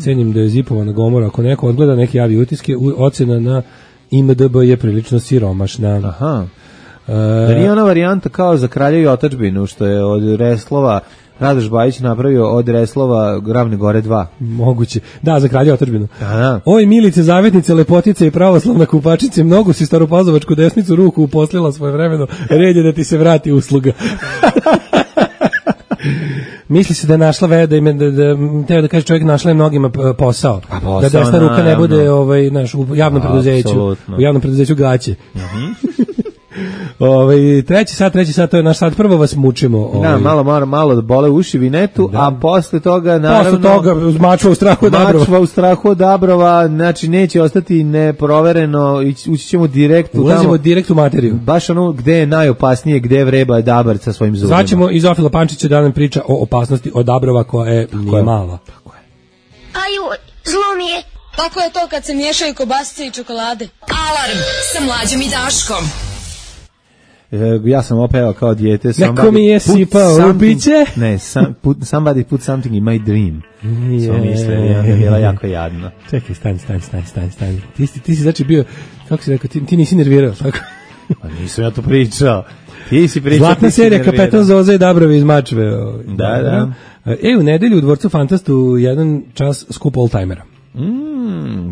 Cenim da je zipovana Gomora. Ako neko odgleda neke javi utiske, ocena na IMDb je prilično siromašna. Aha. Da nije ona varijanta kao za Kraljevu i otadžbinu, što je od Reslova Radoš Bajić napravio od Reslova Ravne Gore 2. Moguće. Da, za Kraljevu i otadžbinu. Da. Oj, Milice, zavetnice, lepotice i pravoslavna kupačice, mnogo si staropazovačku desnicu ruku uposlila svojevremeno, red je da ti se vrati usluga. Misli se da je našla da kaže čovjek našla je mnogima posao. Da desna ruka ne bude u javnom preduzeću. U javnom preduzeću gaće. Treći sat, to je naš sat, prvo vas mučimo. Da, malo da bole uši vinetu, a posle toga, naravno... Mačva u strahu od Dabrova. Znači neće ostati neprovereno, ući ćemo direkt u Ulazimo direkt u materiju. Baš ono gde je najopasnije, gde vreba Dabar sa svojim zubima. Zvaćemo i Zofila Pančića da nam priča o opasnosti od Dabrova koja je nije mala. Tako je. Aju, zlo mi je. Tako je to kad se miješaju kobasice i čokolade. Alarm sa Mlađom i Daškom. Ja sam opevao kao dijete. Neko mi je sipao u biće. Ne, somebody put something in my dream. Sam mislio, je bila jako jadna. Čekaj, stani. Ti si znači bio, kako si rekao, ti nisi nervirao, tako? Pa nisam ja to pričao. Ti si pričao. Zlatna serija Kapetan Zoza i Dabrovi iz Mačve. Da. U nedelju u Dvorcu Fantastu jedan čas skup oldtimera.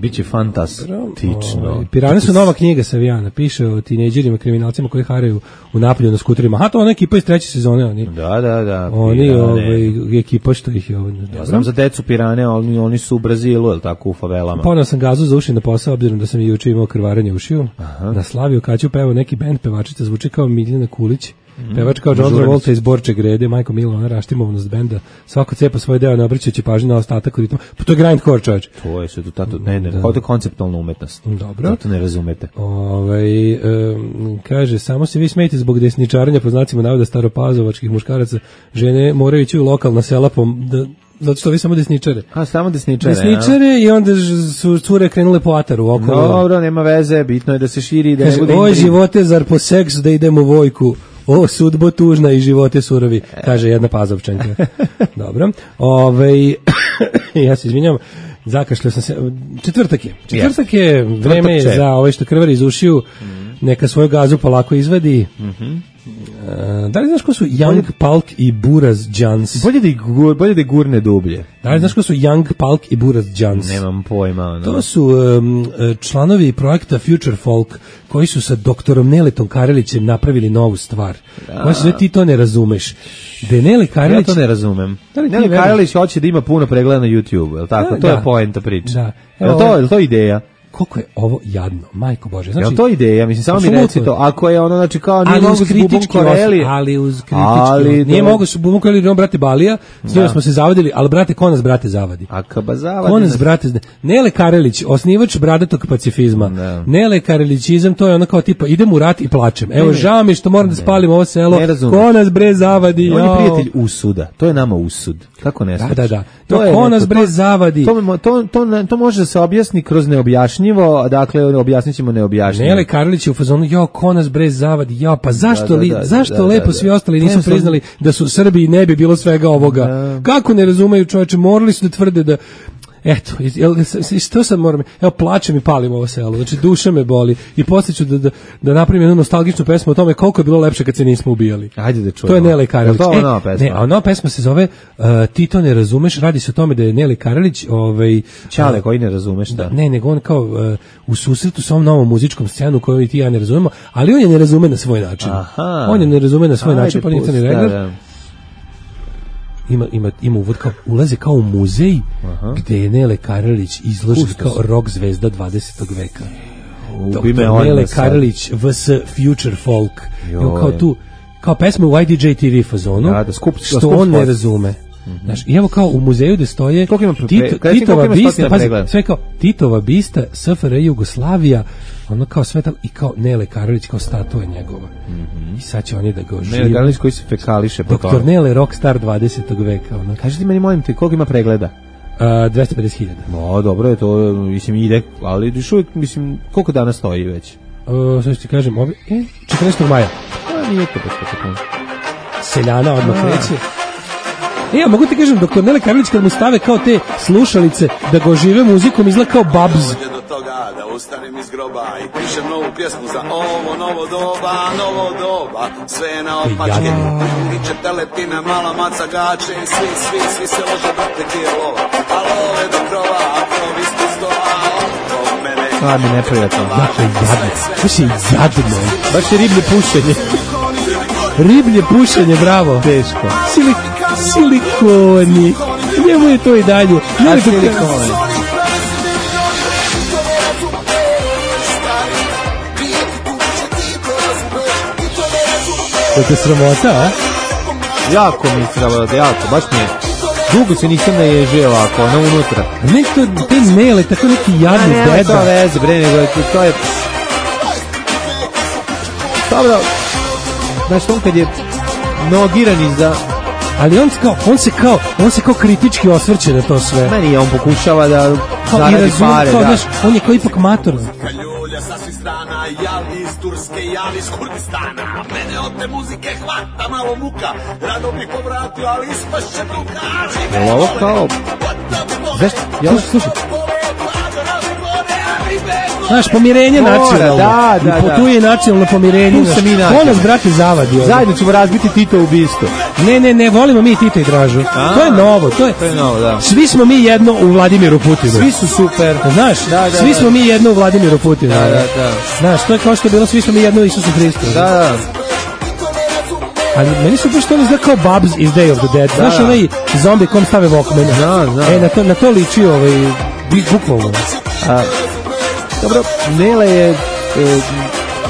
Biće fantastično. Pirane su nova knjiga Savijana, piše o tinejdžerima, kriminalcima koji haraju u Napolju na skuterima. To ona ekipa iz treće sezone. Oni. Da. Oni, ekipa što ih je ja znam za decu Pirane, oni su u Brazilu, jel tako, u favelama. Ponao sam gazu za uši na posao, obzirom da sam i juče imao krvarenje ušiju. Na Slaviju Kaću pevao neki bend, pevačica zvuči kao Miljana Kulić. Pevač kao John Travolta iz Borče Grede, Majko Milo, ona raštimovnost benda, svako cepa svoj deo, ne obraćajući pažnju na ostatak ritma. Pa to je grindcore, čovječ. To je sve to, kao to konceptualna umetnost. Dobro. To ne razumete. Kaže, samo se vi smejete zbog desničarenja po znacima navoda staropazovačkih muškaraca, žene moraju ići u lokalna sela zato što vi samo desničare. Samo desničare. Desničare i onda su cure krenule po ataru okolo. Dobro, nema veze, bitno je da se širi i da ne bude. Oj, živote, zar po seks da idemo u vojku? O, sudbo tužna i živote surovi, kaže jedna Pazovčanka. Dobro. Ja se izvinjam, zakašljao sam se. Četvrtak je, vreme je za ove što krvari iz ušiju, neka svoju gazu polako izvadi. Da li znaš ko su Young Palk i Buraz Jans? Bolje da gurne dublje. Da li znaš ko su Young Palk i Buraz Jans? Nemam pojma. To su članovi projekta Future Folk koji su sa doktorom Neletom Karelićem napravili novu stvar. Koja se ti to ne razumeš. Nele Karelić... Ja to ne razumem. Nele Karelić hoće da ima puno pregleda na YouTube, je li tako? To je poenta priče. Da. Je li to ideja? koliko je ovo jadno, majko Bože. Znači, je to ideja? Mislim, samo mi reci to. Ako je ono, znači, kao nije mogu s Bubom Koreli. Ali uz kritički. Nije mogu s Bubom Koreli, brate Balija, s njima smo se zavadili, ali brate, ko nas, brate, zavadi? A kaba zavadi? Ko nas, brate, Nele Karelić, osnivač bradatog pacifizma. Nele Karelićizam, to je ono kao tipa, idem u rat i plačem. Evo, žao mi što moram da spalim ovo selo. Ko nas, bre, zavadi? On je prijatelj usuda. To je nama usud. Kako ne znaš? Da. Ko nas, bre, zavadi? To može da se objasni kroz neobjašnjivo, dakle objasnit ćemo neobjašnjivo. Nele Karlić je u fazonu, ko nas bre zavadi, pa zašto lepo svi ostali nisu priznali da su Srbiji ne bi bilo svega ovoga? Kako ne razumeju, čoveče, morali su da tvrde da eto, što sad moram, evo plačem i palim ovo selo, znači duša me boli i poslije ću da napravim jednu nostalgičnu pesmu o tome koliko je bilo lepše kad se nismo ubijali. Ajde da čujemo. To je Nele Karelić. To je nova pesma. Ne, a nova pesma se zove Ti to ne razumeš, radi se o tome da je Nele Karelić Čale koji ne razumeš, da. Ne, nego on kao u susretu sa ovom novom muzičkom scenu koju i ti ja ne razumemo, ali on je ne razume na svoj način. Aha. On je ne razume na svoj način, pa nije regler. Ima uvod kao, ulaze kao u muzej gde je Nele Karelić izložen kao rock zvezda 20. veka. Nele Karelić vs. Future Folk. Kao tu, kao pesma u IDJ TV fazonu, što on ne razume. Znaš, i evo kao u muzeju gde stoje Titova bista, pazi, sve kao Titova bista, SFRJ Jugoslavija, ono kao sve tamo, i kao Nele Karelić kao statua njegova. I sad će oni da ga ožive. Nele Karelić koji se fekališe. Doktor Nele, rockstar 20. veka. Ono. Kaži ti meni, molim te, koliko ima pregleda? 250.000. No, dobro je to, mislim, ide, ali još uvijek, mislim, koliko dana stoji već? Sve što ti kažem, 14. maja. Nije to tako. Seljana odmah kreće. Ja mogu ti kažem, doktor Nele Karelić kad mu stave kao te slušalice da ga ožive muzikom izgleda kao Babs. Da ustanem iz groba i pišem novu pjesmu za ovo novo doba, sve je na opačke, niče teletina, mala maca gače, svi se lože, brate, ti je lova, a love do krova, a krov ispod stola, oko mene. Mi neprijatno. Baš je jadno. Baš je riblje pušenje. Riblje pušenje, bravo. Teško. Silikoni. Njemu je to i dalje. A silikoni. To je sramota, a? Jako mi je sramota, jako, baš mi je. Dugo se nisam naježio ovako, ono unutra. Ne, te Nele, tako neki jadni deda. Ne, to veze, bre, nego to je... Dobro, znaš, on kad je nogiran iza... Ali on se kao kritički osvrće na to sve. Meni on pokušava da zaradi pare, da. Znaš, on je kao ipak matorno. Sa svih strana, jali iz Turske, jali iz Kurdistana. Mene od te muzike hvata malo muka. Rado bih povratio, ali ispašće bruka. Je ovo kao... Slušaj. Znaš, pomirenje nacionalno. Da. Tu je nacionalno pomirenje. Ko nas, brate, zavadi? Zajedno ćemo razbiti Tito ubistvo. Ne, volimo mi Tito i Dražu. To je novo, da. Svi smo mi jedno u Vladimiru Putinu. Svi su super. Znaš, svi smo mi jedno u Vladimiru Putinu. Da. Znaš, to je kao što je bilo, svi smo mi jedno u Isusu Hristu. Da. Ali meni su baš to ne zna kao Babs iz Day of the Dead. Znaš, onaj zombi kom stave Walkmana. Znam. Na to liči bukvalno. Dobro, Nele je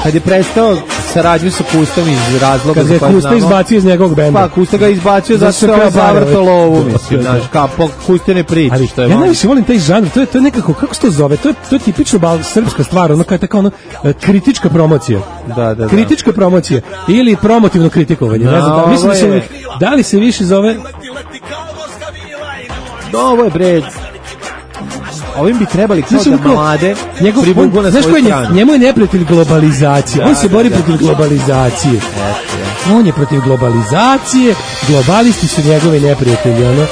kad je prestao saradnju sa Kustom iz razloga kad je Kusta izbacio iz njegovog benda. Pa Kusta ga izbacio zato što je zavrtao lovu, mislim, znaš, kao Kuste ne priča. Ali ja najviše volim taj žanr, to je nekako, kako se to zove, to je tipično srpska stvar, ono kao je tako kritička promocija. Da. Kritička promocija ili promotivno kritikovanje, ne znam, mislim da li se više zove... Ovo je bre... Ovim bi trebali kao da mlade privuku na svoju stranu. Njemu je neprijatelj globalizacije. On se bori protiv globalizacije. On je protiv globalizacije. Globalisti su njegovi neprijatelji.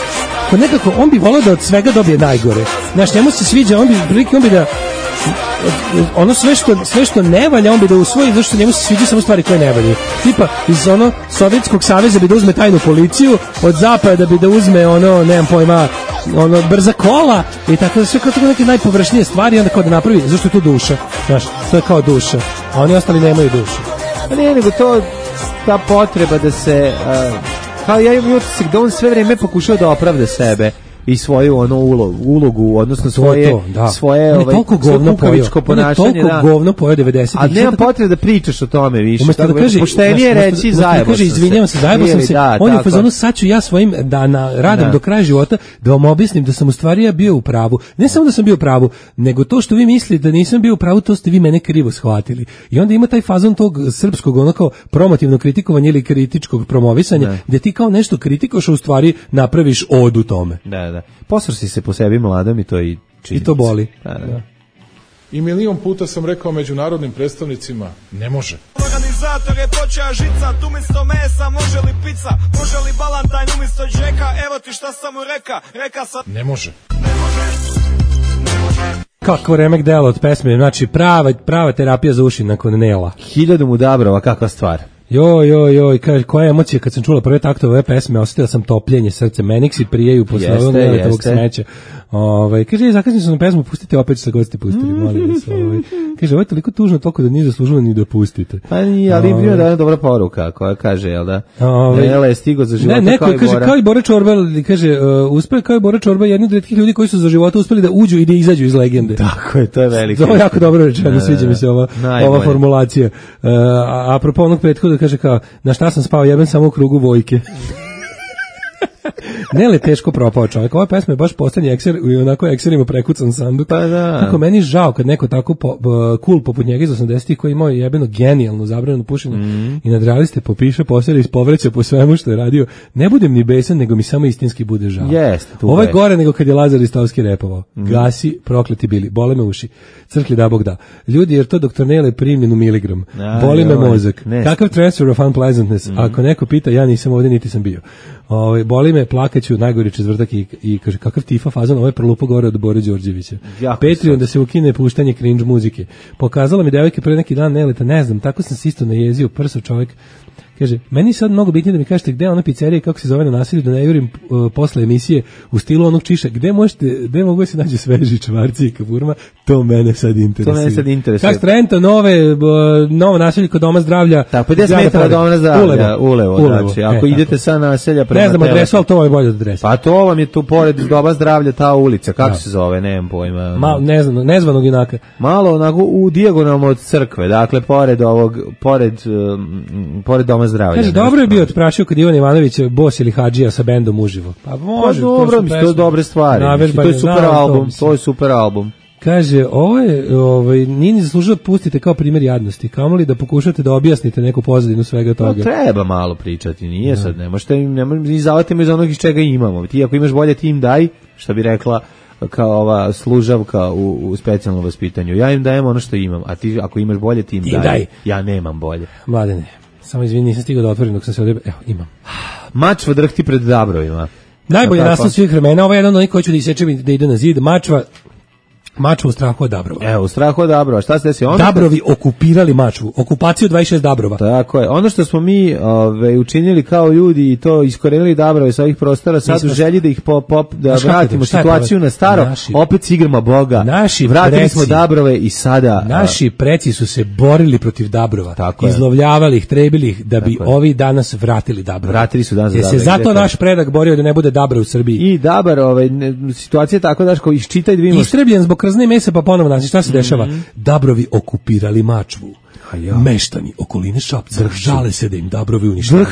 Nekako, on bi volao da od svega dobije najgore. Znaš, njemu se sviđa, on bi da ono sve što ne valja, on bi da usvoji, zašto njemu se sviđa samo stvari koje ne valja. Tipa, iz Sovjetskog saveza bi da uzme tajnu policiju, od zapada bi da uzme nemam pojma, brza kola i tako da sve kao neke najpovršnije stvari, onda kao da napravi, zašto je to duša, znaš, to je kao duša, a oni ostali nemaju dušu. A ne, nego ta potreba da se, kao ja imam utisak da on sve vreme pokušao da opravda sebe. i svoju ono ulogu, odnosno svoje kukavičko ponašanje. On je toliko govno pojeo 90-ih. A nema potrebe da pričaš o tome više. Umesto da kaže, poštenije reći zajebo sam se. Izvinjavam se, zajebo sam se. On je u fazonu, sad ću ja svojim radim do kraja života da vam objasnim da sam u stvari ja bio u pravu. Ne samo da sam bio u pravu, nego to što vi mislite da nisam bio u pravu, to ste vi mene krivo shvatili. I onda ima taj fazon tog srpskog onako promotivnog kritikovanja ili kritičkog promovisanja, gde ti kao nešto kritikoš, a u stvari napraviš od u tome. Da. Posr si se po sebi mladom i to i činjenica. I to boli. Da. I milion puta sam rekao međunarodnim predstavnicima, ne može. Organizator je počeo žicat, umjesto mesa može li pizza, može li balantajn umjesto džeka, evo ti šta sam mu reka sam... Ne može. Kako remek delo od pesme, znači prava terapija za uši nakon Nela. 1000 mu Dabrova, kakva stvar. Joj, koja emocija kad sam čula prve taktove ove pesme, osjetila sam topljenje srce, meniksi prijeju posle ovog Neletovog smeća. Kaže, zakasnili su na pesmu, pustite opet što god ste pustili, molim vas. Kaže, ovo je toliko tužno, toliko da nije zaslužilo ni da pustite. Pa nije, ali ima da je dobra poruka koja kaže, jel da? Nela je stigo za života neko kao i kaže, Bora. kao i Bora Čorba, kaže, uspeo kao i Bora Čorba, jedni od retkih ljudi koji su za života uspeli da uđu i da izađu iz legende. Tako je, to je veliki. To je jako dobro rečeno, sviđa mi se ova formulacija. Apropo onog prethoda, kaže kao, na šta sam spao, jebem samo u krugu Vojke. Nele teško propao čovjek. Ova pesma je baš poslednji ekser i onako ekserima prekucan sanduk. Pa da. Kako meni žao kad neko tako cool poput njega iz 80-ih koji imao jebeno genijalno zabranjeno pušenje i nadrealiste popiše, posere iz povreća po svemu što je radio. Ne budem ni besan, nego mi samo istinski bude žao. Ovo je gore nego kad je Lazar Istovski repovao. Gasi, prokleti bili, bole me uši. Crkli da Bog da. Ljudi, jer to doktor Nele primljen u miligram. Boli me mozak. Kakav transfer of unpleasantness? Ako neko pita, ja nisam ovdje, niti sam bio. Boli me, plakaću, najgori četvrtak i kaže, kakav tifa fazon, ovo je prolupo gore od Bore Đorđevića. Patreon da se ukine puštanje cringe muzike. Pokazala mi devojke pre neki dan Neleta, ne znam, tako sam se isto najezio, prsav čovjek. Kaže, meni sad mnogo bitnije da mi kažete gde je ona pizzerija, kako se zove na naselju, da ne jurim posle emisije u stilu onog Čiša. Gde mogu da se nađe sveži čvarci i kaburma? To mene sad interesuje. Kako Trenta, novo naselje kod Doma zdravlja. Tako, 50 metara Doma zdravlja, Ulevo. Znači, ako idete sa naselja prema ne znam adresu, ali to vam je bolje od adrese. Pa to vam je tu pored Doma zdravlja ta ulica, kako se zove, nemam pojma. Nezvanog junaka. Malo onako u dijagonalno od crkve, dakle, pored Doma zdravlja. Kaže, dobro je bio otprašio kod Ivan Ivanović Bos ili Hadžija sa bendom uživo. Pa može, dobro, to su dobre stvari. To je super album, to je super album. Kaže, nije ni zaslužilo da pustite kao primjer jadnosti, kamoli da pokušate da objasnite neku pozadinu svega toga. Treba malo pričati, nije sad, ne možete izavati iz onog iz čega imamo. Ti ako imaš bolje, ti im daj, što bi rekla kao ova služavka u specijalnom vaspitanju. Ja im dajem ono što imam, a ti ako imaš bolje, ti im daj. Ja nemam bolje. Mladene. Samo izvini, nisam stigao da otvorim dok sam se ovdje... Evo, imam. Mačva drhti pred Dabrovima. Najbolje nastav svih vremena. Ovo je jedan od onih koji ću da isečem da ide na zid. Mačva u strahu od Dabrova. Evo, u strahu od Dabrova. Šta se desi? Dabrovi okupirali Mačvu. Okupaciju 26 Dabrova. Tako je. Ono što smo mi učinili kao ljudi i to iskorenili Dabrove sa ovih prostora, sad u želji da ih da vratimo situaciju na staro, opet s igrama Boga. Vratili smo Dabrove i sada... Naši preci su se borili protiv Dabrova. Izlovljavali ih, trebili ih da bi ovi danas vratili Dabrove. Vratili su danas Dabrove. Se zato naš predak borio da ne bude Dabra u Srbiji. I Dabar, situacija je tako da iščitaj da vidimo. Istrebljen zbog krzne mesa, pa ponovo naći šta se dešava. Dabrovi okupirali Mačvu. Meštani okoline Šapca žale se da im Dabrovi uništavaju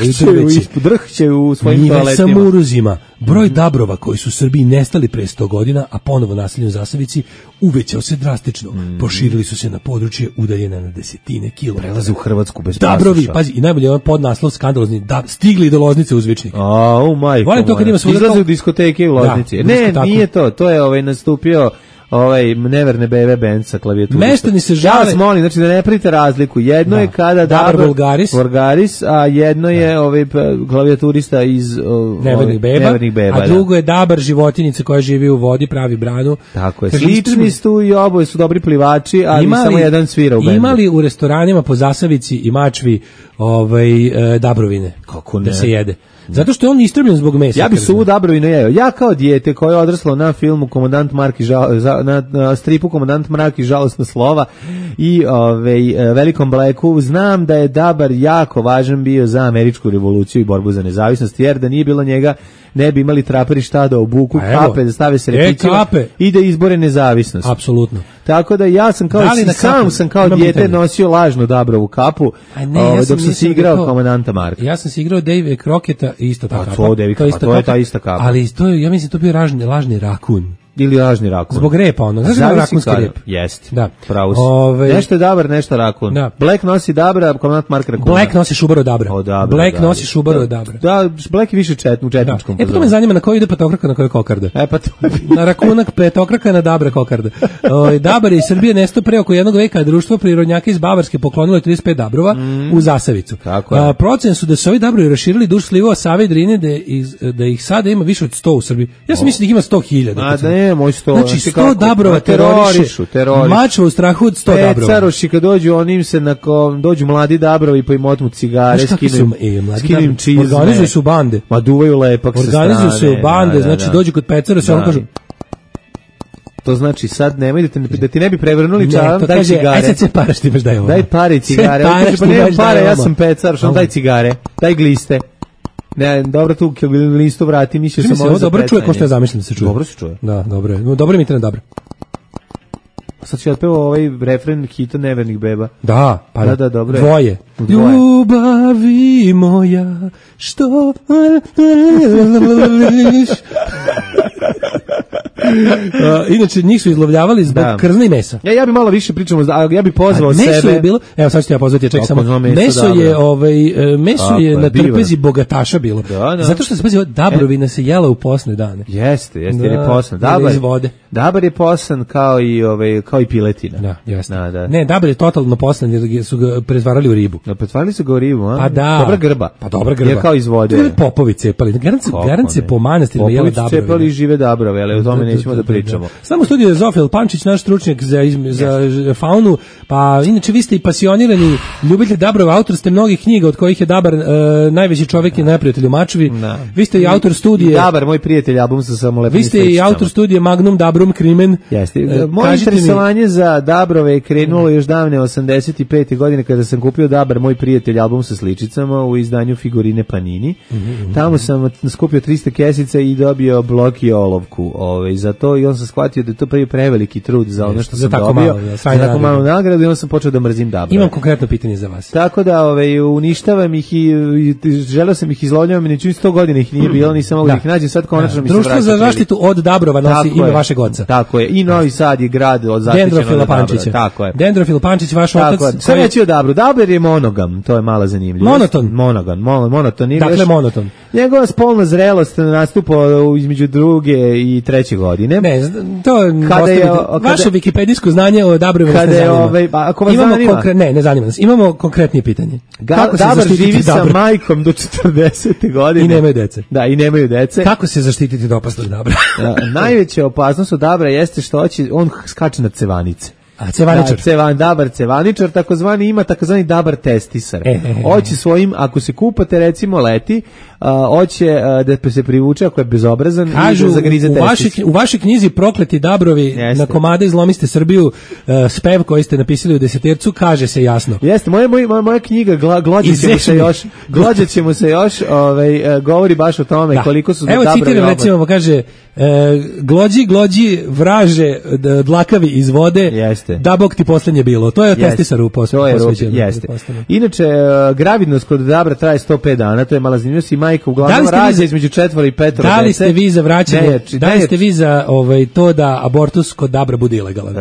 drhće u svojim toaletima. Njive samuruzima. Broj Dabrova koji su u Srbiji nestali pre 100 godina, a ponovo naselju Zasavici, uvećao se drastično. Proširili su se na područje udaljene na desetine kilometara. Prelaze u Hrvatsku bez pasoša. Dabrovi, pazi, i najbolje je podnaslov skandalozni, stigli do Loznice uzvičnik. Volim to kad ima izlaze u diskoteke u Loznici. Ne, nije to. To je nastupio Neverne Bebe band sa klavijaturistom. Meštani se žale. Ja vas molim, znači da ne pravite razliku. Jedno je kada Dabr Vulgaris, a jedno je klavijaturista iz Nevernih beba, a drugo je Dabar životinjica koja živi u vodi, pravi branu. Tako je. Slični su i oboje su dobri plivači, ali samo jedan svira u bendu. Imali u restoranima po Zasavici i Mačvi Dabrovine? Kako ne? Da se jede. Zato što je on istrebljen zbog mesa. Ja bi suvu dabrovinu jeo. Ja kao dijete koje je odraslo na filmu Komandant Mrak na stripu Komandant Mrak i žalosna slova i Velikom Blacku, znam da je dabar jako važan bio za američku revoluciju i borbu za nezavisnost, jer da nije bilo njega ne bi imali traperi šta da obuku, kape, da stave se repicima i da izbore nezavisnost. Apsolutno. Tako da ja sam sam kao dijete nosio lažnu dabrovu kapu dok sam se igrao Komandanta Marka. Ja sam se igrao Davea Crockett'a i isto ta kapa. To je ta ista kapa. Ali to je, ja mislim, to bio lažni rakun. Ili lažni rakun. Zbog repa ono. Znaš da je rakunski rep? Jeste. Da. Pravo si. Nešto je dabar, nešto rakun. Da. Black nosi dabra, Komandant Mark rakuna. Black nosi šubaru dabra. Black nosi šubaru dabra. Da, Black je više u četničkom. Pa to me zanima na koji ide petokraka, na koji kokarda. Pa to na rakunak petokraka, na dabra kokarda. Dabar je iz Srbije nestao pre oko jednog veka, društvo prirodnjaka iz Bavarske poklonilo 35 dabrova u Zasavicu. Procene su da su ovi dabrovi raširili duž slivova Save i Drine, da ih sada ima više od 100 u Srbiji. Ja sam mislim da ih ima 100.000. Moj 100. Znači 100 dabrova terorišu. Mačva u strahu od 100 dabrova. Pecaroši kad dođu, onim se dođu mladi dabrovi pa im otmu cigare, skinem čizme. Organizuju su bande. Ma duvaju lepak sa strane. Organizuju su bande, znači dođu kod Pecara se on kažu. To znači sad nemoj da ti ne bi prevrnuli čaram, daj cigare. Aj sad se paraš ti baš daj ovo. Daj pare i cigare. Pa nemam para, ja sam Pecar, što daj cigare, daj gliste. Ne, dobro tu listu vrati, mislio sam ovo za dobro čuje, ko što je zamišljeno da se čuje. Dobro se čuje. Da, dobro je. Dobro mi internet, dobro. Sad će otpevao ovaj refren hita Nevernih beba. Da, pa da, dobro je. Dvoje. Ljubavi moja, što... Inače, njih su izlovljavali zbog krzna i mesa. Ja bi malo više pričamo, ja bi pozvao sebe. Meso je bilo, evo sad ću ti ja pozvati, čekaj samo. Meso je na trpezi bogataša bilo. Zato što se pazi, dabrovina se jela u posne dane. Jeste, jer je posan. Dabar je posan kao i piletina. Da, jeste. Ne, dabar je totalno posan jer su ga pretvarali u ribu. Pretvarali su ga u ribu, a? Pa da. Dobra grba. Pa dobra grba. Je kao iz vode. To popovi cepali. Garant se po manastirima jeli dabrove. Popovi cepali žive dabrove, ali o tome nećemo da pričamo. Samo u studiju je Zofil Pančić, naš stručnjak za faunu, pa inače vi ste i pasionirani ljubitelj dabrova, autor ste mnogih knjiga od kojih je dabar najveći čovjek i neprijatelj u Mačvi. Vi ste i autor studije... Dabar, moj prijatelj, album sa samolepnim sličicama. Vi ste i autor studije Magnum Dabrum Crimen. Jeste. Moje interesovanje za dabrove je krenulo još davne 85. godine kada sam kupio Dabar, moj prijatelj, album sa sličicama u izdanju Figurine Panini. Tamo sam skupio 300 kesica i dobio blok i olovku za to i on sam shvatio da je to preveliki trud za ono što sam dobio. Za tako malu nagradu i onda sam počeo da mrzim Dabar. Imam konkretno pitanje za vas. Tako da uništavam ih i želeo sam ih izlovljavam i neću 100 godina ih nije bilo, nisam mogu da ih nađem, sad konačno mi se vraća. Društvo za zaštitu od dabrova nosi ime vašeg oca. Tako je. I Novi Sad je grad od Dendrofila Pančića. Tako je. Dendrofil Pančić, vaš otac. Sve neći o dabru. Dabar je monogam, to je mala zanimljivost. Monoton. Dakle, monoton. Njegova spolna zrelost nastupa između 2. i 3. godine. Ne, to je vaše wikipedijsko znanje o dabrovima ne zanima. Ako vas zanima. Ne zanima nas. Imamo konkretnije pitanje. Dabar živi sa majkom do 40. godine. I nemaju dece. Da, i nemaju dece. Kako se zaštititi od opasnog dabra? Najveća opasnost od dabra jeste što on skače na cevanice. A cevaničar. Dabar cevaničar, ima takozvani dabar testisar. Hoće svojim, ako se kupate recimo leti, hoće da se privuče ako je bezobrazan i da zagrize testis. U vašoj knjizi Prokleti dabrovi na komade izlomiste Srbiju, spev koji ste napisali u desetercu, kaže se jasno. Jeste, moja knjiga Glođat ćemo se još, govori baš o tome koliko su dabrovi. Evo citiram recimo, kaže glođi vraže dlakavi iz vode, da bog ti poslednje bilo. To je testisaru posvećeno. Jeste. Inače, gravidnost kod dabra traje 105 dana, to je mala zanimljivost i majka uglavnom rađa između 4 i 5 dece. Da li ste vi za vraćanje, da li ste vi za to da abortus kod dabra bude ilegalan?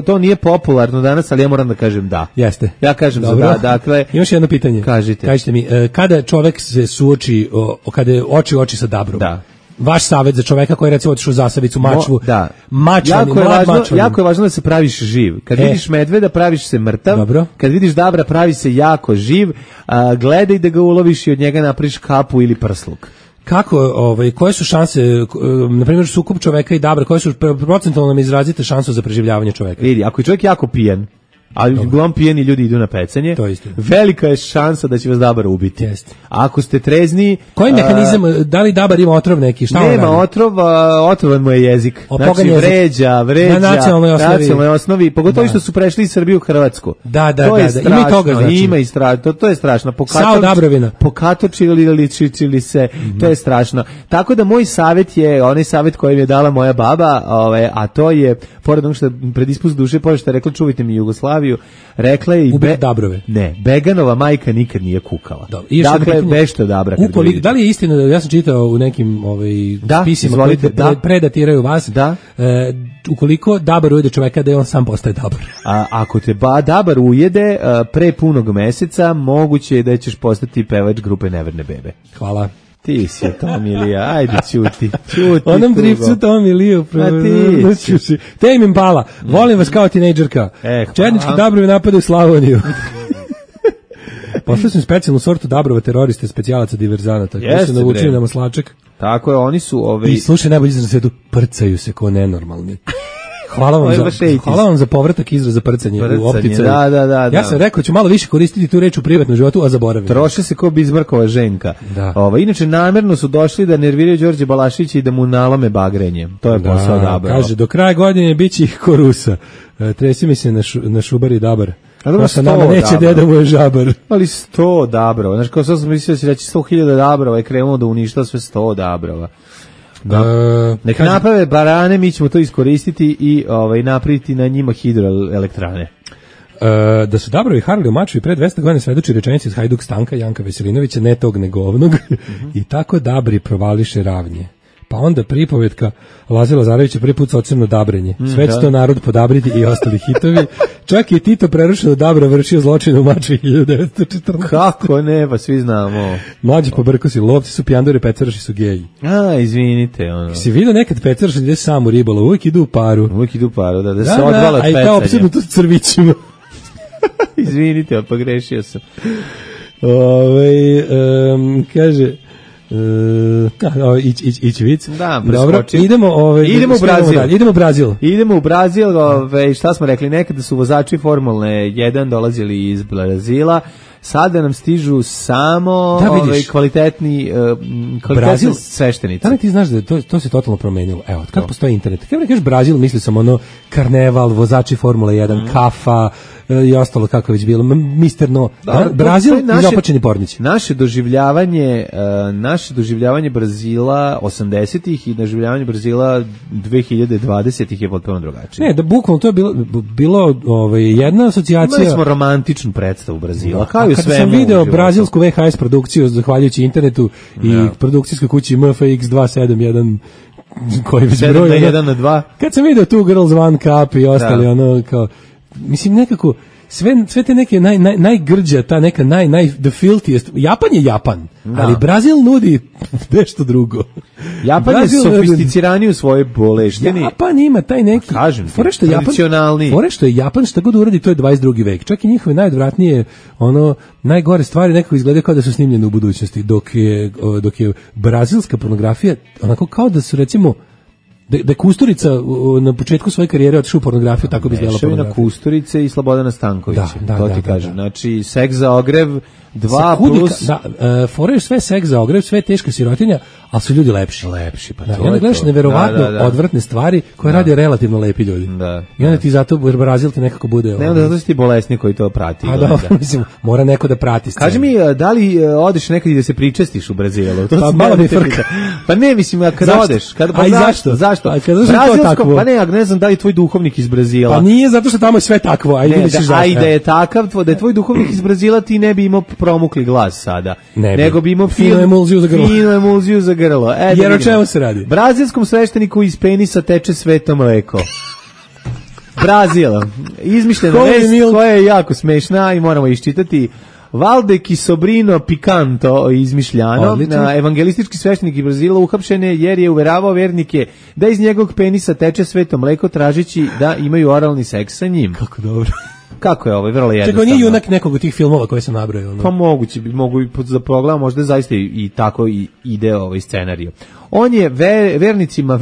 To nije popularno danas, ali ja moram da kažem da. Jeste. Ja kažem za da. Dakle, još jedno pitanje. Kažite mi, kada čovek se suoči, kada je oči sa dabrom, vaš savjet za čoveka koji je recimo otišao u Zasavicu, Mačvu, jako je važno da se praviš živ. Kad vidiš medveda, praviš se mrtav. Dobro. Kad vidiš dabra, pravi se jako živ. Gledaj da ga uloviš i od njega napraviš kapu ili prsluk. Kako, koje su šanse, na primjer sukob čoveka i dabra, koje su procentualno izrazite šansu za preživljavanje čoveka? Vidi, ako je čovjek jako pijan, ali uglavnom pijeni ljudi idu na pecanje. To je istina. Velika je šansa da će vas dabar ubiti. Jeste. Ako ste trezni... Koji mehanizam, da li dabar ima otrov neki? Šta nema otrova, otrovan mu je jezik. Znači vređa na nacionalnoj osnovi, pogotovo što su prešli iz Srbije u Hrvatsku. Da, ima i toga, znači. Ima i strašno, to je strašno. Sao Dabrovina. Pokatočili se, to je strašno. Tako da moj savjet je, onaj savjet koji mi je dala moja baba, a to je, pored onog što predispust duše, pored što je rekla čuvajte mi Jugoslaviju, rekla je i Dabrove. Ne, Beganova majka nikad nije kukala. Dakle, bešto Dabra. Da li je istina da ja sam čitao u nekim spisima koji predatiraju vas, ukoliko Dabar ujede čoveka da je on sam postaje Dabar. Ako te Dabar ujede pre punog meseca, moguće je da ćeš postati pevač grupe Neverne bebe. Hvala. Ti si Tomilija, ajde ćuti. Onom dripcu Tomiliju. Tame Impala, volim vas kao tinejdžerka. Četnički Dabrovi napadaju Slavoniju. Poslali sam specijalnu sortu Dabrova teroriste, specijalaca diverzanata. Koji su navučili na maslačak. Tako je, oni su... I slušaj, najbolji izraz na svetu, prcaju se ko nenormalni. Hvala vam za povratak izraza prcanje u optici. Da. Ja sam rekao ću malo više koristiti tu reč u privatnom životu, a zaboravim. Troše se ko Bizmarkova ženka. Inače namerno su došli da nerviraju Đorđe Balašića i da mu nalome bagrenje. To je posao Dabra. Kaže, do kraja godine biće ih ko Rusa. Tresi mi se na šubari Dabar. Pa sa nama neće deda mu je žabar. Ali 100 Dabrova. Znaš, kao sam mislio da će reći 100.000 Dabrova i krenuo da uništa sve 100 Dabrova. Neka naprave barane, mi ćemo to iskoristiti i napraviti na njima hidroelektrane. Da su Dabrovi harali u maču i pre 200 godina svedoči rečenici iz Hajduk Stanka Janka Veselinovića, ne tog negovnog, i tako Dabri provališe ravnje. Pa onda pripovetka Laze Lazarevića prvi put sa ocrno Dabrenje. Sve će to narod podabriti i ostali hitovi. Čak i Tito prerušeno Dabra vršio zločine u maču 1914. Kako ne, pa svi znamo. Mlađi pobrkosi, lovci su pijandori, pecaraši su geji. Izvinite. Si vidio nekad pecaraš ide sam u ribolov, uvijek idu u paru. Da se odvala od pecanja. A i kao opsednuto s crvićima. Izvinite, pogrešio sam. Kaže... ići vic. Da, dobro, idemo u Brazil. Idemo u Brazil, šta smo rekli, nekada su vozači Formule 1 dolazili iz Brazila, sada nam stižu samo kvalitetni sveštenici. Da li ti znaš da to se totalno promenilo? Evo, kako postoji internet? Kada kažeš Brazil, misli sam karneval, vozači Formule 1, kafa i ostalo kako je već bilo. Mister No. Brazil i zapačeni pornići. Naše doživljavanje Brazila 80-ih i doživljavanje Brazila 2020-ih je potpuno drugačije. Ne, da bukvalno to je bilo jedna asocijacija. Imali smo romantičnu predstavu Brazila. Kada sam video brazilsku VHS produkciju zahvaljujući internetu i produkcijskoj kući MFX 271 koji već broj 1 na 2. Kad sam video tu Girls One Cup i ostali kao mislim nekako sve te neke najgrđa, ta neka the filthiest. Japan je Japan, ali Brazil nudi nešto drugo. Japan je sofisticiraniji u svojoj boleštini. Japan ima taj neki, tradicionalni. Fore što je Japan šta god uradi, to je 22. vek. Čak i njihove najodvratnije, najgore stvari nekako izgledaju kao da su snimljene u budućnosti, dok je brazilska pornografija onako kao da su recimo da je Kusturica na početku svoje karijere otišao u pornografiju, tako bi izgledala pornografija. Na Kusturice i Slobodana Stankovića. To ti kažem. Znači, seks za ogrev 2 plus... Fore sve seks za ogrev, sve teška sirotinja, ali su ljudi lepši. Pa to je to. I onda gledaš neverovatno odvratne stvari koje rade relativno lepi ljudi. I onda ti zato Brazil ti nekako bude... Ne, onda zato si ti bolesni koji to prati. Mislim, mora neko da prati scenu. Kaži mi, da li odeš nekad i da se pričestiš u Brazilu? Pa malo mi frka. Pa ne, mislim, kada odeš... A i zašto? Zašto? Brazilsko, pa ne, ja ne znam da li tvoj duhovnik iz Brazila. Pa nije, zato što tamo je sve takvo, a i vidiš zašto. A i da je takav, da je tvoj duhovnik iz Brazila, ti ne bi imao promukli glas sada. Nego bi imao finu emulziju za grlo. Jer o čemu se radi? Brazilskom svešteniku iz penisa teče sveto mleko. Brazil. Izmišljena vest koja je jako smešna i moramo iščitati. Valde Sobrino Picanto izmišljano, evangelistički sveštenik iz Brazila uhapšen je jer je uveravao vernike da iz njegovog penisa teče sveto mleko tražeći da imaju oralni seks sa njim. Kako dobro. Kako je ovo? Vrlo jednostavno. Čekaj, nije junak nekog od tih filmova koje sam nabrojao. Pa mogu za program, možda zaista i tako ide ovaj scenariju. On je vernicima,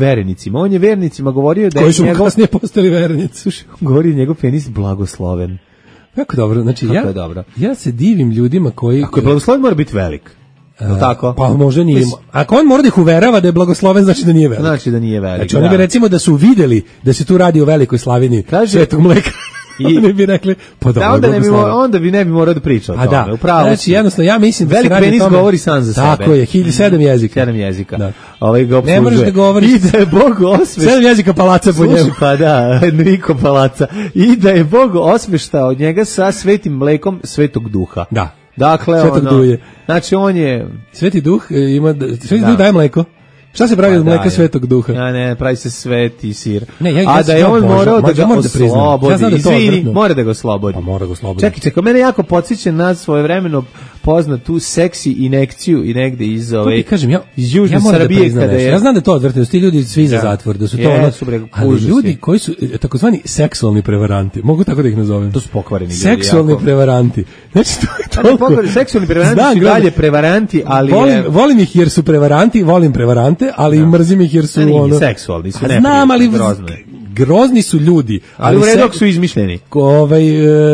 on je vernicima govorio da je koji su kasnije postali vernici. Govorio njegov penis blagosloven. Kako dobro, znači ja se divim ljudima koji... Ako je blagosloven, mora biti velik. Tako? Pa možda nije. Ako on mora da ih uverava da je blagosloven, znači da nije velik. Znači da nije velik. Znači oni bi recimo da su videli da se tu radi o velikoj slavini Svetog mleka. Oni bi rekli, pa dobro, onda bi ne bi morao da priča o tome. Da. Upravo. Znači jednostavno ja mislim da velik penis govori sam za sebe. Tako je, 7 jezika. 7 jezika. Da. Ovaj ga opslužuje. Ne možeš da govoriš. I da je Bog osmeštao. 7 jezika palaca po njemu. Pa da, Enrico Palaca. I da je Bog osmeštao od njega sa svetim mlekom Svetog Duha. Da. Dakle, znači on je... Sveti Duh ima... Sveti Duh daje mleko. Šta se pravi od mleka Svetog Duha? Pravi se sveti sir. A da je on morao da ga oslobodi. Izvini, mora da ga oslobodi. Pa mora ga oslobodi. Čekaj, mene jako podsjeća na svojevremeno poznatu seksi injekciju i negde iz iz Južne Srbije kada je... Ja znam da je to odvrtno, ti ljudi svi za zatvor, da su to ali ljudi koji su takozvani seksualni prevaranti, mogu tako da ih nazovem. To su pokvareni ljudi. Seksualni prevaranti. Znači to je toliko... Seksualni prevaranti su dalje prevaranti, ali... Volim ih jer su prevaranti, volim prevarante, ali mrzim ih jer su seksualni, su znam, ali grozni su ljudi, ali u redu su izmišljeni.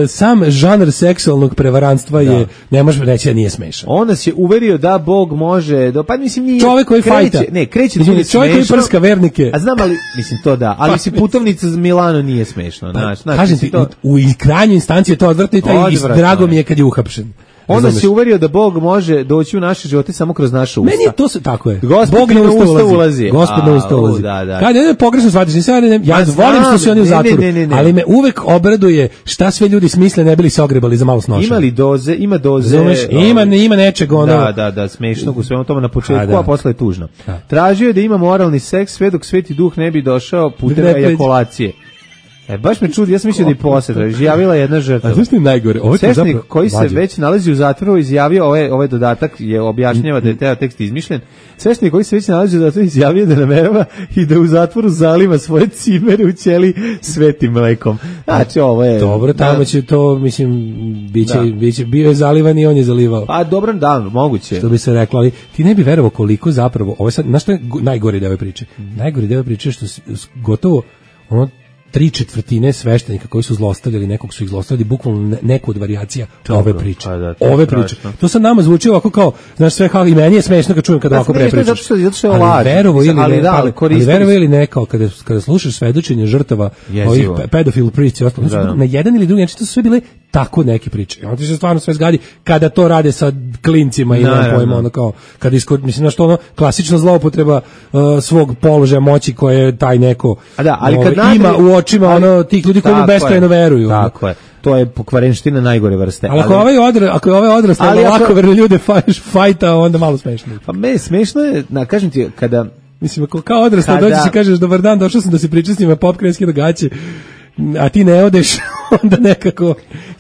Sam žanr seksualnog prevarantstva je, ne možeš reći da nije smešan. On nas je uverio da Bog može, pa mislim nije... Čovjek koji fajta. Kreće da bude smešno. Čovjek koji prska vernike. A znam, ali, mislim to da, ali mislim putovnica za Milano nije smešno. Kažem ti, u krajnjoj instanciji je to odvrtno i drago mi je kad je uhapšen. Onda se uverio da Bog može doći u naše živote samo kroz naše usta. Meni to se tako je. Bog na usta ulazi. Gospod na usta ulazi. Kad je pogrešno shvatiš, ja volim što su oni u zatvoru, ali me uvek obraduje šta sve ljudi smisle ne bili se ogrebali za malo snoša. Ima doze. Ima nečeg ono. Da, smešnog u svemu tome na početku, a posle je tužno. Tražio je da ima moralni seks sve dok Sveti Duh ne bi došao putem ejakulacije. Baš me čudi, ja sam mislio da i posle izjavila jedna žrtva. A zašto je najgore? Sveštenik koji se već nalazi u zatvoru izjavio, ovaj dodatak je objašnjava da je taj tekst izmišljen. Sveštenik koji se već nalazi u zatvoru izjavio da namerava i da u zatvoru zaliva svoje cimere u ćeliji svetim mlekom. Znači ovo je... Dobro, tamo će to, mislim, bio je zalivan i on je zalivao. Pa dobro, da, moguće. Što bi se reklo, ali ti ne bi verovao koliko zapravo, ovo je sad, znaš što je najgori deo ove priče? Najgori deo ove priče je što gotovo, 3/4 sveštenika koji su zlostavljali nekog su ih zlostavljali bukvalno neku od varijacija ove priče. Ove priče. To sad nama zvuči ovako kao, znaš, sve kao i meni je smešno kad čujem kad ovako prepričaš. Zato što je laž. Ali verovo ili ne, kao kada slušaš svedočenje žrtava ovih pedofil priči i ostalo, na jedan ili drugi način to su sve bile tako neke priče. I on ti se stvarno sve zgadi kada to rade sa klincima i nemam pojma, ono kao, kada mislim na što ono, klasična zloupotreba svog položaja moći koje je taj neko ima u očima ono tih ljudi koji mu beskrajno veruju. Tako je. To je pokvarenština najgore vrste. Ali ako je ovaj odrastao lako verne ljude fajta, onda malo smešno. Pa me smešno je, kažem ti, kada... Mislim, kao odrastao dođeš i kažeš dobar dan, došao sam da se pričam s njima pop krenski događaje, a ti ne odeš, onda nekako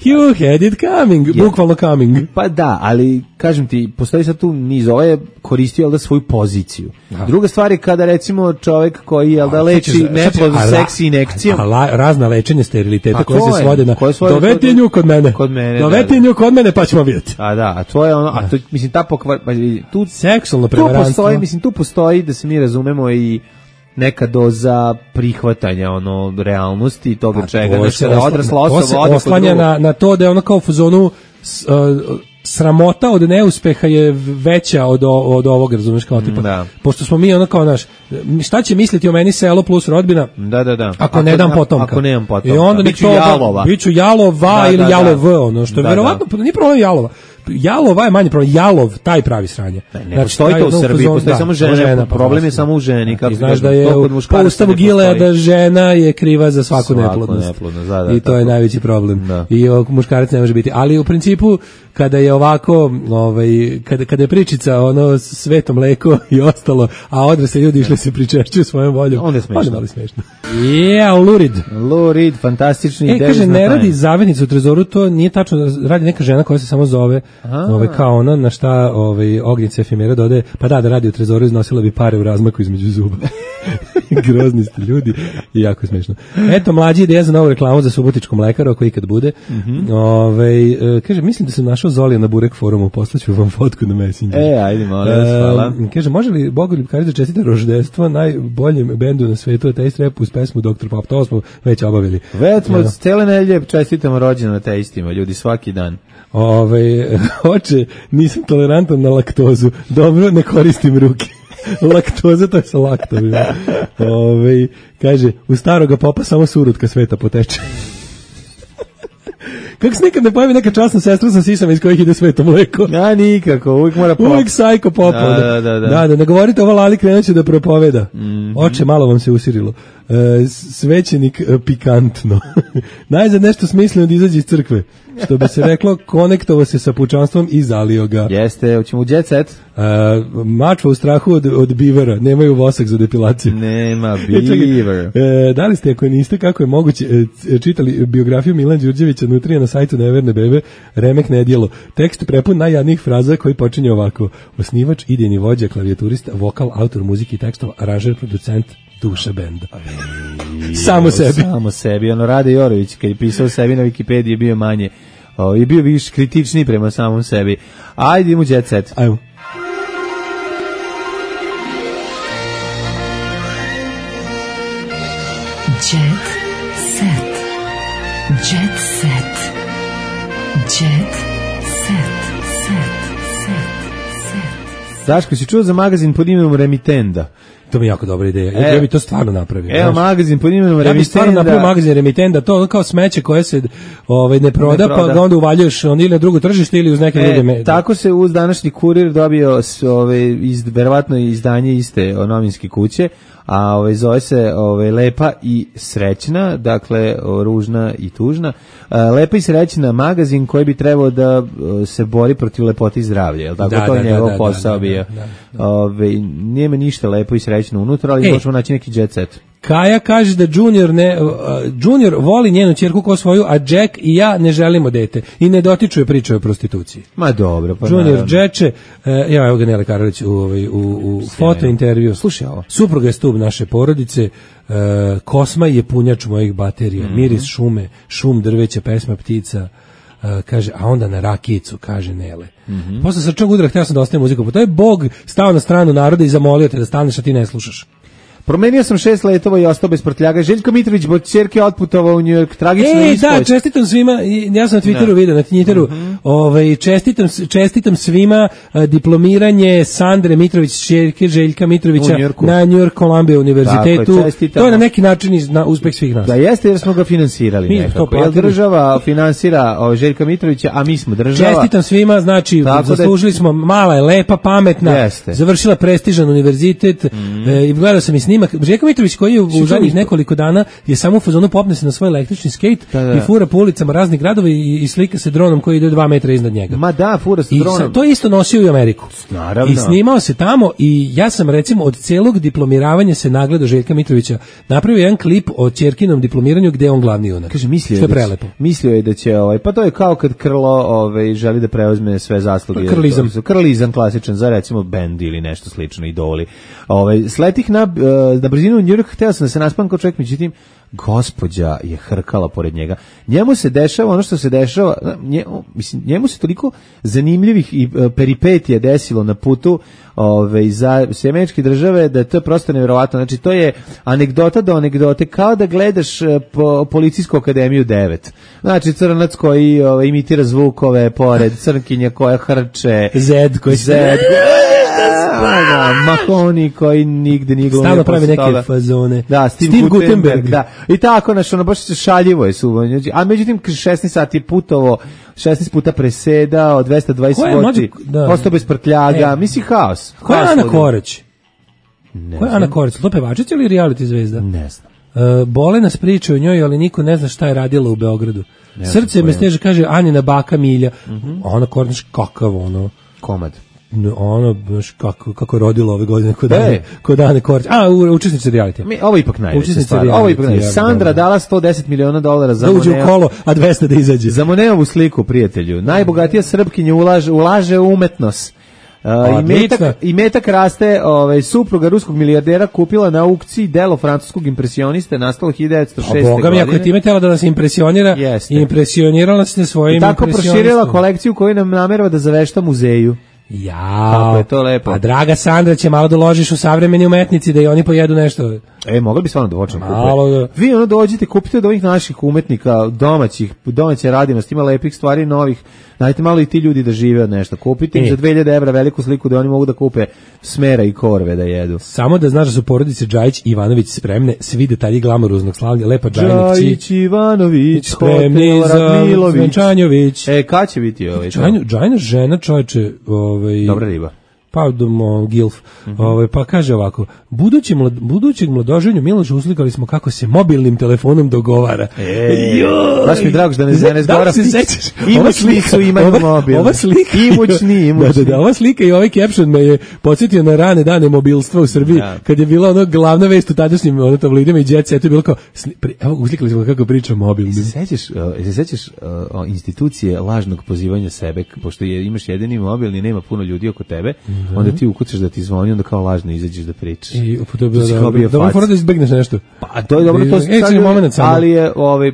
you had it coming, bukvalno coming. Pa da, ali kažem ti, postoji sad tu niz, ovo je koristio da svoju poziciju. Druga stvar je kada recimo čovjek koji leči neplodnu seksi injekcijom. Razna lečenja steriliteta koje se svode na doveti nju kod mene. Doveti nju kod mene pa ćemo vidjeti. A to je ono, a to mislim ta tu seksualno prevarantstvo. Tu postoji da se mi razumemo i neka doza prihvatanja realnosti i toga čega, znači da odrasla osoba se oslanja na to da je ono kao u fazonu sramota od neuspeha je veća od ovog, razumeš, kao tipa. Pošto smo mi ono kao naš, šta će misliti o meni selo plus rodbina? Da. Ako ne dam potomka. Ako nemam potomka. I onda biću jalova. Biću jalova ili jalov, ono što je verovatno nije problem jalova. Jalova je manji problem, jalov, taj pravi sranje. Ne postoji to u Srbiji, postoji samo žena, problem je samo u ženi. Ti znaš da je po ustavu Gileada žena je kriva za svaku neplodnost. I to je najveći problem. I muškarac ne može biti. Ali u principu, kada je ovako, kada je pričica sveto mleko i ostalo, a odrasli ljudi išli se pričešćuju svojom voljom, onda je smešno. Lurid, fantastični. Kaže, ne radi zavetnica u trezoru, to nije tačno, radi neka žena koja se samo zove kao ono na šta Ognjica efemera dodaje, pa da radi u trezoru iznosila bi pare u razmaku između zuba. Grozni ste ljudi i jako smešno. Eto, mlađi ideja za novu reklamu za subotičko mlekaro, ako ikad bude. Kaže, mislim da sam našao Zolija na Burek forumu, poslaću vam fotku na Messenger. Ajde, molim vas, hvala. Kaže, može li Bogoljub Karić da čestita roždestvo najboljem bendu na svetu, Taste Rap uz pesmu Dr. Pop, to smo već obavili. Već smo cele nedelje čestitamo rođendan Tasteima, ljudi, svaki dan. Oče, nisam tolerantan na laktozu, dobro, ne koristim ruke. Laktoza, to je sa laktom. Kaže, u staroga popa samo surutka sveta poteče. Kako se nikad ne pojavi neka časna sestra sa sisama iz kojih ide sveto mleko? Ja, nikako, uvijek mora pop. Uvijek sajko popa. Da, ne govorite ovo, Lali krenuće da propoveda. Oče, malo vam se usirilo. Svećenik pikantno. Najzad nešto smisleno da izađe iz crkve. Što bi se reklo, konektovo se sa pučanstvom i zalio ga. Jeste, hoćemo u jet set? Mačva u strahu od bivera, nemaju vosak za depilaciju. Nema biver. Da li ste, ako niste, kako je moguće, čitali biografiju Milan Đurđevića nutrija na sajtu Neverne bebe, remek nedjelo. Tekst prepun najjadnijih fraza koji počinje ovako. Osnivač, idejni vođa, klavijaturista, vokal, autor muzike i tekstova, aranžer, producent, duša benda. Samo sebi. Rade Jorović, kad je pisao sebi na Wikipediji, je bio manje, je bio više kritičniji prema samom sebi. Ajde, idemo u jet set. Ajmo. Jet set. Jet set. Jet set. Daško, si čuo za magazin pod imenom Remitenda? To mi je jako dobra ideja. Ja bi to stvarno napravio. Evo magazin pod imenom Remitenda. Ja bi stvarno napravio magazin Remitenda, to kao smeće koje se ne proda, pa ga onda uvaljuješ ili na drugo tržište ili uz neke druge. Tako se uz današnji Kurir dobio verovatno izdanje iste novinske kuće, a zove se Lepa i srećna, dakle ružna i tužna. Lepa i srećna magazin koji bi trebao da se bori protiv lepote i zdravlja, jel tako? To je njegov posao bio. Nije ništa lepo i srećno unutra, ali možemo naći neki jet set. Kaja kaže da Junior voli njenu ćerku kao svoju, a Jack i ja ne želimo dete i ne dotičuje priče o prostituciji. Ma dobro, pa Junior Džeče, evo ga Nele Karalić u fotointervju. Slušaj ovo. Supruga je stub naše porodice, Kosma je punjač mojih baterija, miris šume, šum drveća, pesma ptica. Kaže, a onda na rakijicu, kaže Nele. Posle srčnog udara htio sam da ostaje muziku, pa to je Bog stao na stranu naroda i zamolio te da staneš, a ti ne slušaš. Promenio sam 6 letova i ostao bez prtljaga. Željko Mitrović od ćerke otputovao u New York. Tragično ispovest. Da, čestitam svima, ja sam na Twitteru vidio, na Twitteru, čestitam svima diplomiranje Sandre Mitrović, ćerke Željka Mitrovića na New York Columbia univerzitetu. To je na neki način uspeh svih nas. Da jeste, jer smo ga finansirali nekako. Jer država finansira Željka Mitrovića, a mi smo država. Čestitam svima, znači zaslužili smo, mala je, lepa, pametna, završila prestižan univerzitet i gledao sam i snimak. Željko Mitrović koji je u zadnjih nekoliko dana je samo u fazonu popne se na svoj električni skejt i fura po ulicama raznih gradova i slika se dronom koji ide 2 metra iznad njega. Ma da, fura se dronom. I to je isto nosio i u Ameriku. Naravno. I snimao se tamo i ja sam recimo od celog diplomiravanja se nagledao Željka Mitrovića napravio jedan klip o ćerkinom diplomiranju gde je on glavni junak. Kaže, mislio je da će pa to je kao kad Krlo želi da preuzme sve zasluge. Krlizam klasičan za recimo bend ili nešto slično, idoli. Sletih na brzinu u New York, hteo sam da se naspam kao čovjek, međutim, gospođa je hrkala pored njega. Njemu se dešava ono što se dešava, njemu se toliko zanimljivih i peripetija desilo na putu za Američke države da to je prosto nevjerovatno. Znači, to je anegdota do anegdote, kao da gledaš Policijsku akademiju 9. Znači, crnac koji imitira zvukove pored, crnkinja koja hrče, Zed koji Mahoni koji nigde nije glumio. Stalno pravi neke fazone. Da, Steve Gutenberg. Da. I tako, baš šaljivo je suvo. A međutim, 16 sati putovo, 16 puta presedao, 220 voti, ostao bez prtljaga, misli haos. Ko je Ana Korać? Ko je Ana Korać? To pevačica ili reality zvezda? Ne znam. Bole nas priče o njoj, ali niko ne zna šta je radila u Beogradu. Srce me steže, kaže Anina baka Milja. Ana Korać, kakav komad. ono, kako je rodilo ove godine, kod Dane Korać. Učesnice reality. Ovo je ipak najveća stvar. Sandra dala $110 miliona za da uđe u kolo, a 200 da izađe. Za Moneovu sliku, prijatelju. Najbogatija Srpkinja ulaže u umetnost. Imetak raste, supruga ruskog milijardera kupila na aukciji delo francuskog impresioniste nastalo 1906. godine. A boga mi, ako je time tela da nas impresionira, impresionirala se svojim impresionistom. I tako proširila kolekciju koju nam namerava da zavešta muzeju. Jao, je to lepo. Pa draga Sandra, će malo da ložiš u savremeni umetnici da i oni pojedu nešto. Mogli bi stvarno da počnemo kupiti. Vi dođite, kupite od ovih naših umetnika, domaće radinosti, ima lepih stvari, novih. Dajte malo i ti ljudi da žive od nešto. Kupite im za 2000 evra veliku sliku da oni mogu da kupe smera i korve da jedu. Samo da znaš da su porodice Džajić i Ivanović spremne, svi detalji glamuruznog slavlja, lepa Džajić, Ivanović, spremni za Svenčanjović. Kad će biti ovaj? Džajna žena, čovječe, dobra riba. Pa Gilf, pa kaže ovako, budućeg mladoženju Miloša uslikali smo kako se mobilnim telefonom dogovara. Baš mi drago da ne zgovara. Imućni su imaju mobil. Ova slika, imućni. Da, ova slika i ovaj caption me je podsjetio na rane dane mobilstva u Srbiji, kad je bila ono glavna vest u tadašnjim tabloidima i Jet Setu je bilo kao, evo uslikali smo kako priča mobilnim. Se sećaš institucije lažnog pozivanja sebe, pošto imaš jedini mobilni, nema puno ljudi oko tebe, onda ti ukucaš da ti zvoni, onda kao lažno izađeš da pričaš. To je bilo dobro fora da izbegneš nešto. Pa to je dobro, to se ali je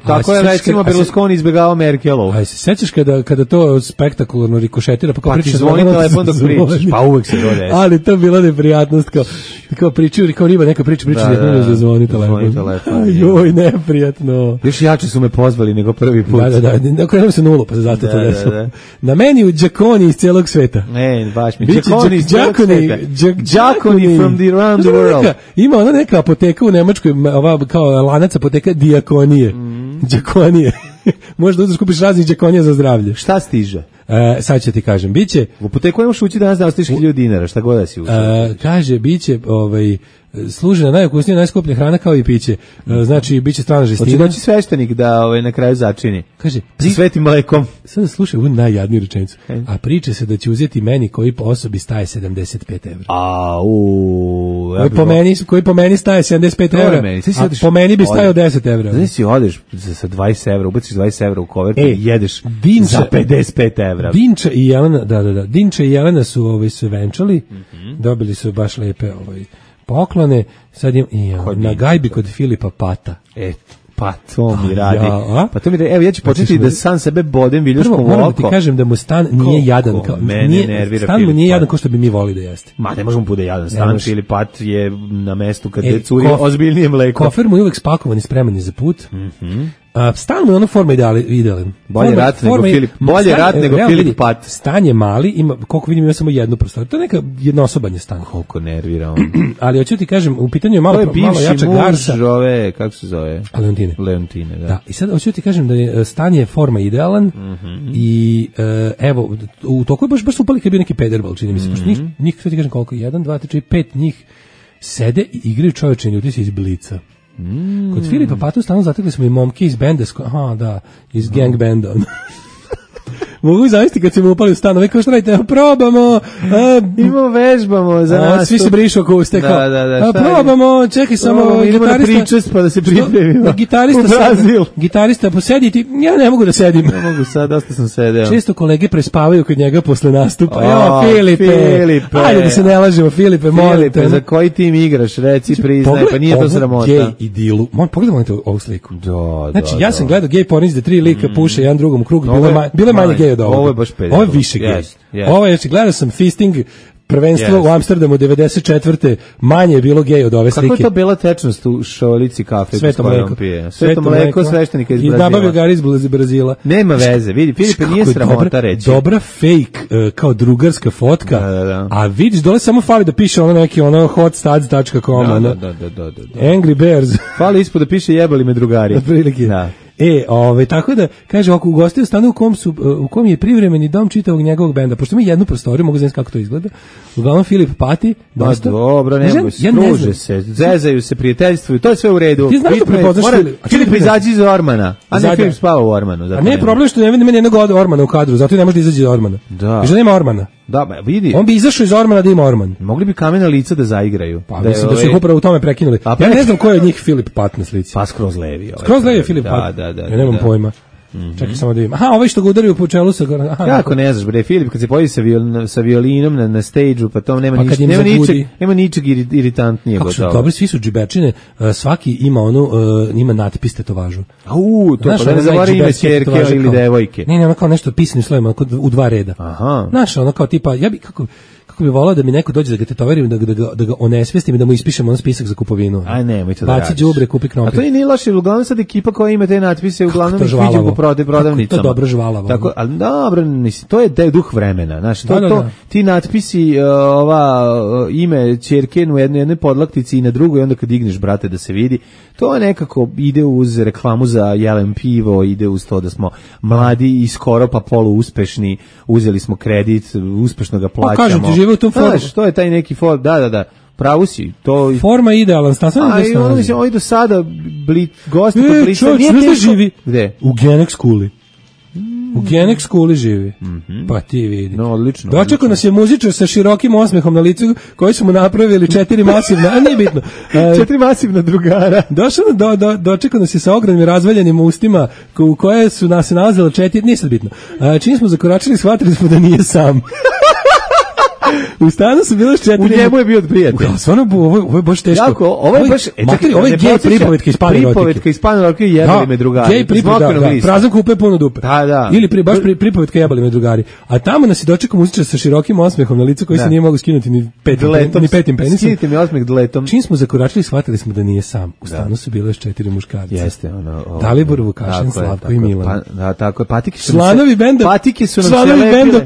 tako je recimo Berlusconi izbegavao Merkelovu. Aj se sećaš kada to spektakularno rikošetira, pa kao pričaš zvoni telefon dok pričaš, pa uvek se to desi. Ali to je bila neprijatnost, kao pričaju, kao riba neka priča da zvoni telefon. Joj, neprijatno. Još jače su me pozvali nego prvi put. Da, okrenuo se nulu, pa se zato to desilo. Na meni u Đakoni iz cijelog sveta. Baš mi Đakoni from around the world. Ima ona neka apoteka u Nemačkoj, ova kao lanac apoteka Dijakonije. Đakonije. Možda uzeš kupiš raznih Đakonija za zdravlje. Šta stiže? Sad ću ti kažem, biće... U apoteku nemaš ući danas da ostaviš 1000 dinara, šta god da si ući. Kaže, biće služi na najukusnija, najskuplja hrana kao i piće. Znači, biće strana žestina. Hoće doći sveštenik da na kraju začini. Kaže, sa svetim mlekom. Sada slušaj ovu najjadniju rečenicu. A priče se da će uzeti meni koji po osobi staje 75 evra. Koji po meni staje 75 evra. A po meni bi stajao 10 evra. Znači si odeš sa 20 evra, ubaciš 20 evra u kovertu i jedeš za 55 evra. Dinča i Jelena su se venčali, dobili su baš lepe poklone, sad na gajbi kod Filipa Pata. Pa to mi radi. Evo ja ću početi da sam sebe bodem viljuškom u oko. Moram da ti kažem da mu stan nije jadan. Stan mu nije jadan kao što bi mi voli da jeste. Ma ne možemo bude jadan. Stan Filip Pat je na mestu kad je curi ozbiljnije mleko. Kofer mu je uvek spakovan i spreman za put. Stan mu je ono forma idealan. Bolje rat nego Filip Pat. Stan je mali, ima, koliko vidim, ima samo jednu prostoriju. To je neka jednosoban je stan. Koliko nervira on. Ali hoću ti kažem, u pitanju je malo jača garsa. Kako se zove? Leontine, da. I sad hoću ti kažem da je stan je forma idealan i evo, u toku je baš upali kad je bio neki pederbal, čini mi se. Njih, sad ti kažem koliko, 1, 2, 3, 4, 5 njih sede i igraju čovječeni ljudi se iz Blica. Kod Filipa Patu stanu zatekli smo i momke iz benda, iz gang benda. Mogu zavisti kad se mu upali u stan, kao što radite, probamo, vežbamo za nas. Svi se brišu oko uste, probamo, čekaj samo, idemo na pričest pa da se pripremimo. Gitarista posediti, ja ne mogu da sedim. Ne mogu sad, dosta sam sedeo. Često kolege prespavaju kod njega posle nastupa. Filipe, ajde da se ne lažemo, Filipe, molim te. Za koji tim igraš, reci, priznaj, pa nije to sramota. Gej idilu, pogledaj ovu sliku. Znači, ja sam gledao gej pornić da 3 lika puše jedan drugom u krug, bilo manje gej od ovoga. Ovo je baš pedofil. Ovo je više gej. Ovo je, gledao sam Fisting prvenstvo u Amsterdamu 94. Manje je bilo gej od ove slike. Kako je to bila tečnost u šolici kafe? Sveto mleko. Sveto mleko sveštenika iz Brazila. I nabavio ga iz Brazila. Nema veze, vidi, Filipe nije sramota reći. Dobra fake, kao drugarska fotka, a vidiš, dole samo fali da piše neki hotstads.com. Angry Bears. Fali ispod da piše jebali me drugari. Otprilike. Tako da, kaže, ako ugostio stanu u kom je privremeni dom čitavog njegovog benda, pošto mi jednu prostoriju, mogu znati kako to izgleda, uglavnom Filip Pati, dosta. Dobro, skruže se, zezaju se, prijateljstvuju, to je sve u redu. Ti znaš što prepoznaš Filip izađi iz Ormana, a ne Filip spava u Ormanu. A ne je problem što ne vidim jednog Ormana u kadru, zato i ne može da izađe iz Ormana. I što nema Ormana. Da, vidi. On bi izašao iz ormana da ima orman. Mogli bi kamena lica da zaigraju. Pa mislim da su ih upravo u tome prekinuli. Ja ne znam ko je od njih Filip Pat na slici. Pa skroz levi. Skroz levi je Filip Pat. Da. Ja nemam pojma. Čekaj samo da vidim. Aha, ovaj što ga udario po čelu sa... Kako ne znaš, bre, Filip, kad se pojavi sa violinom na stage-u, pa to nema ničeg iritantnijeg. Kako su dobri, svi su džibečine, svaki ima ima natpis tetovažu. To pa da ne zavari ime ćerke ili devojke. Ne, ono kao nešto pisanim slovima, u 2 reda. Aha. Znaš, ono kao tipa, ja bi, kako bi volao da mi neko dođe da ga tetoverim, da ga onesvestim i da mu ispišemo spisak za kupovinu. Aj nemoj to da radiš. Baci đubre, kupi krompir. A to nije loše, uglavnom sad ekipa koja ima te natpise, uglavnom ih viđu po prodavnicama. To je dobro žvalavo. Tako, ali dobro, to je duh vremena, znaš, ti natpisi, ime ćerke u jednoj podlaktici i na drugoj, onda kad digneš, brate, da se vidi, to nekako ide uz reklamu za jelen pivo, ide uz to da smo mladi i skoro pa poluuspešni, uzeli smo kredit, uspešno ga plaćamo. Pa kažem ti, žive u tom formu. Znaš, to je taj neki form, da. Pravu si, to... Forma je idealan, stasno je desno. Mislim, ovdje do sada gosti kod Blica... Čovječ, ne živi? Gde? U Genex Skuli. U Genex Skuli živi. Pa ti vidi. No, odlično. Dočekao nas je muzičar sa širokim osmehom na licu, koji su mu napravili 4 masivna, a nije bitno. 4 masivna drugara. Dočekao nas je sa ogromnim razvaljenim ustima, u koje su nas nalazila 4, nije sad bitno. Čim smo zakoračili, shvatili smo da nije sam. U stanu su bile 4. U njemu je bio od prijatelja. Stvarno, ovo je baš teško. Jako, ovo je baš... Ovo je gej pripovetka iz Pane Rotike. Pripovetka iz Pane Rotike i jebali me drugari. Gej pripovetka, da. Prazan kupe puno dupe. Da. Ili baš pripovetka jebali me drugari. A tamo nas je dočekao muzičar sa širokim osmehom na licu koji se nije mogao skinuti ni petim penisom. Skinite mi osmeh dletom. Čim smo zakoračili, shvatili smo da nije sam. U stanu su bile još 4 muškarca. Jeste, Dalibor, Vukašin, Slavko i Milan. Da, tako je. Članovi benda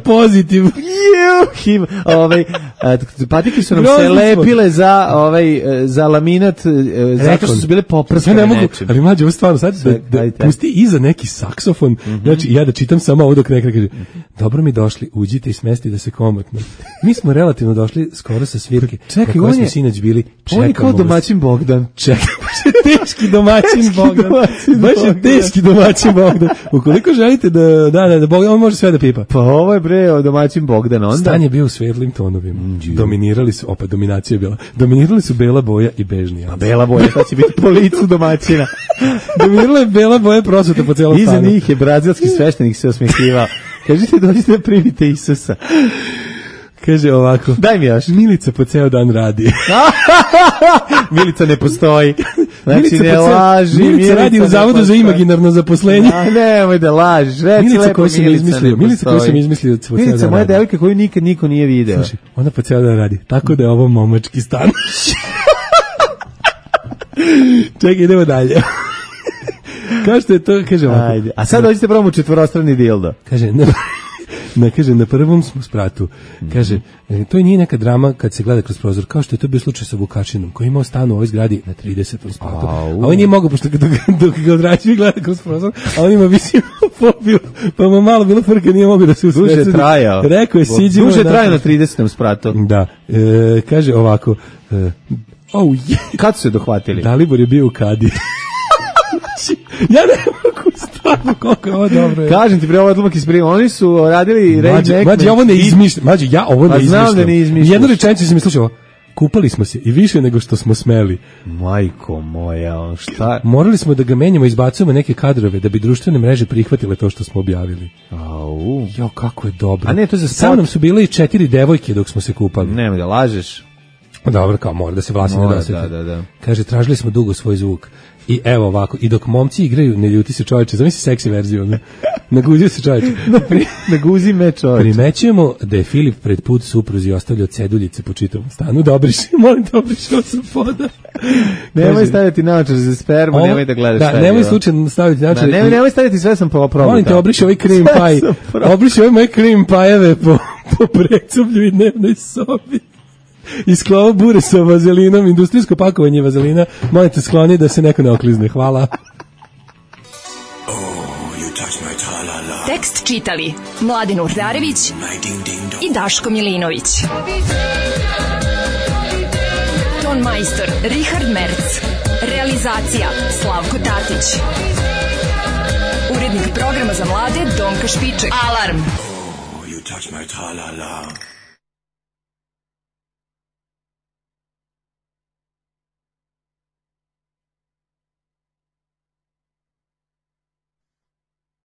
Pozitiv. Patike su nam se lepile za laminat, zato što su bile poprskane nečim. Ali mlađe, ovo stvarno, sad da pusti iza neki saksofon, znači ja da čitam samo ovo dok neka kaže, dobro mi došli, uđite i smesti da se komotno. Mi smo relativno došli skoro sa svirke, na kojoj smo sinoć bili, on je kao domaćin Bogdan. Čekaj, baš je teški domaćin Bogdan. Baš je teški domaćin Bogdan. Ukoliko želite da Bogdan, on može sve da pipa. Pa ovo je bre domaćin Bogdan, onda. Stan je bio u svetlim tonovima. Dominirali su, opet dominacija je bila, dominirali su bela boja i bežni. A bela boja, sad će biti po licu domaćina. Dominirala je bela boja prosuta po celom stanu. Iza njih je brazilski sveštenik se osmehivao. Kažite, dođite da primite Isusa. Kaže ovako. Daj mi još. Milica po ceo dan radi. Milica ne postoji. Znači ne laži. Milica radi u Zavodu za imaginarno zaposlenje. Nemoj da lažiš. Milica koju sam izmislio. Milica, moja devojka koju nikad niko nije video. Slušaj, ona po ceo dan radi. Tako da je ovo momački stan. Čekaj, idemo dalje. Kao što je to, kaže ovako. Ajde. A sad dođite probamo četvorostrani dildo. Kaže, na prvom smo spratu. Kaže, to nije neka drama kad se gleda kroz prozor, kao što je to bio slučaj sa Vukašinom, koji je imao stan u ovoj zgradi na 30. spratu. A on nije mogao, pošto dok ga odrađuje gleda kroz prozor, a on ima visinu fobiju, pa mu malo bilo frka, nije mogao da se usredsudi. Duže trajao. Rekao je, siđimo. Duže trajao na 30. spratu. Da. Kaže ovako, kad su se dohvatili? Dalibor je bio u kadi. Ja ne mogu stvarno koliko je ovo dobro. Kažem ti, bre, ovo odlomak iz prima. Oni su radili Mađe, ovo ne izmišljam. Mađe, ja ovo ne izmišljam. Znam da ne izmišljam. Jednu rečenicu sam slušao. Kupali smo se i više nego što smo smeli. Majko moja, šta? Morali smo da ga menjamo, izbacujemo neke kadrove da bi društvene mreže prihvatile to što smo objavili. Jo, kako je dobro. A ne, to za spot. Sa mnom su bile i 4 devojke dok smo se kupali. Nemoj da lažeš. Dobro, kao mora da se vlasi ne dosete. Da. Kaže, tražili smo dugo svoj zvuk. I evo ovako, i dok momci igraju, ne ljuti se čovječe, zamisli seksi verziju, ne? Naguzio se čovječe. Naguzi me čovječe. Primećujemo da je Filip pred put supruzi ostavljao ceduljice po čitavom stanu. Molim da obriši ovo sa poda. Nemoj staviti naočar za spermu, nemoj da gledaš šta je. Nemoj slučajno staviti naočar. Nemoj staviti, sve sam probao. Molim te, obriši ovaj cream pie. Obriši ovaj moje cream pie-eve po precublju i dnevnoj sobi. Isklova bure sa vazelinom, industrijsko pakovanje vazelina, molite skloni da se neko ne oklizne. Hvala. Tekst čitali Mladen Urdarević i Daško Milinović. Ton majstor Richard Merc. Realizacija Slavko Tatić. Urednik programa za mlade Donka Špiček. Alarm. You touch my tra-la-la.